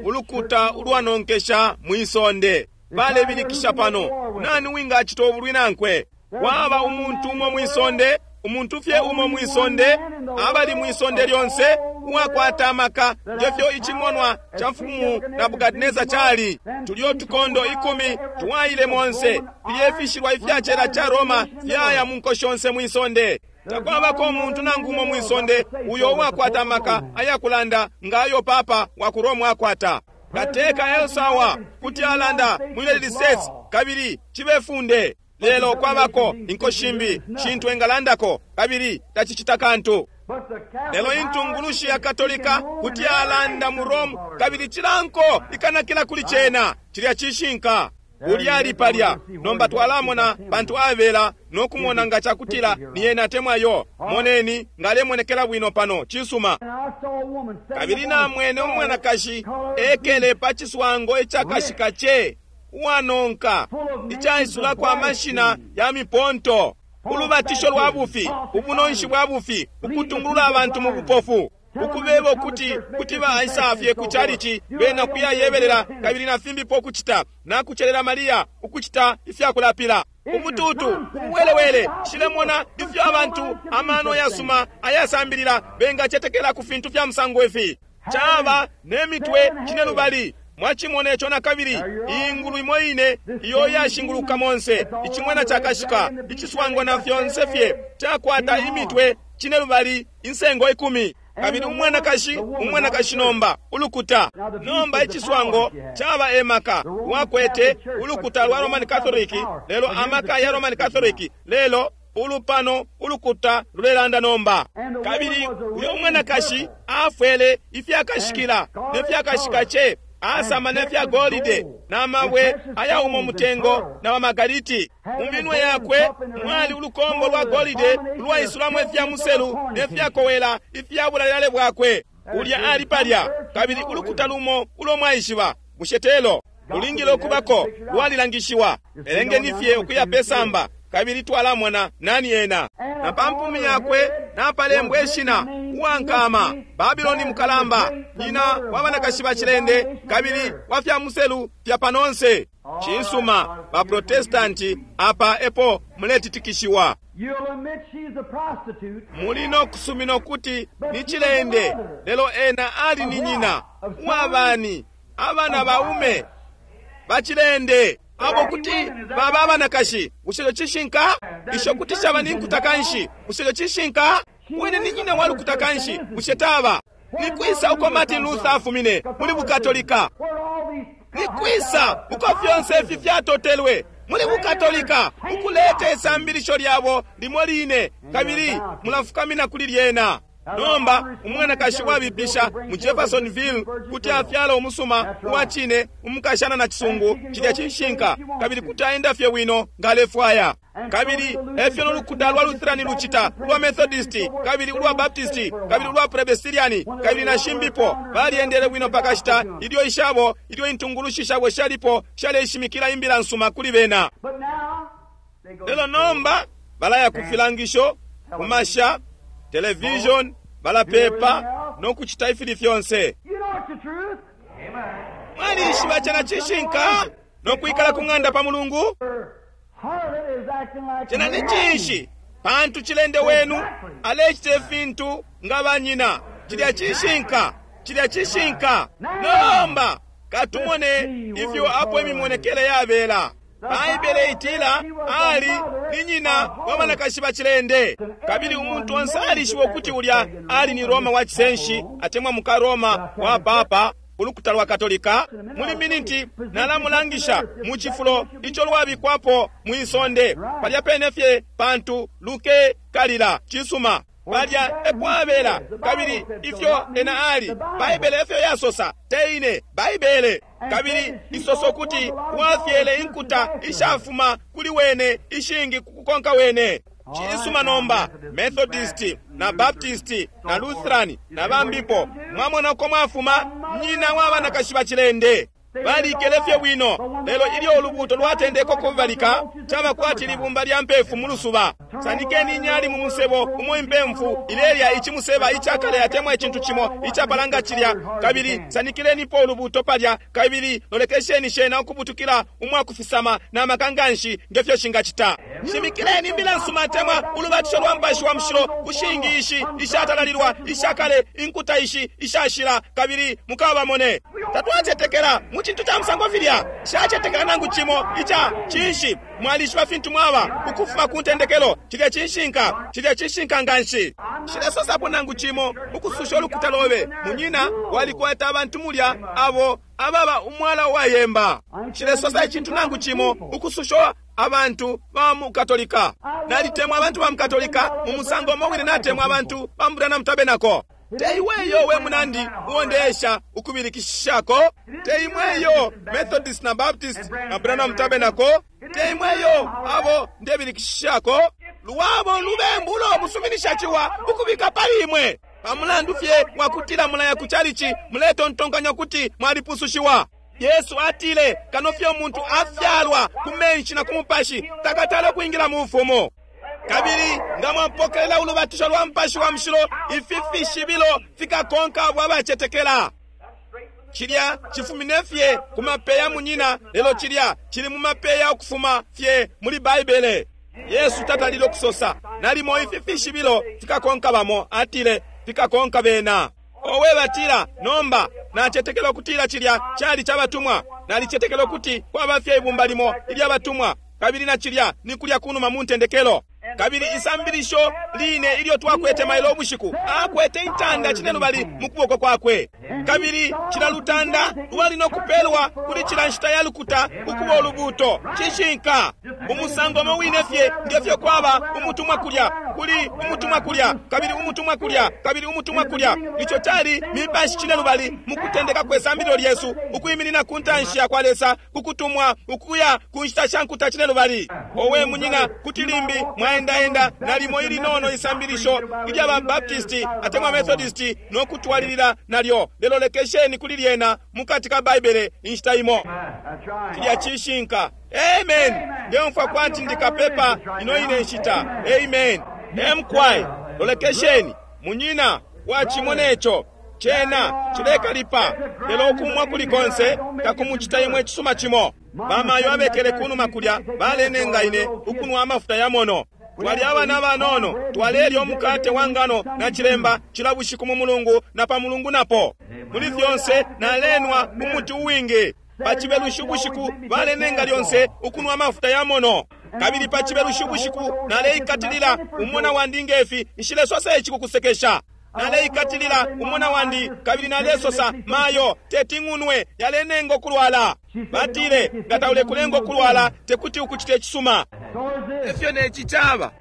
ulukuta ulwanonkesha mwisonde. Balebilikisha pano, nani wingachita ubulwi nankwe? Waba umuntu umo mwisonde, umuntu fye umo mwisonde, abali mwisonde lyonse uwakwata amaka ngefyo ichimonwa cha mfumu Nebukadineza chali. Tulyo tukondo ikumi tuwaile monse, filye ifyachela cha Roma fyaya mu nko shonse mwisonde. Takwabako umuntu nangu umo mwisonde uyo uwakwata amaka ayakulanda ngayo papa wa ku Roma akwata. Kateka Elsawa kuti alanda mu United States kabili chibefunde. Lelo kwabako inko shimbi shintu engalandako kabili tachichita kantu. Lelo intungulushi ya Katolika kuti alanda mu Rome kabili chilanko ikanakila kuli chena. Chilya chishinka. Ulyali palya. Nomba twalamona pantu abela nokumona nga chakutila ni yena atemwayo. Moneni ngalemonekela bwino pano chisuma. Kabili namwene umwanakashi ekele pa chiswango echakashika che uwanonka ichaisulako amashina ya miponto, ulubatisho lwa bufi, ubunonshi bwa bufi, ukutungulula abantu mu bupofu, ukubeba ukuti kuti baisafye ku chalichi bena kuyayebelela kabili na fimbipo ukuchita nakuchelela Maria ukuchita ifyakulapila ubututu ubuwelewele. Shilemona ifyo abantu amano yasuma ayasambilila bengachetekela ku fintu fya musango ifi. Chaba nemitwe chinelubali. Mwachimona echo na kabili ingulu imo ine iyo yashinguluka monse ichimwana chakashika ichiswango na fyonse fye chakwata imitwe chinelubali insengo ikumi. Kabili umwanakashi umwanakashi nomba ulukuta nomba ichiswango chaba emaka wakwete ulukuta lwa Roman Catholic, lelo amaka ya Roman Catholic, lelo ulupano ulukuta lulelanda nomba. Kabili uyo umwanakashi afwele ifyakashikila nefyakashika che asama nefya golide na mabwe ayaumo mutengo na wamagariti. Mu minwe yakwe mwali ulukombo lwa golide lwaisulamwe ifya muselu nefyakowela ifyabulalelale bwakwe. Ulya ali palya. Kabili ulukuta lumo ulo mwaishiba bushetelo ulingile okubako lwalilangishiwa. Elengeni fye ukuya pesamba kabili twalamona nani ena. Na pampumi yakwe napalembwa ishina uwankama Babiloni mukalamba, nyina wa banakashi ba chilende kabili wa fya muselu fya panonse. Chinsuma ba Protestanti apa epo muletitikishiwa. Mulino kusumino kuti ni chilende, lelo ena ali ni nyina uwabani Abana baume bacilende abo kuti baba abanakashi. Bushe cishinka? Isho kuti shaba ni nkuta kanshi. Bushe cishinka? Wene ni nyina wa lukuta kanshi. Bushe taba? Ni kwisa uko Martin Luther afumine muli Bukatolika? Ni kwisa uko fyonse ifi fyatotelwe muli Bukatolika, ukuleta isambilisho lyabo limo line, kabili mulafukamina kuli lyena. Nomba umwanakashi wabipisha mu Jeffersonville kuti afyala umusuma uwa cine umukashana na cisungu, cilya cishinka, kabili kuti aenda fye bwino nga alefwaya. Kabili efyo nolukuta lwa Lutheran lucita, ulwa Methodist, kabili ulwa Baptist, kabili ulwa Presbyterian, kabili na shimbipo. Baliendele bwino pakashita ilyo ishabo, ilyo intungulushi shabo shalipo shaleshimikila imbila nsuma kuli bena. Lelo nomba balaya ku filangisho, ku masha, television, balapepa no kucita ifili fyonse. Mwalishiba chena cishinka no kwikala ku ng'anda pa Mulungu? Chena ni cinshi? Pantu cilende wenu alecita ifintu nga banyina. Cilya cishinka, cilya cishinka. Nomba katumone ifyo apo imimonekele yabela. Baibele itila ali ni nyina wa banakashi bacilende, kabili umuntu onse alishiba ukuti ulya ali ni Roma wa cisenshi atemwa muka Roma wa papa ulukuta lwa Katolika. Muli miniti nalamulangisha mu cifulo ico lwabikwapo mwisonde palya pene fye pantu luke kalila cisuma palya epo abela, kabili ifyo ena ali. Baibele efyo yasosa, teine Baibele. Kabili isoso kuti wafyele inkuta ishafuma kuli wene ishingi kukukonka wene. Cisuma nomba Methodist na Baptist na Lutheran na bambipo, mwamona uko mwafuma nyina wa banakashi bacilende. Balikele fye bwino, lelo ilyo ulubuto lwatendeka kubalika, caba kwati libumba lya mpefu mu lusuba. Sanikeni inyali mu musebo umo impemfu ilelya ichimuseba ichakale atemwa icintu cimo icapalanga cilya, kabili sanikilenipo ulubuto palya, kabili lolekesheni shena ukubutukila umwakufisama na makanganshi ngefyo shingacita. Shimikileni imbila nsuma atemwa ulubatisho lwa Mupashi wa Mushilo kushingi ishi ishatalalilwa ishakale inkuta ishi ishashila, kabili mukabamone. Tatwacetekela mu cintu ca musango filya, shacetekela nangu cimo ica cinshi. Mwalishiba fintu mwaba ukufuma ku ntendekelo. Cilya cishinka, cilya cishinka nganshi. Shilesosapo nangu cimo ukususha ulukuta lobe. Munyina walikwata abantu mulya abo ababa umwala wayemba. Shilesosa icintu nangu cimo ukususha abantu ba mu Katolika. Nalitemwa abantu ba mu Katolika mu musango umo wine natemwa abantu ba mu Branham Tabernacle. Teiweyo we munandi uwondeesha ukubilikishako. Teimweyo Methodist na Baptist na Branham Tabernacle. Teimweyo abo ndebilikishako. Luwabo lubembulo musuminisha ciwa ukubika pali imwe. Pamulandu fye wakutila mulaya ku chalichi muletontonkanya kuti mwalipusushiwa. Yesu atile kano fye umuntu afyalwa ku menshi na ku mupashi takatale kwingila mu bufumu. Kabili nga mwapokelela ulubatisho lwa Mupashi wa Mushilo, ifi fishibilo fikakonka abo abacetekela. Cilya chifumine fye ku mapeya munyina, lelo cilya chili mu mapeya ukufuma fye muli Baibele. Yesu tatalile okusosa nalimo ifi fishibilo fikakonka bamo, atile fikakonka bena. Owe batila nomba nacetekela ukutila cilya cali cabatumwa, nalicetekela ukuti kwaba fye ibumba limo ilyabatumwa, kabili na cilya ni kulya kunuma mu ntendekelo. Kabili isambilisho line ilyo twakwete mailo ubushiku, akwete intanda cinelubali mu kuboko kwakwe, kabili cila lutanda lwali no kupelwa kuli cila nshita ya lukuta ukuba ulubuto. Cishinka umusango umo wine fye ngefyo kwaba umutumwa kulya kuli umutumwa kulya kabili umutumwa kulya kabili umutumwa kulya. Ico cali mipashi cinelubali mu kutendeka kwe sambililo lyesu, ukwiminina ku ntanshi ya kwa Lesa kukutumwa ukuya ku nshita sha nkuta cinelubali. Owe munyina, kuti limbi mwaendaenda nalimo ilinono isambilisho ilya ba Baptist atemwa Methodist no kutwalilila nalyo, lelo lekesheni kuli lyena mukati ka Baibele inshita imo. Cilya cishinka. Amen. Ndeumfwa kwati ndikapepa ino ine nshita. Amen. Emkwai lolekesheni munyina wachimona ico cena cilekalipa, lelo ukumwa kuli konse takumucita imwe cisuma cimo. Bamayo abekele kunuma kulya balenenga ine ukunwa amafuta ya mono. Twali abana abanono, twalelya umukate wa ngano na chilemba cila bushiku mu mulungu na pa mulungu napo. Muli fyonse nalenwa umuti uwingi. Pa chibelushi ubushiku balenenga lyonse ukunwa amafuta ya mono. Kabili pa chibelushi ubushiku naleikatilila umona wandi ngefi, nshilesosa ici kukusekesha. Naleikatilila umona wandi kabili nalesosa mayo teti ng'unwe yalenenga okulwala. Batile nga taulekulenga okulwala tekuti ukuchite cisuma. Efyo neci chaba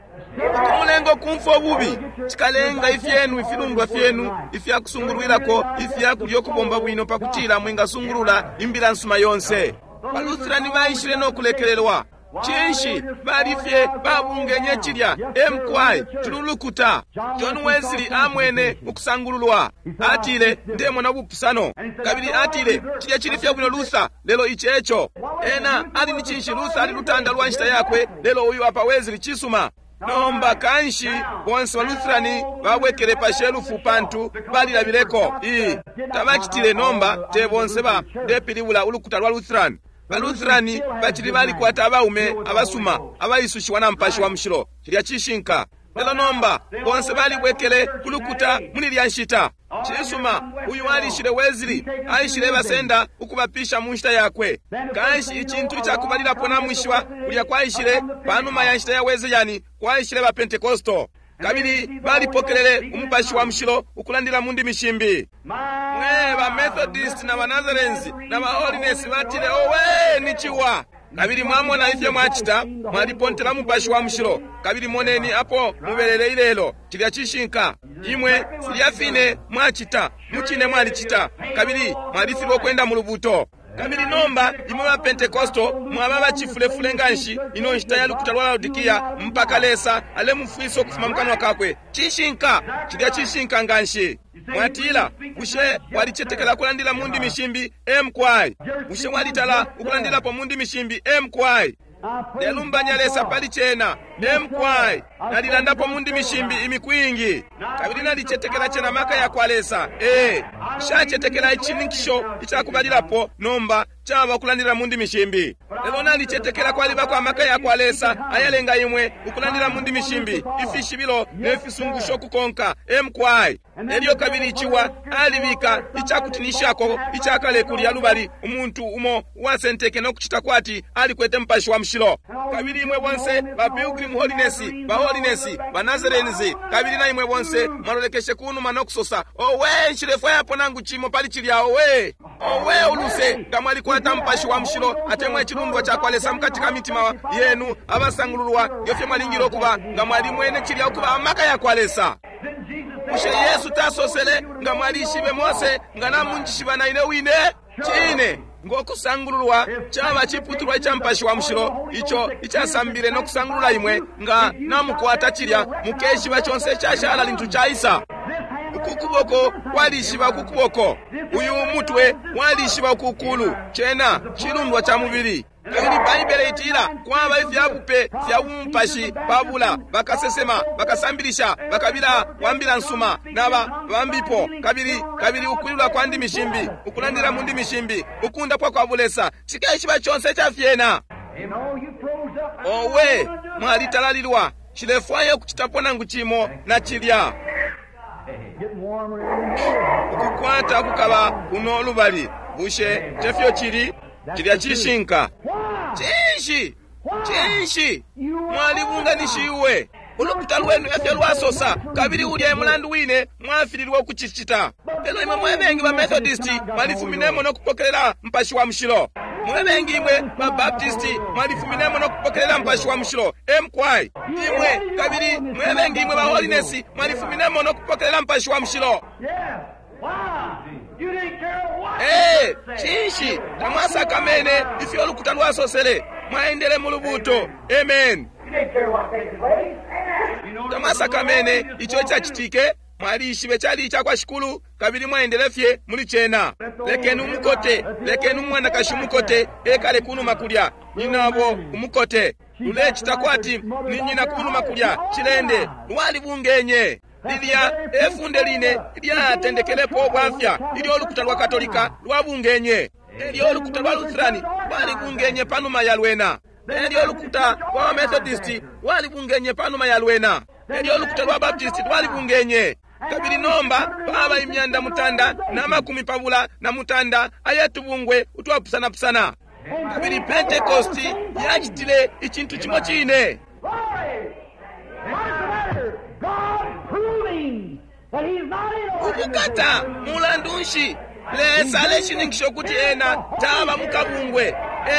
ukumulenga okumfwa obubi chikalenga ifyenu ifilundwa fyenu ifyakusungulwilako ifyakulya okubomba bwino pakutila mwingasungulula imbila nsuma yonse. Baluthirani baishile nokulekelelwa. Cinshi balifye babungenye chilya emkwai tululukuta. John Wesley amwene ukusangululwa, atile ndemona bupusano, kabili atile chilya chili fye bwino Luther, lelo ichi echo ena ali ni cinshi. Luther ali lutanda lwa nshita yakwe, lelo uyu apa Wesley chisuma. Nomba kanshi bonse ba Lutherani babwekele pa shelufu pantu balilabileko ii tabachitile. Nomba te bonse ba ndepilibula ulukuta lwa Lutheran. Ba Lutherani bachili balikwata abaume abasuma abaisushiwa na mpashi wa mushilo, chilya cishinka. Lelo nomba bonse balibwekele kulukuta muli lya nshita. Cisuma, uyu alishile Wesley aishile basenda ukubapisha mu nshita yakwe. Kanshi icintu icakubalilapo namwishiba kulya kwaishile panuma ya nshita ya Wesleyani kwaishile ba Pentecostal, kabili balipokelele umupashi wa mushilo ukulandila mu ndimi shimbi. Mwe ba Methodist na ba Nazarenes na ba Holiness batile owe ni chiwa. Kabili mwamona ifyo mwachita, mwalipontela mupashi wa mushilo. Kabili moneni apo mubelele ilelo, chilya cishinka. Imwe filya fine mwachita, muchine mwalichita, kabili mwalifilwa okwenda mu lubuto. Kabili nomba imwe ba Pentecostal mwaba bachifulefule nganshi ino nshita ya lukuta lwa Laodikia mpaka Lesa alemufwisa ukufuma mukanwa kakwe. Cishinka, chilya cishinka nganshi. Mwatila, bushe walichetekela kulandila mu ndimi shimbi? Emkwai. Bushe walitala ukulandilapo mu ndimi shimbi? Emkwai. Nelumbanya Lesa pali chena. Emkwai. Nalilandapo mu ndimi shimbi imiku ingi. Kabili nalichetekela chena maka ya kwa Lesa. Eh, shachetekela ichininkisho ichakubalilapo nomba chaba ukulandila mu ndimi shimbi. Lelo nalichetekela kwalibako amaka ya kwa Lesa ayalenga imwe ukulandila mu ndimi shimbi, ifishibilo ne fisungusho kukonka. Emkwai. Elyo kabili ichiwa alibika ichakutinishako ichakale kulya lubali umuntu umo uwasenteke nokuchita kwati alikwete mpashi wa mushilo. Kabili imwe bonse ba Pilgrim Holiness, ba Holiness, ba Nazarenes, kabili na imwe bonse mwalolekeshe kunuma nokusosa owe nshilefwayapo nangu chimo pali chilya owe owe uluse nga mwalikwata mpashi wa mushilo atemwa icilundwa cha kwa Lesa mukati ka mitima yenu abasangululwa ngefyo mwalingile okuba nga mwalimwene chilya okuba amaka ya kwa Lesa. Bushe Yesu tasosele nga mwalishibe Mose nga namunjishiba na ine wine? Chine ngokusangululwa chaba chiputulwa icha mpashi wa mushilo icho ichasambile nokusangulula imwe nga namukwata chilya mukeshiba chonse chashala lintu chaisa. Ukukuboko kwalishiba ukukuboko, uyu mutwe walishiba ukukulu, chena chilundwa cha mubili. Kabili Baibele itila kwaba ifyabupe fya umupashi pabula bakasesema bakasambilisha bakabila wambila nsuma naba bambipo, kabili kabili ukwilula kwa ndimi shimbi, ukulandila mu ndimi shimbi, ukundapwa kwa bulesa chikeshiba chonse chafyena. Owe mwalitalalilwa, chilefwaya ukuchitapo nangu chimo na chilya ukukwata kukaba kuno lubali. Bushe tefyo chili? Chilya cishinka. Cinshi cinshi mwalibunganishiwe ulukuta lwenu efyo lwasosa, kabili ulya e mulandu wine mwafililwe ukucicita. Lelo imwe mwe bengi ba Methodist mwalifuminemo nokupokelela mpashi wa mushilo. Mwe bengi imwe ba Baptist mwalifuminemo nokupokelela mpashi wa mushilo. Emkwai. Imwe kabili mwe bengi imwe ba Holiness mwalifuminemo nokupokelela mpashi wa mushilo. Eh, cinshi tamwasakamene ifyo ulukuta lwasosele, mwaendele mu lubuto. Amen. Tamwasakamene icho ichachitike, mwalishibe chali ichakwa shikulu, kabili mwaendele fye muli chena. Lekeni umukote, lekeni umwanakashi umukote ekale kunuma kulya, nyinabo umukote lulechita kwati ni nyina kunuma kulya chilende lwalibungenye. Lilya efunde line lyatendekelepo bwafya ilyo ulukuta lwa Katolika lwabungenye, elyo ulukuta lwa Lutherani lwalibungenye panuma ya lwena. Elyo ulukuta lwa Methodist lwalibungenye panuma ya lwena. Elyo ulukuta lwa Baptist lwalibungenye. Kabili nomba paba imyanda mutanda na makumi pabula na mutanda ayatubungwe utwapusanapusana. Kabili Pentecost yacitile icintu cimo cine. Ubukata, mulandu nshi? Lesa aleshininkisha ukuti ena taba mukabungwe,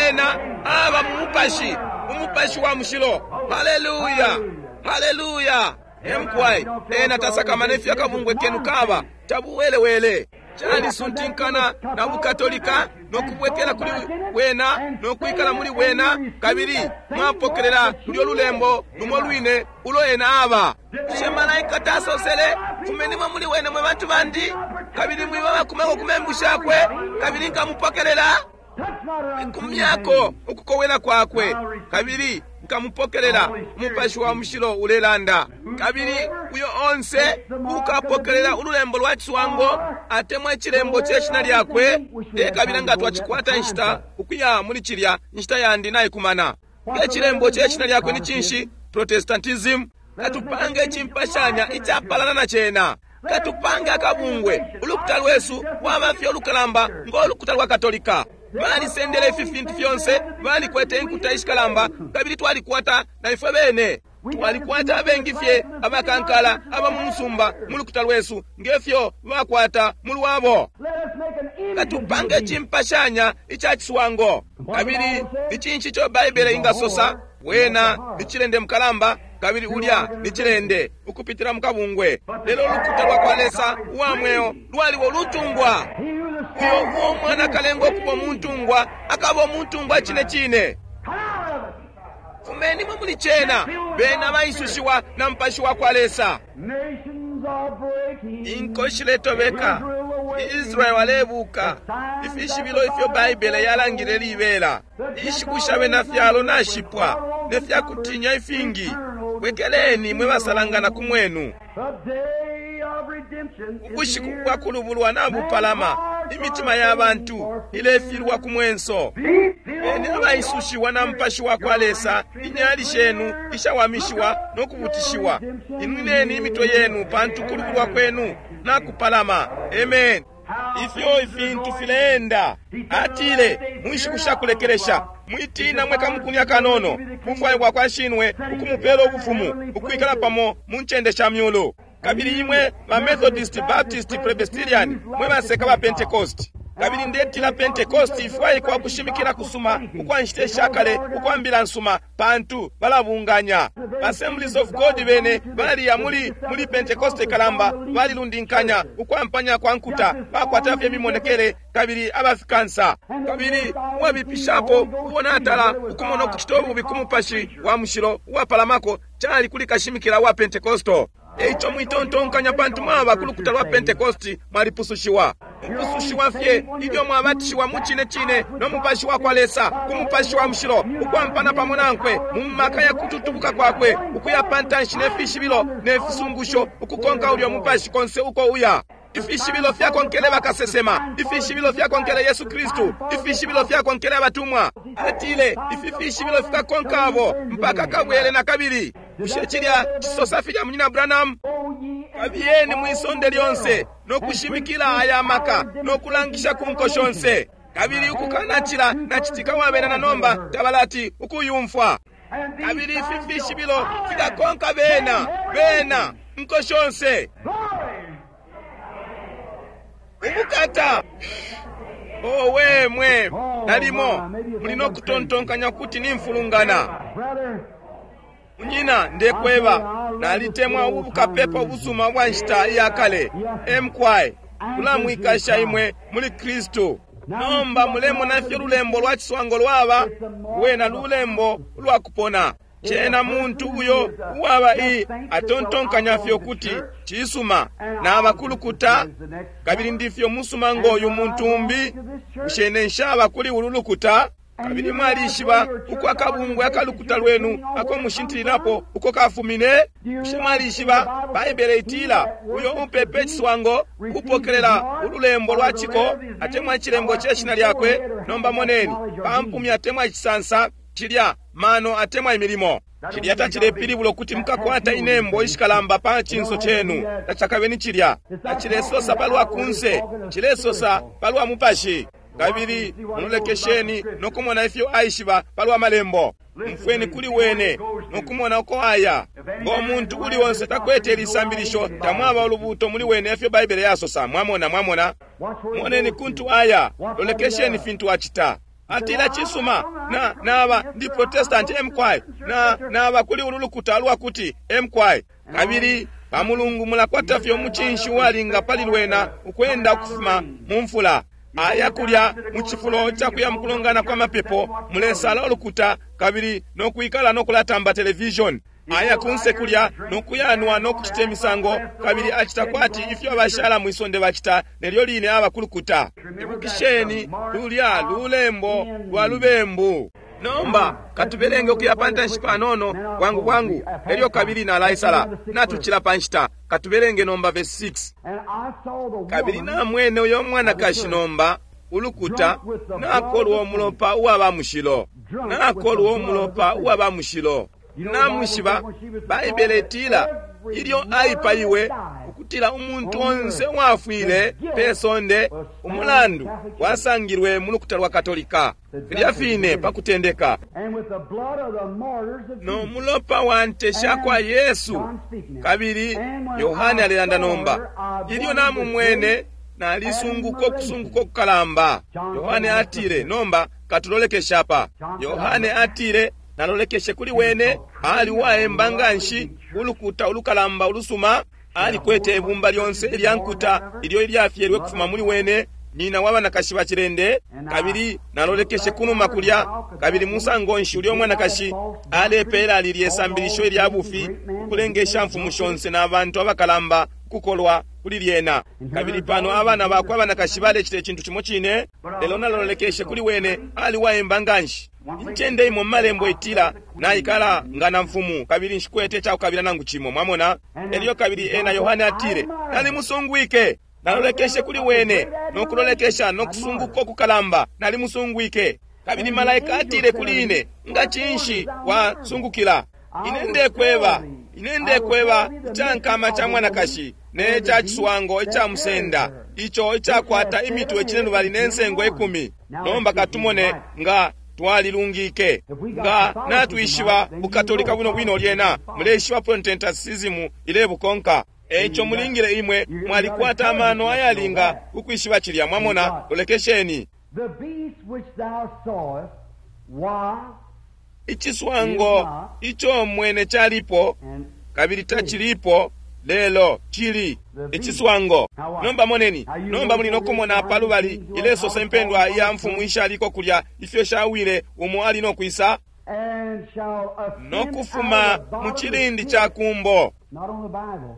ena aba mu mupashi, umupashi wa mushilo. Haleluya, haleluya. Emkwai, ena tasakamana ifyo akabungwe kenu kaba tabuwelewele. Calisuntinkana na bukatolika nokubwekela kuli bwena nokwikala muli bwena, kabili mwapokelela lulyo lulembo lumo lwine ulo ena aba. Bushe malaika tasosele, fumenimo muli wene mwe bantu bandi, kabili mwiba bakumako ku membu shakwe, kabili nkamupokelela kumyako ukukowela kwakwe, kabili nkamupokelela. Umupashi wa mushilo ulelanda. Kabili uyo onse ukapokelela ululembo lwa ciswango atemwa icilembo ce shina lyakwe, tekabila nga twacikwata inshita ukuya muli cilya, inshita yandi naikumana. Icilembo ce shina lyakwe ni cinshi? Protestantism. Katupange icimpashanya icapalana na cena. Katupange akabungwe. Ulukuta lwesu lwaba fye ulukalamba ngo lukuta lwa Katolika. Balisendele ifi fintu fyonse, balikwete inkuta ishikalamba, kabili twalikwata na ifwe bene. Twalikwata abengi fye abakankala aba mu musumba mu lukuta lwesu ngefyo bakwata mu lwabo. Katupange cimpashanya ica ciswango. Kabili ni cinshi ico Baibele ingasosa? Wena ni cilende mukalamba, kabili ulya ni cilende ukupitila mukabungwe. Lelo ulukuta lwa kwa Lesa uwa mweo lwaliwo lutungwa. Uyo uo mwana akalenga okuba omuntungwa akaba omuntungwa cine cine. Fumenimo muli cena, bena baisushiwa na mupashi wa kwa Lesa. Inko shiletobeka, Israel alebuka, ifishibilo ifyo Baibele yalangile libela. Inshiku sha bena fyalo nashipwa, ne fyakutinya ifingi. Bwekeleni mwe basalangana ku mwenu. Ubushiku bwa kulubulwa nabupalama, imitima ya bantu ilefilwa ku mwenso. Beni abaisushiwa na mupashi wa kwa Lesa, inyali shenu ishawamishiwa no kubutishiwa. Inwineni imitwe yenu pantu kulubulwa kwenu nakupalama. Amen. Ifyo ifintu fileenda. Atile mu nshiku sha kulekelesha, mwitina mwe kamukuni akanono, bufwayo bwa kwa shinwe ukumupela ubufumu, ukwikala pamo mu ncende sha myulu. Kabili imwe ba Methodist, Baptist, Presbyterian, mwe baseka ba Pentecost. Kabili ndetila Pentecost ifwaikwa kushimikila kusuma ukwa nshita shakale ukwa mbila nsuma, pantu balabunganya. Assemblies of God bene baliya muli muli Pentecost kalamba, balilundinkanya ukwampanya kwa nkuta, bakwata fye mimonekele kabili abafikansa. Kabili uwabipishapo ubona atala ukumona ukucita ububi ku mupashi wa mushilo uwapalamako cali kuli kashimikila wa Pentecosto. Eico mwitontonkanya pantu mwaba ku lukuta lwa Pentecosti mwalipusushiwa. Mupusushiwa fye ilyo mwabatishiwa mu cine cine no mupashi wa kwa Lesa, ku mupashi wa mushilo, ukwampana pamo nankwe mu maka ya kututubuka kwakwe, ukuya pantanshi ne fishibilo ne fisungusho, ukukonka ulyo mupashi konse uko uya. Ifishibilo fyakonkele bakasesema, ifishibilo fyakonkele Yesu Kristu, ifishibilo fyakonkele abatumwa. Atile ifi fishibilo fikakonka abo mpaka kabwele na kabili. Bushe cilya cisosa filya munyina Branham? Kabiyeni mwisonde lyonse no kushimikila aya maka no kulangisha ku nko shonse. Kabili ukukanacila nacitika wabena na nomba tabalati ukuyumfwa. Kabili ifi fishibilo fikakonka bena bena nko shonse. Ubukata! Owe mwe, nalimo muli no kutontonkanya kuti nimfulungana. Munyina, ndekweba, nalitemwa ubu bukapepa ubusuma bwa nshita iya kale. Emkwai, kulamwikasha imwe muli Kristu. Nomba mulemona ifyo lulembo lwa ciswango lwaba, lwena lulembo ulwa kupona. Cena muntu uyo uwaba i atontonkanya fye ukuti cisuma naba kulukuta, kabili ndifyo musuma ngoyu muntu umbi. Bushe nshaba kuli ulu lukuta? Kabili mwalishiba uko akabungwe akalukuta lwenu ako mushintililapo uko kafumine? Bushe mwalishiba Baibele itila uyo upepe iciswango upokelela ululembo lwa ciko atemwa icilembo ce shina lyakwe? Nomba moneni, pampumi atemwa icisansa Cilya mano atemwa imilimo. Cilya tacilepilibula ukuti mukakwata inembo ishikalamba pa cinso cenu. Tacakabe ni cilya. Tacilesosa palwa kunse, cilesosa palwa mupashi. Kabili mulolekesheni nokumona ifyo aishiba palwa malembo. Mfweni kuli wene nokumona uko aya. Ngo muntu uli onse takwete lisambilisho, tamwaba ulubuto muli wene efyo Baibele yasosa. Mwamona, mwamona. Moneni kuntu aya, lolekesheni fintu acita. Atila cisuma, na naba ndi Protestant M K na naba kuli ulu lukuta lwakuti M K. Kabili pa Mulungu mulakwata fye umucinshi uwalinga pali lwena ukwenda ukufuma mu mfula. Aya kulya mu cifulo ca kuya mukulongana kwa mapepo, mulesala ulukuta kabili nokwikala nokulatamba television. Aya kunse kulya nokuyanwa nokucita imisango, kabili acita kwati ifyo abashala mwisonde bacita nelyo line aba kulukuta. Ibukisheni lulya lulembo lwa lubembu. Nomba katubelenge ukuya pa ntanshi panono bwangu bwangu, elyo kabili nalaisala. Natucila pa nshita. Katubelenge nomba verse six. And I saw the Kabili woman namwene uyo mwanakashi nomba ulukuta nakolwa umulopa uwa mushilo, nakolwa umulopa uwa mushilo. Namwishiba Baibele itila ilyo aipaiwe ukutila umuntu onse uwafwile pe sonde umulandu wasangilwe mu lukuta lwa Katolika, filya fine pa kutendeka. And with the blood of the martyrs of No Jesus. mulopa wa nte sha kwa Yesu. Kabili Yohane alelanda nomba. Ilyo namumwene nalisunguka ukusunguka okukalamba. Yohane atile, nomba katulolekesha apa. Yohane atile, nalolekeshe kuli wene, ali uwaemba nganshi, ulukuta ulukalamba ulusuma, alikwete ibumba lyonse ilya nkuta ilyo ilyafyelwe kufuma muli wene, nyina w'abanakashi bacilende. Kabili nalolekeshe kunuma kulya, kabili musango nshi ulya mwanakashi alepeela lilye sambilisho ilya bufi ukulenga mfumu shonse n'abantu abakalamba ukukolwa kuli lyena. Kabili pano abana bakwe abanakashi balecita icintu cimo cine. Lelo nalolekeshe kuli wene, ali waemba nganshi. Incende imo mumalembo itila naikala nga na mfumu kabili nshikwete icakukabila nangu cimo. Mwamona? Elyo kabili ena Yohane atile, nalimusungwike. Nalolekeshe kuli wene nokulolekesha nokusunguka okukalamba, nalimusungwike. Kabili malaika atile kuli ine, nga cinshi wasungukila? Ine ndekweba, ine ndekweba icankama ca mwanakashi ne ca ciswango ica musenda, ico icakwata imitwe cinelubali ne nsengo ikumi. Nomba katumone nga twalilungike. Nga natwishiba bukatolika buno bwino, lyena muleishiba Protestantism ilebukonka. Eico mulingile imwe mwalikwata amano ayalinga ukwishiba cilya. Mwamona? Lolekesheni. The beast which thou sawest was Iciswango ico mwene calipo and kabili tacilipo, lelo cili. Iciswango. Nomba moneni. Nomba muli nokumona palubali ilesosa impendwa ya mfumu ishaliko kulya, ifyo shawile, umo ali nokwisa and shall ascend nokufuma out of the mu bottomless cilindi pit. ca kumbo. Not on the Bible.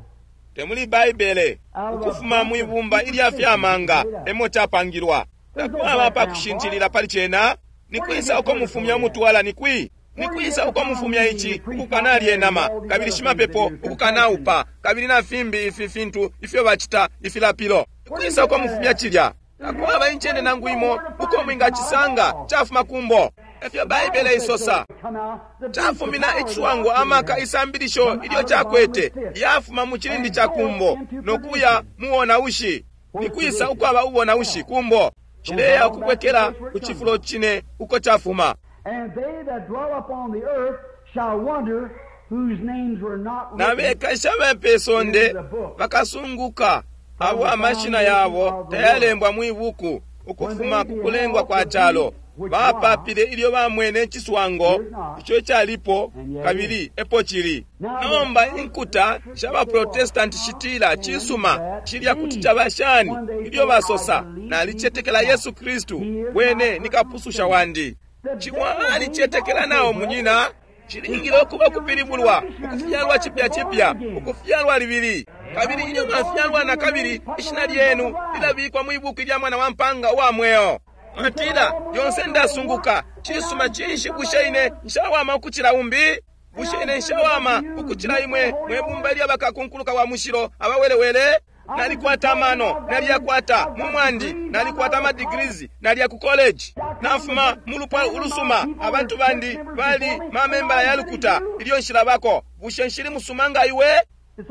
Temuli Baibele. Ukufuma mwibumba ilya fyamanga emo capangilwa. Takwaba pakushintilila pali cena. Nikwisa uko mufumya umutwala? Nikwi nikwisa uko mufumya ici ukukanalya inama, kabili shimapepo ukukanaupa, kabili na fimbi ifi fintu ifyo bacita ifilapilo? Nikwisa uko mufumya cilya? Takwaba incende nangu imo uko mwingacisanga. Cafuma kumbo, efyo Baibele isosa. Come out the beast, Cafumina the power iciswango amaka isambilisho ilyo cakwete yafuma mu cilindi ca kumbo nokuya muwonaushi. Nikwisa ukwaba ubonaushi? Kumbo. Cileya ukubwekela ku cifulo cine uko cafuma. And they that dwell upon the earth shall wonder, whose names were not Na written bekashi abe sonde bakasunguka, abo amashina yabo tayalembwa mwi buku ukufuma ku kulengwa kwa calo. Bapapile ilyo bamwene iciswango ico calipo kabili epo cili nomba. Inkuta sha baprotestanti shitila, cisuma, cilya kuti caba shani? Ilyo basosa, nalicetekela Yesu Kristu, wene ni kapususha wandi. Ciwa alicetekela nao, munyina. Cilingile ukuba kupilibulwa, ukufyalwa cipya cipya, ukufyalwa libili. Kabili ilyo mwafyalwa na kabili, ishina lyenu lilabikwa mwi buku lya Mwana wa Mpanga uwa mweo. Mwatila, lyonse ndasunguka. Cisuma, cinshi? Bushe ine nshawama ukucila umbi? Bushe ine nshawama ukucila imwe mwe bumba lya bakakunkuluka wa mushilo abawelewele? Nalikwata amano, naliyakwata mu mwandi, nalikwata amadegrees, naliya ku college, nafuma mu lupwa ulusuma, abantu bandi bali mamembala ya lukuta ilyo nshilabako. Bushe nshili musuma nga iwe?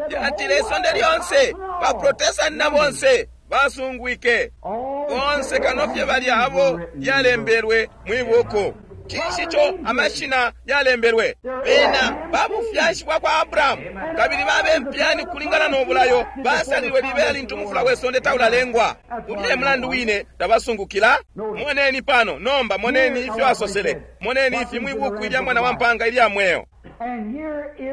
Yatile isonde lyonse, baprotestanti na bonse basungwike bonse kano fye balya abo yalembelwe mwibuku. Cinshi ico amashina yalembelwe? Bena babufyashi bwa kwa Abrahamu, kabili babe mpyani kulingana no bulayo, basalilwe libela lintu umufula we sonde taulalengwa. Ulya mulandu wine tabasungukila. Moneni pano nomba, moneni ifyo asosele, moneni ifi mwibuku ilya mwana wa mpanga ilya mweo.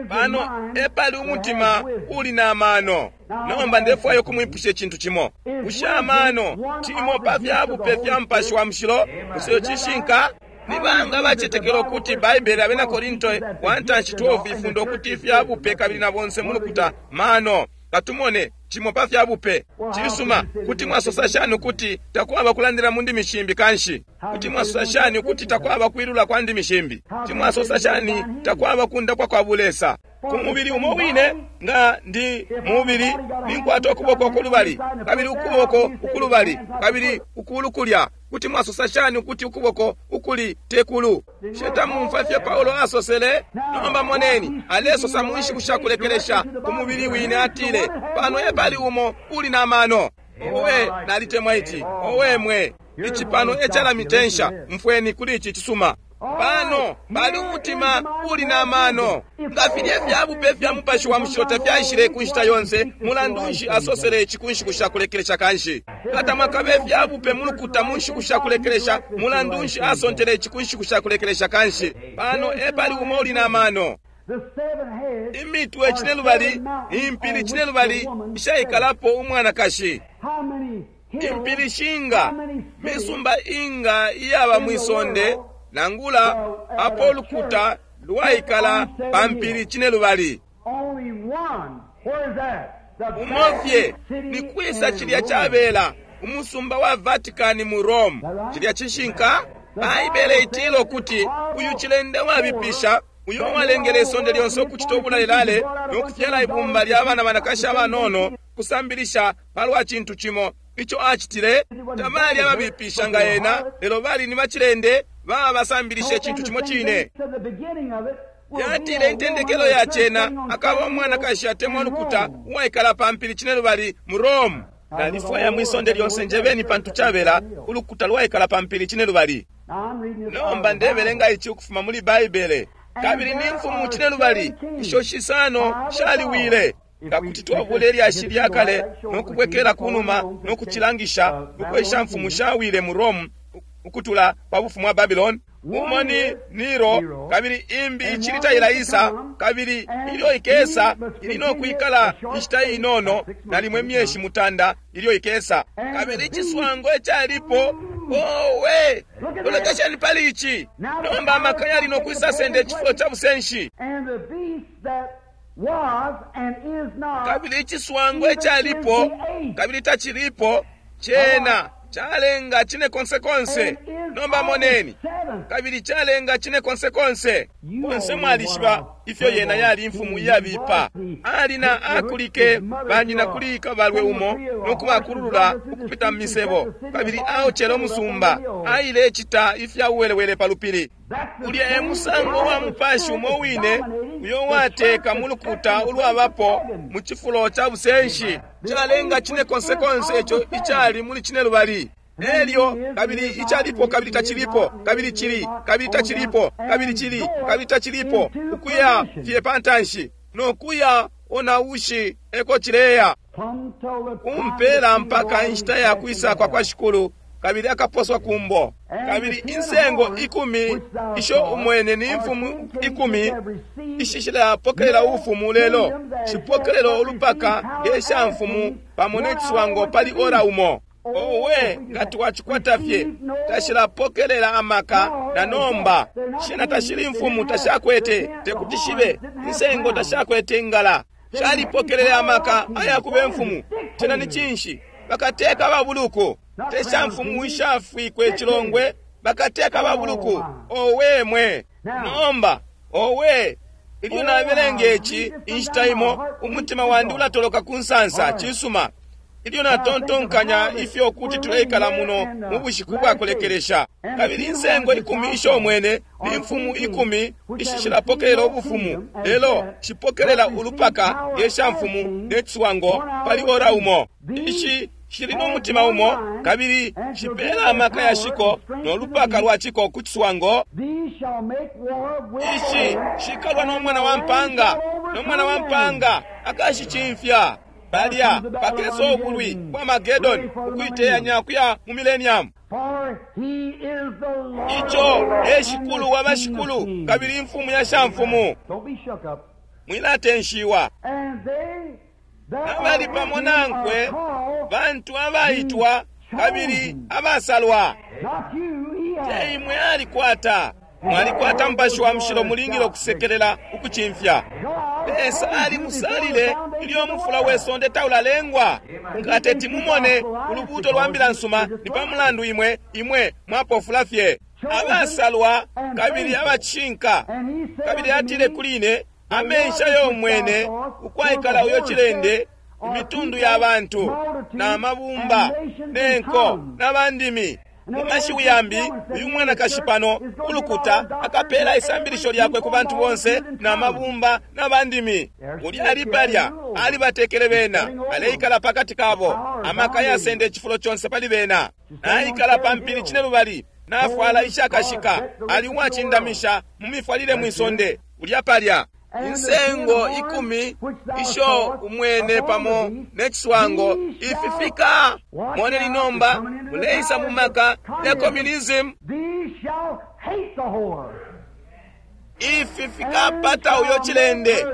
Pano epali umutima uli na mano. Nomba ndefwayo kumwipusha icintu cimo. Bushe amano cimo pa fyabupe fya Mupashi wa Mushilo? Bushe cishinka? Ni banga bacetekela ukuti Baibele Abena Korinto one twelve ifunda ukuti ifyabupe kabili na bonse mulukuta mano? Katumone cimo pa fyabupe. Cisuma, kuti mwasosa shani ukuti takwaba kulandila mu ndimi shimbi kanshi? Kuti mwasosa shani ukuti takwaba kwilula kwa ndimi shimbi? Kuti mwasosa shani takwaba kundapwa kwa bulesa? Ku mubili umo wine, nga ndi mubili, ninkwata ukuboko ukulubali, kabili ukuboko ukulubali, kabili ukulu kulya. Kuti mwasosa shani ukuti ukuboko ukuli tekulu? Shetamumfa fye Paulo asosele. Nomba moneni, alesosa mu nshiku sha kulekelesha ku mubili wine, atile pano epali umo uli na mano. Owe, nalitemwa ici. Owe mwe, ici pano ecalamitensha. Mfweni kuli ici cisuma. Pano pali umutima uli na mano. Nga filya fyabupe fya Mupashi wa Mushilo tafyaishile ku nshita yonse, mulandu nshi asosele ici ku nshiku sha kulekelesha kanshi? Nga mwakabe fyabupe mu lukuta mu nshiku sha kulekelesha, mulandu nshi asontele ici ku nshiku sha kulekelesha kanshi? Pano epali umo uli na mano. Imitwe cinelubali, impili cinelubali ishaikalapo umwanakashi. Impili shinga, misumba inga iyaba mwisonde, nangula apo ulukuta lwaikala pa mpili cinelubali. Umofye ni kwisa cilya cabela umusumba wa Vatican mu Rome. Cilya cishinka? Baibele itila ukuti uyu cilende wabipisha, uyo walengele isonde lyonse ukucita ubulalelale no kufyala ibumba lya bana banakashi abanono, kusambilisha palwa cintu cimo ico acitile. Tabali ababipisha nga ena, lelo bali ni bacilende baba basambilisha icintu cimo cine. Yatile intendekelo ya cena akaba umwanakashi atemwa lukuta uwaikala pa mpili cinelubali mu Rome. Nalifwaya mwisonde lyonse njebeni pantu cabela ulukuta lwaikala pa mpili cinelubali. Nomba ndebelenga ici ukufuma muli Baibele. Kabili ni mfumu cinelubali isho shisano shaliwile. Nga kuti twabula ilyashi lya kale no kubwekela kunuma no kucilangisha ukwesha mfumu shawile mu Rome ukutula pa bufumu bwa Babylon. Umo ni Nero, kabili imbi icili tailaisa, kabili ilyo ikesa ili no kwikala inshita inono, nalimwe imyeshi mutanda ilyo ikesa. Kabili iciswango ecalipo, owe, lolekesheni pali ici. Nomba amaka yali no kwisa senda icifulo ca busenshi. Kabili iciswango ecalipo, kabili tacilipo, cena calenga cine konse konse. Nomba moneni, kabili calenga cine konse konse. Bonse mwalishiba ifyo yena yali imfumu iyabipa. Ali na akulike banyina kuli kabalwe umo no kubakululula ukupita mu misebo, kabili aocele umusumba, ailecita ifya uwelewele pa lupili. Ulya e musango wa mupashi umo wine uyo wateka mu lukuta ulwabapo mu cifulo ca busenshi. Calenga cine konse konse ico icali muli cinelubali. Elyo kabili icalipo, kabili tacilipo, kabili cili, kabili tacilipo, kabili cili, kabili tacilipo, ukuya fye pantanshi no kuya onaushi eko cileya kumpela mpaka inshita ya kwisa kwa kwa Shikulu, kabili akaposwa kumbo. Kabili insengo ikumi isho umwene ni mfumu ikumi ishishilapokelela ubufumu lelo shipokelela ulupaka ngesha mfumu pamo ne ciswango pali ora umo. Owe, nga twacikwata fye tashilapokelela amaka na nomba shena tashili mfumu, tashakwete tekuti shibe insengo, tashakwete ingala, shalipokelela amaka ayakuba mfumu. Tena ni cinshi? Bakateka babuluku, tesha mfumu ishafwikwe icilongwe, bakateka babuluku. Owe mwe, nomba owe, ilyo nabelenga ici inshita imo umutima wandi ulatoloka ku nsansa. Cisuma, Ilyo natontonkanya ifyo kuti tuleikala muno mu bushiku bwa kulekelesha, kabili insengo ikumi isho mwene ni mfumu ikumi ishishilapokelela ubufumu, lelo shipokelela ulupaka nge sha mfumu ne ciswango pali ora umo. Ishi shili no mutima umo, kabili shipela amaka ya shiko no lupaka lwa chiko ku ciswango. Ishi shikalwa no mwana wa mpanga, no mwana wa mpanga akashicimfya. Palya pakesa ubulwi bwa Magedoni ukuiteyanya kuya mu millennium. Ico e shikulu wa bashikulu kabili imfumu ya shamfumu. Mwilatenshiwa. Abali pamo nankwe bantu abaitwa kabili abasalwa. Te imwe alikwata. Mwalikwata Mupashi wa Mushilo, mulingile ukusekelela ukucimfya. Lesa alimusalile ilyo mufula we sonde taulalengwa. Nga teti mumone ulubuuto lwa mbila nsuma, ni pa mulandu imwe imwe mwapofula fye. Abasalwa kabili abacinka. Kabili atile kuli ine, amensha yomwene ukwaikala uyo cilende, imitundu ya bantu na mabumba nenko na bandimi. Mu mashiwi yambi, uyu mwanakashi pano ulukuta akapela isambilisho lyakwe ku bantu bonse na mabumba na bandimi. Ulya ali palya alibatekele bena, aleikala pakati kabo, amaka yasenda icifulo conse pali bena. Naikala pa mpili cine lubali, nafwala ishakashika, ali uwacindamisha mu mifwalile mwisonde. Ulya palya insengo ikumi isho umwene pamo ne ciswango ififika. Moneni nomba muleisa mu maka ya communism. Ifi fikapata uyo cilende,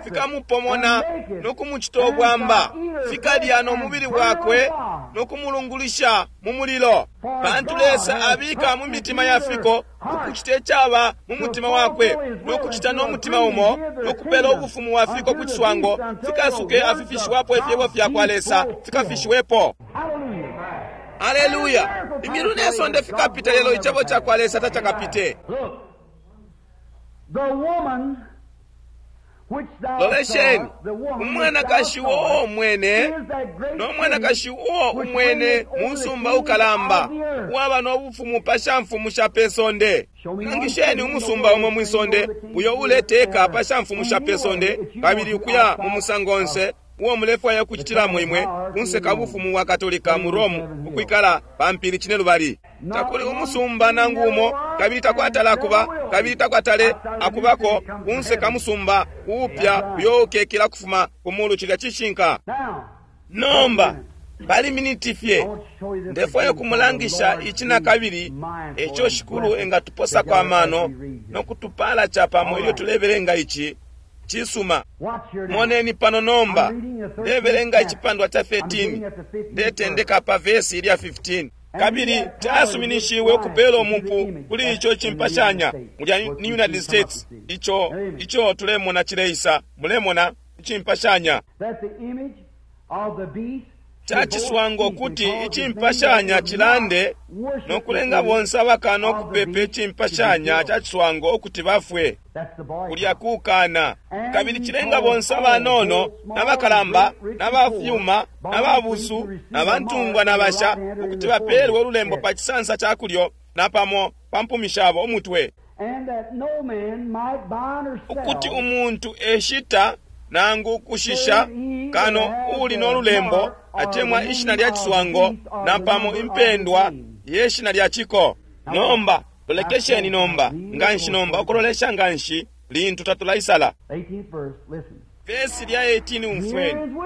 fikamupomona no kumucita ubwamba, fikalya no mubili wakwe no kumulungulisha mu mulilo. Pantu Lesa abika mu mitima ya fiko ukucita icaba mu mutima wakwe, no kucita no mutima umo, no kupela ubufumu wa fiko ku ciswango, fikasuke afifishiwapo ifyebo fya kwa Lesa fikafishiwepo. Aleluya! Imilu ne sonde fikapita, lelo icebo ca kwa Lesa tacakapite. Lolesheni, umwanakashi uo umwene no mwanakashi uo umwene mu musumba ukalamba uwaba no bufumu pa shamfumu sha pe sonde. Nangisheni umusumba umo mwisonde uyo uleteka pa shamfumu sha pe sonde, kabili ukuya mu musango onse uo mulefwaya ukucitilamo imwe kunseka bufumu wa Katolika mu Rome, ukwikala pa mpili cine lubali. Takuli umusumba nangu umo, kabili takwatala akuba, kabili takwatale akubako kunseka musumba uupya uyo ukekela kufuma ku mulu. Cilya cishinka. Nomba pali miniti fye ndefwaya kumulangisha ici na kabili, eco shikulu engatuposako amano no kutupala capamo ilyo tulebelenga ici. Cisuma. Moneni pano nomba ndebelenga icipandwa ca thirteen, ndetendeka pa vesi ilya fifteen. Kabili tasuminishiwe ukupela umupu kuli ico cimpashanya mulya ni United States, ico ico tulemona cileisa. Mulemona icimpashanya ca ciswango, kuti icimpashanya cilande no kulenga bonse abakana ukupepa icimpashanya ca ciswango ukuti bafwe. Kulya kukana. Kabili cilenga bonse abanono n'abakalamba n'abafyuma n'ababusu n'abantungwa n'abasha ukuti bapeelwe ululembo pa cisansa ca kulyo na pamo pa mpumi shabo umutwe, ukuti umuntu eshita nangu kushisha kano uli no lulembo atemwa ishina lya ciswango na pamo impendwa ye shina lya ciko. Nomba lolekesheni nomba nganshi, nomba ukulolesha nganshi lintu tatulaisala. Vesi lya eighteen, umfweni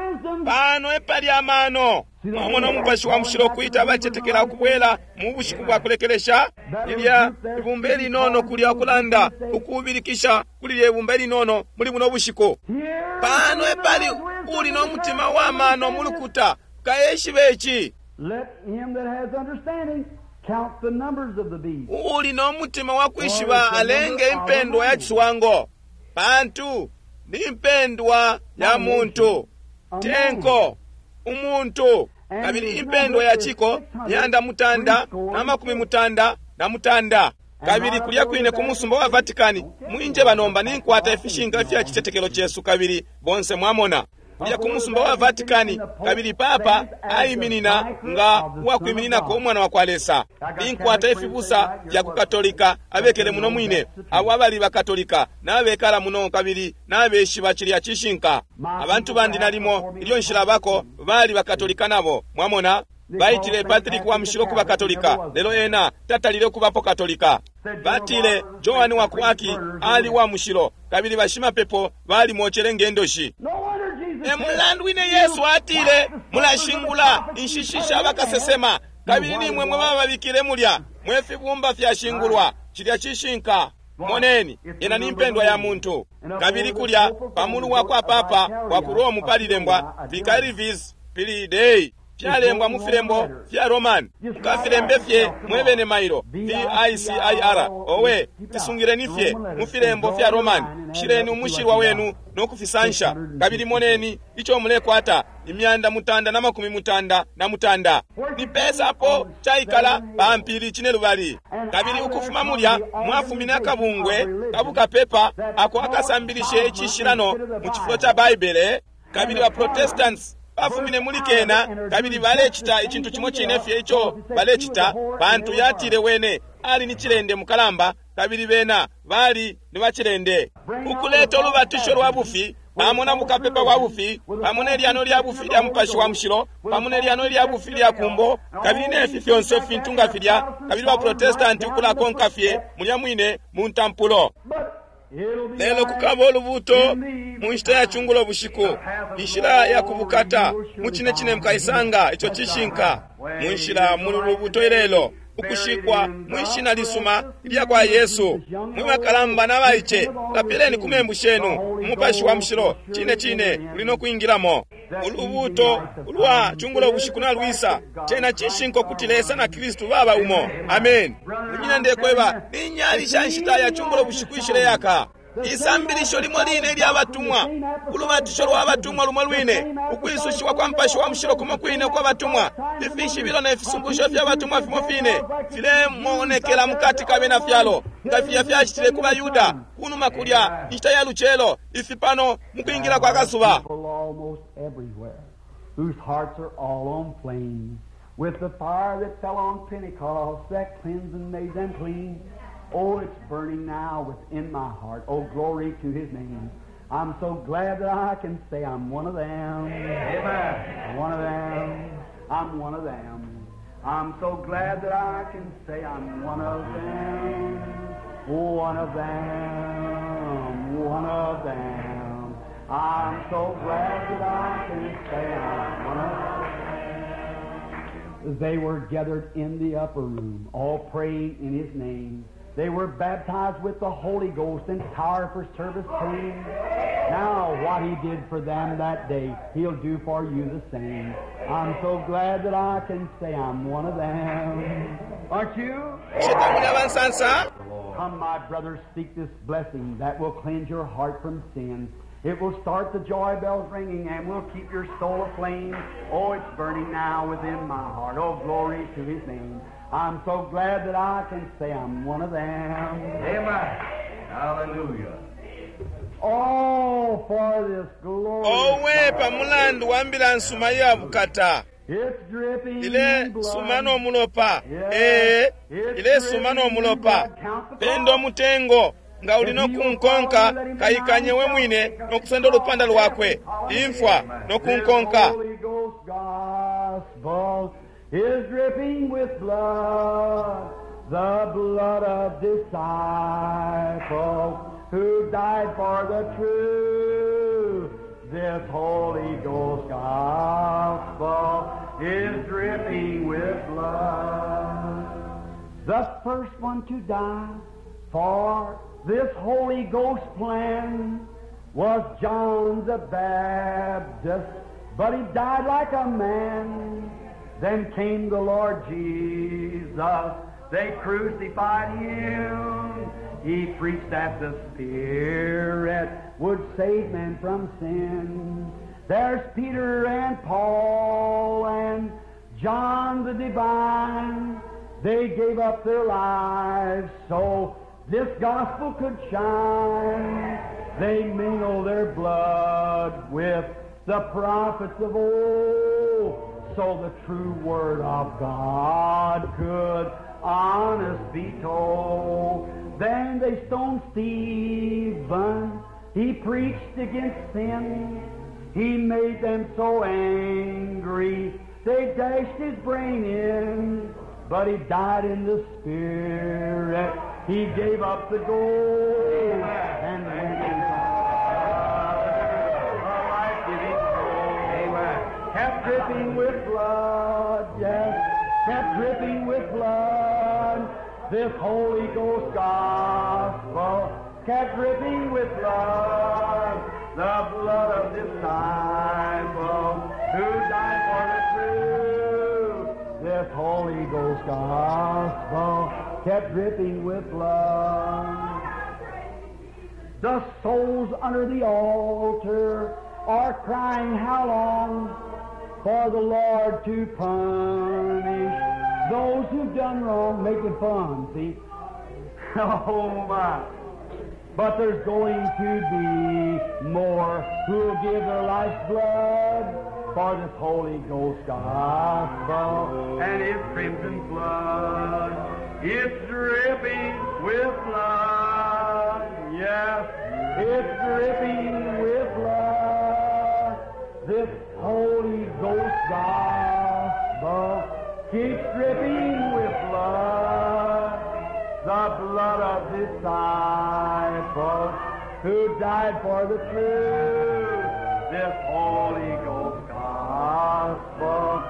pano epali amano. Mwamona Umupashi wa Mushilo kwita abacetekela ukubwela mu bushiku bwa kulekelesha. Lilya ibumba elinono kulya ukulanda ukubilikisha kuli lye ibumba elinono muli buno bushiku. Pano epali uli no mutima wa mano mulukuta kaeshibe ici. Uli no mutima wa kwishiba alenge impendwa ya ciswango, pantu ni impendwa ya muntu tenko umuntu. Kabili impendwa ya ciko yanda mutanda na makumi mutanda na mutanda. Kabili kulya kwine ku musumba wa Vatikani mwinje banomba ninkwata ifishinka fya citetekelo cesu, kabili bonse mwamona. Kulya ku musumba wa Vatikani, kabili papa aiminina nga uwakwimininako Umwana wa kwa Lesa. Ninkwata ifibusa fya ku Katolika abekele muno mwine, abo abali Bakatolika nabekala muno kabili nabeshiba cilya cishinka. Abantu bandi nalimo ilyo nshilabako bali Bakatolika nabo, mwamona. Baitile Patrick wa Mushilo kuba Katolika, lelo ena tatalile kubapo Katolika. Batile Joan wa ku Aki ali wa mushilo, kabili bashimapepo balimwocele ngendoshi. No wonder Jesus E mulandu wine Yesu atile, mulashingula inshishi sha bakasesema, kabili nimwe mwe bababikile mulya, mwe fibumba fyashingulwa. Cilya cishinka. Moneni, yena ni mpendwa ya muntu. Kabili kulya pamulu wa kwa papa wa ku Rome palilembwa Vicarivis Filii Dei, fyalembwa mu filembo fya Roman. Mukafilembe fye mwebene mailo V I C I R. Owe, fisungileni fye mu filembo fya Roman. Shileni umushilwa wenu no kufisansha. Kabili moneni ico mulekwata, imyanda mutanda na makumi mutanda na mutanda. Ni pesa apo caikala pa mpili cine lubali. Kabili ukufuma mulya mwafumine akabungwe kabukapepa ako akasambilishe icishilano mu cifulo ca Baibele. Kabili ba Protestants bafumine muli kena, kabili balecita icintu cimo cine fye ico balecita, pantu yatile wene ali ni cilende mukalamba, kabili bena bali ni bacilende. Ukuleta ulubatisho lwa bufi pamo na bukapepa bwa bufi, pamo ne lyano lya bufi lya Mupashi wa Mushilo, pamo ne lyano lya bufi lya kumbo, kabili nefi fyonse fintu nga filya, kabili ba Protestanti ukulakonka fye mulya mwine mu ntampulo. But it'll be Lelo kukaba ulubuto mu nshita ya chungulo bushiku, inshila ya kubukata mu cine cine mukaisanga ico cishinka. Mu nshila muli lubuto ilelo, ukushikwa mwi shina lisuma ilya kwa Yesu. Mwe bakalamba na baice, lapileni ku membu shenu. Umupashi wa Mushilo cine cine uli no kwingilamo. Ulubuto ulwa chungulo bushiku nalwisa. Cena cishinka kuti Lesa na Kristu baba umo. Amen. Munyina, ndekweba, ni nyali sha nshita ya chungulo bushiku ishile yaka. Isambilisho limo line ilya batumwa, ulubatisho lwa batumwa lumo lwine, ukwisushiwa kwa Mupashi wa Mushilo kumo kwine kwa batumwa, ifishibilo ne fisungusho fya batumwa fimo fine filemonekela mukati ka bena fyalo, nga filya fyacitile ku Bayuda kunuma kulya inshita ya lucelo, ifi pano mu kwingila kwa kasuba. People almost everywhere whose hearts are all on flame with the fire that fell on Pentecost that cleansed and made them clean. Oh, it's burning now within my heart. Oh, glory to His name. I'm so glad that I can say I'm one of them. Amen. One of them. I'm one of them. I'm so glad that I can say I'm one of them. One of them. One of them. I'm so glad that I can say I'm one of them. They were gathered in the upper room, all praying in His name. They were baptized with the Holy Ghost and power for service came. Now what He did for them that day, He'll do for you the same. I'm so glad that I can say I'm one of them. Aren't you? Bushe tamuli abansansa? Come, my brothers, seek this blessing that will cleanse your heart from sin. It will start the joy bells ringing and will keep your soul aflame. Oh, it's burning now within my heart. Oh, glory to His name. I'm so glad that I can say I'm one of them. Amen. Hallelujah. Oh, for this glory. Owe pa mulandu wa mbila nsuma iya bukata. It's dripping Ile blood. suma no mulopa. Ee, ile suma no mulopa. Pendo mutengo nga uli no kunkonka, kaikanye we mwine no kusenda olupanda lwakwe. Imfwa no kunkonka. This Holy Ghost gospel is dripping with blood, the blood of disciples who died for the truth. This Holy Ghost gospel is dripping with blood. The first one to die for this Holy Ghost plan was John the Baptist, but he died like a man. Then came the Lord Jesus. They crucified him. He preached that the Spirit would save man from sin. There's Peter and Paul and John the Divine. They gave up their lives so this gospel could shine. They mingle their blood with The prophets of old, so the true word of God could honest be told. Then they stoned Stephen. He preached against sin. He made them so angry, they dashed his brain in. But he died in the spirit. He gave up the ghost and went into a life-giving soul. Kept dripping with blood, yes, kept dripping with blood. This Holy Ghost gospel kept dripping with blood, the blood of disciple who died for the truth. This Holy Ghost gospel kept dripping with blood. The souls under the altar are crying, how long for the Lord to punish those who've done wrong, making fun, see? Oh my. But there's going to be more who'll give their life's blood for this Holy Ghost gospel And its crimson flood, it's dripping with blood. Yes, It's dripping with blood. This Holy Ghost gospel keeps dripping with blood. The blood of disciples who died for the truth. This Holy Ghost gospel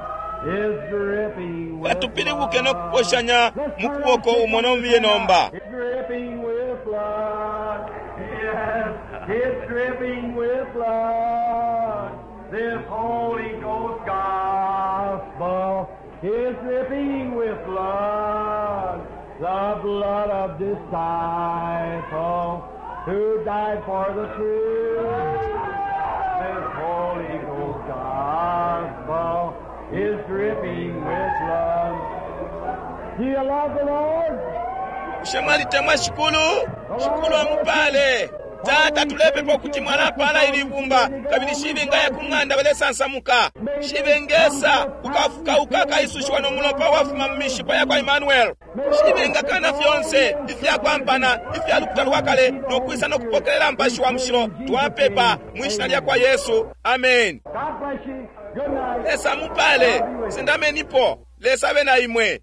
is dripping with Katupilibuke blood. nokuposhanya mu kuboko umo nombiye nomba. It's dripping with blood. Yes, it's dripping with blood. This Holy Ghost gospel is dripping with blood. The blood of disciple who died for the truth. This Holy Ghost gospel is dripping with blood. Do you love the Lord? Bushe mwalitemwa shikulu? Shikulu amupale. Tata tulepepa ukuti mwalapala ili ibumba kabili shibengaya ku ng'anda balesansamuka shibengesa ukafukauka akaisushiwa no mulopa wafuma mu mishipa yakwa Emmanuel shibengakana fyonse ifyakwampana ifya lukuta lwa kale nokwisa nokupokelela mpashi wa mushilo twapepa mwishina lyakwa Yesu amen God bless you. Good night. Lesa mupale sendamenipo Lesa abe na imwe.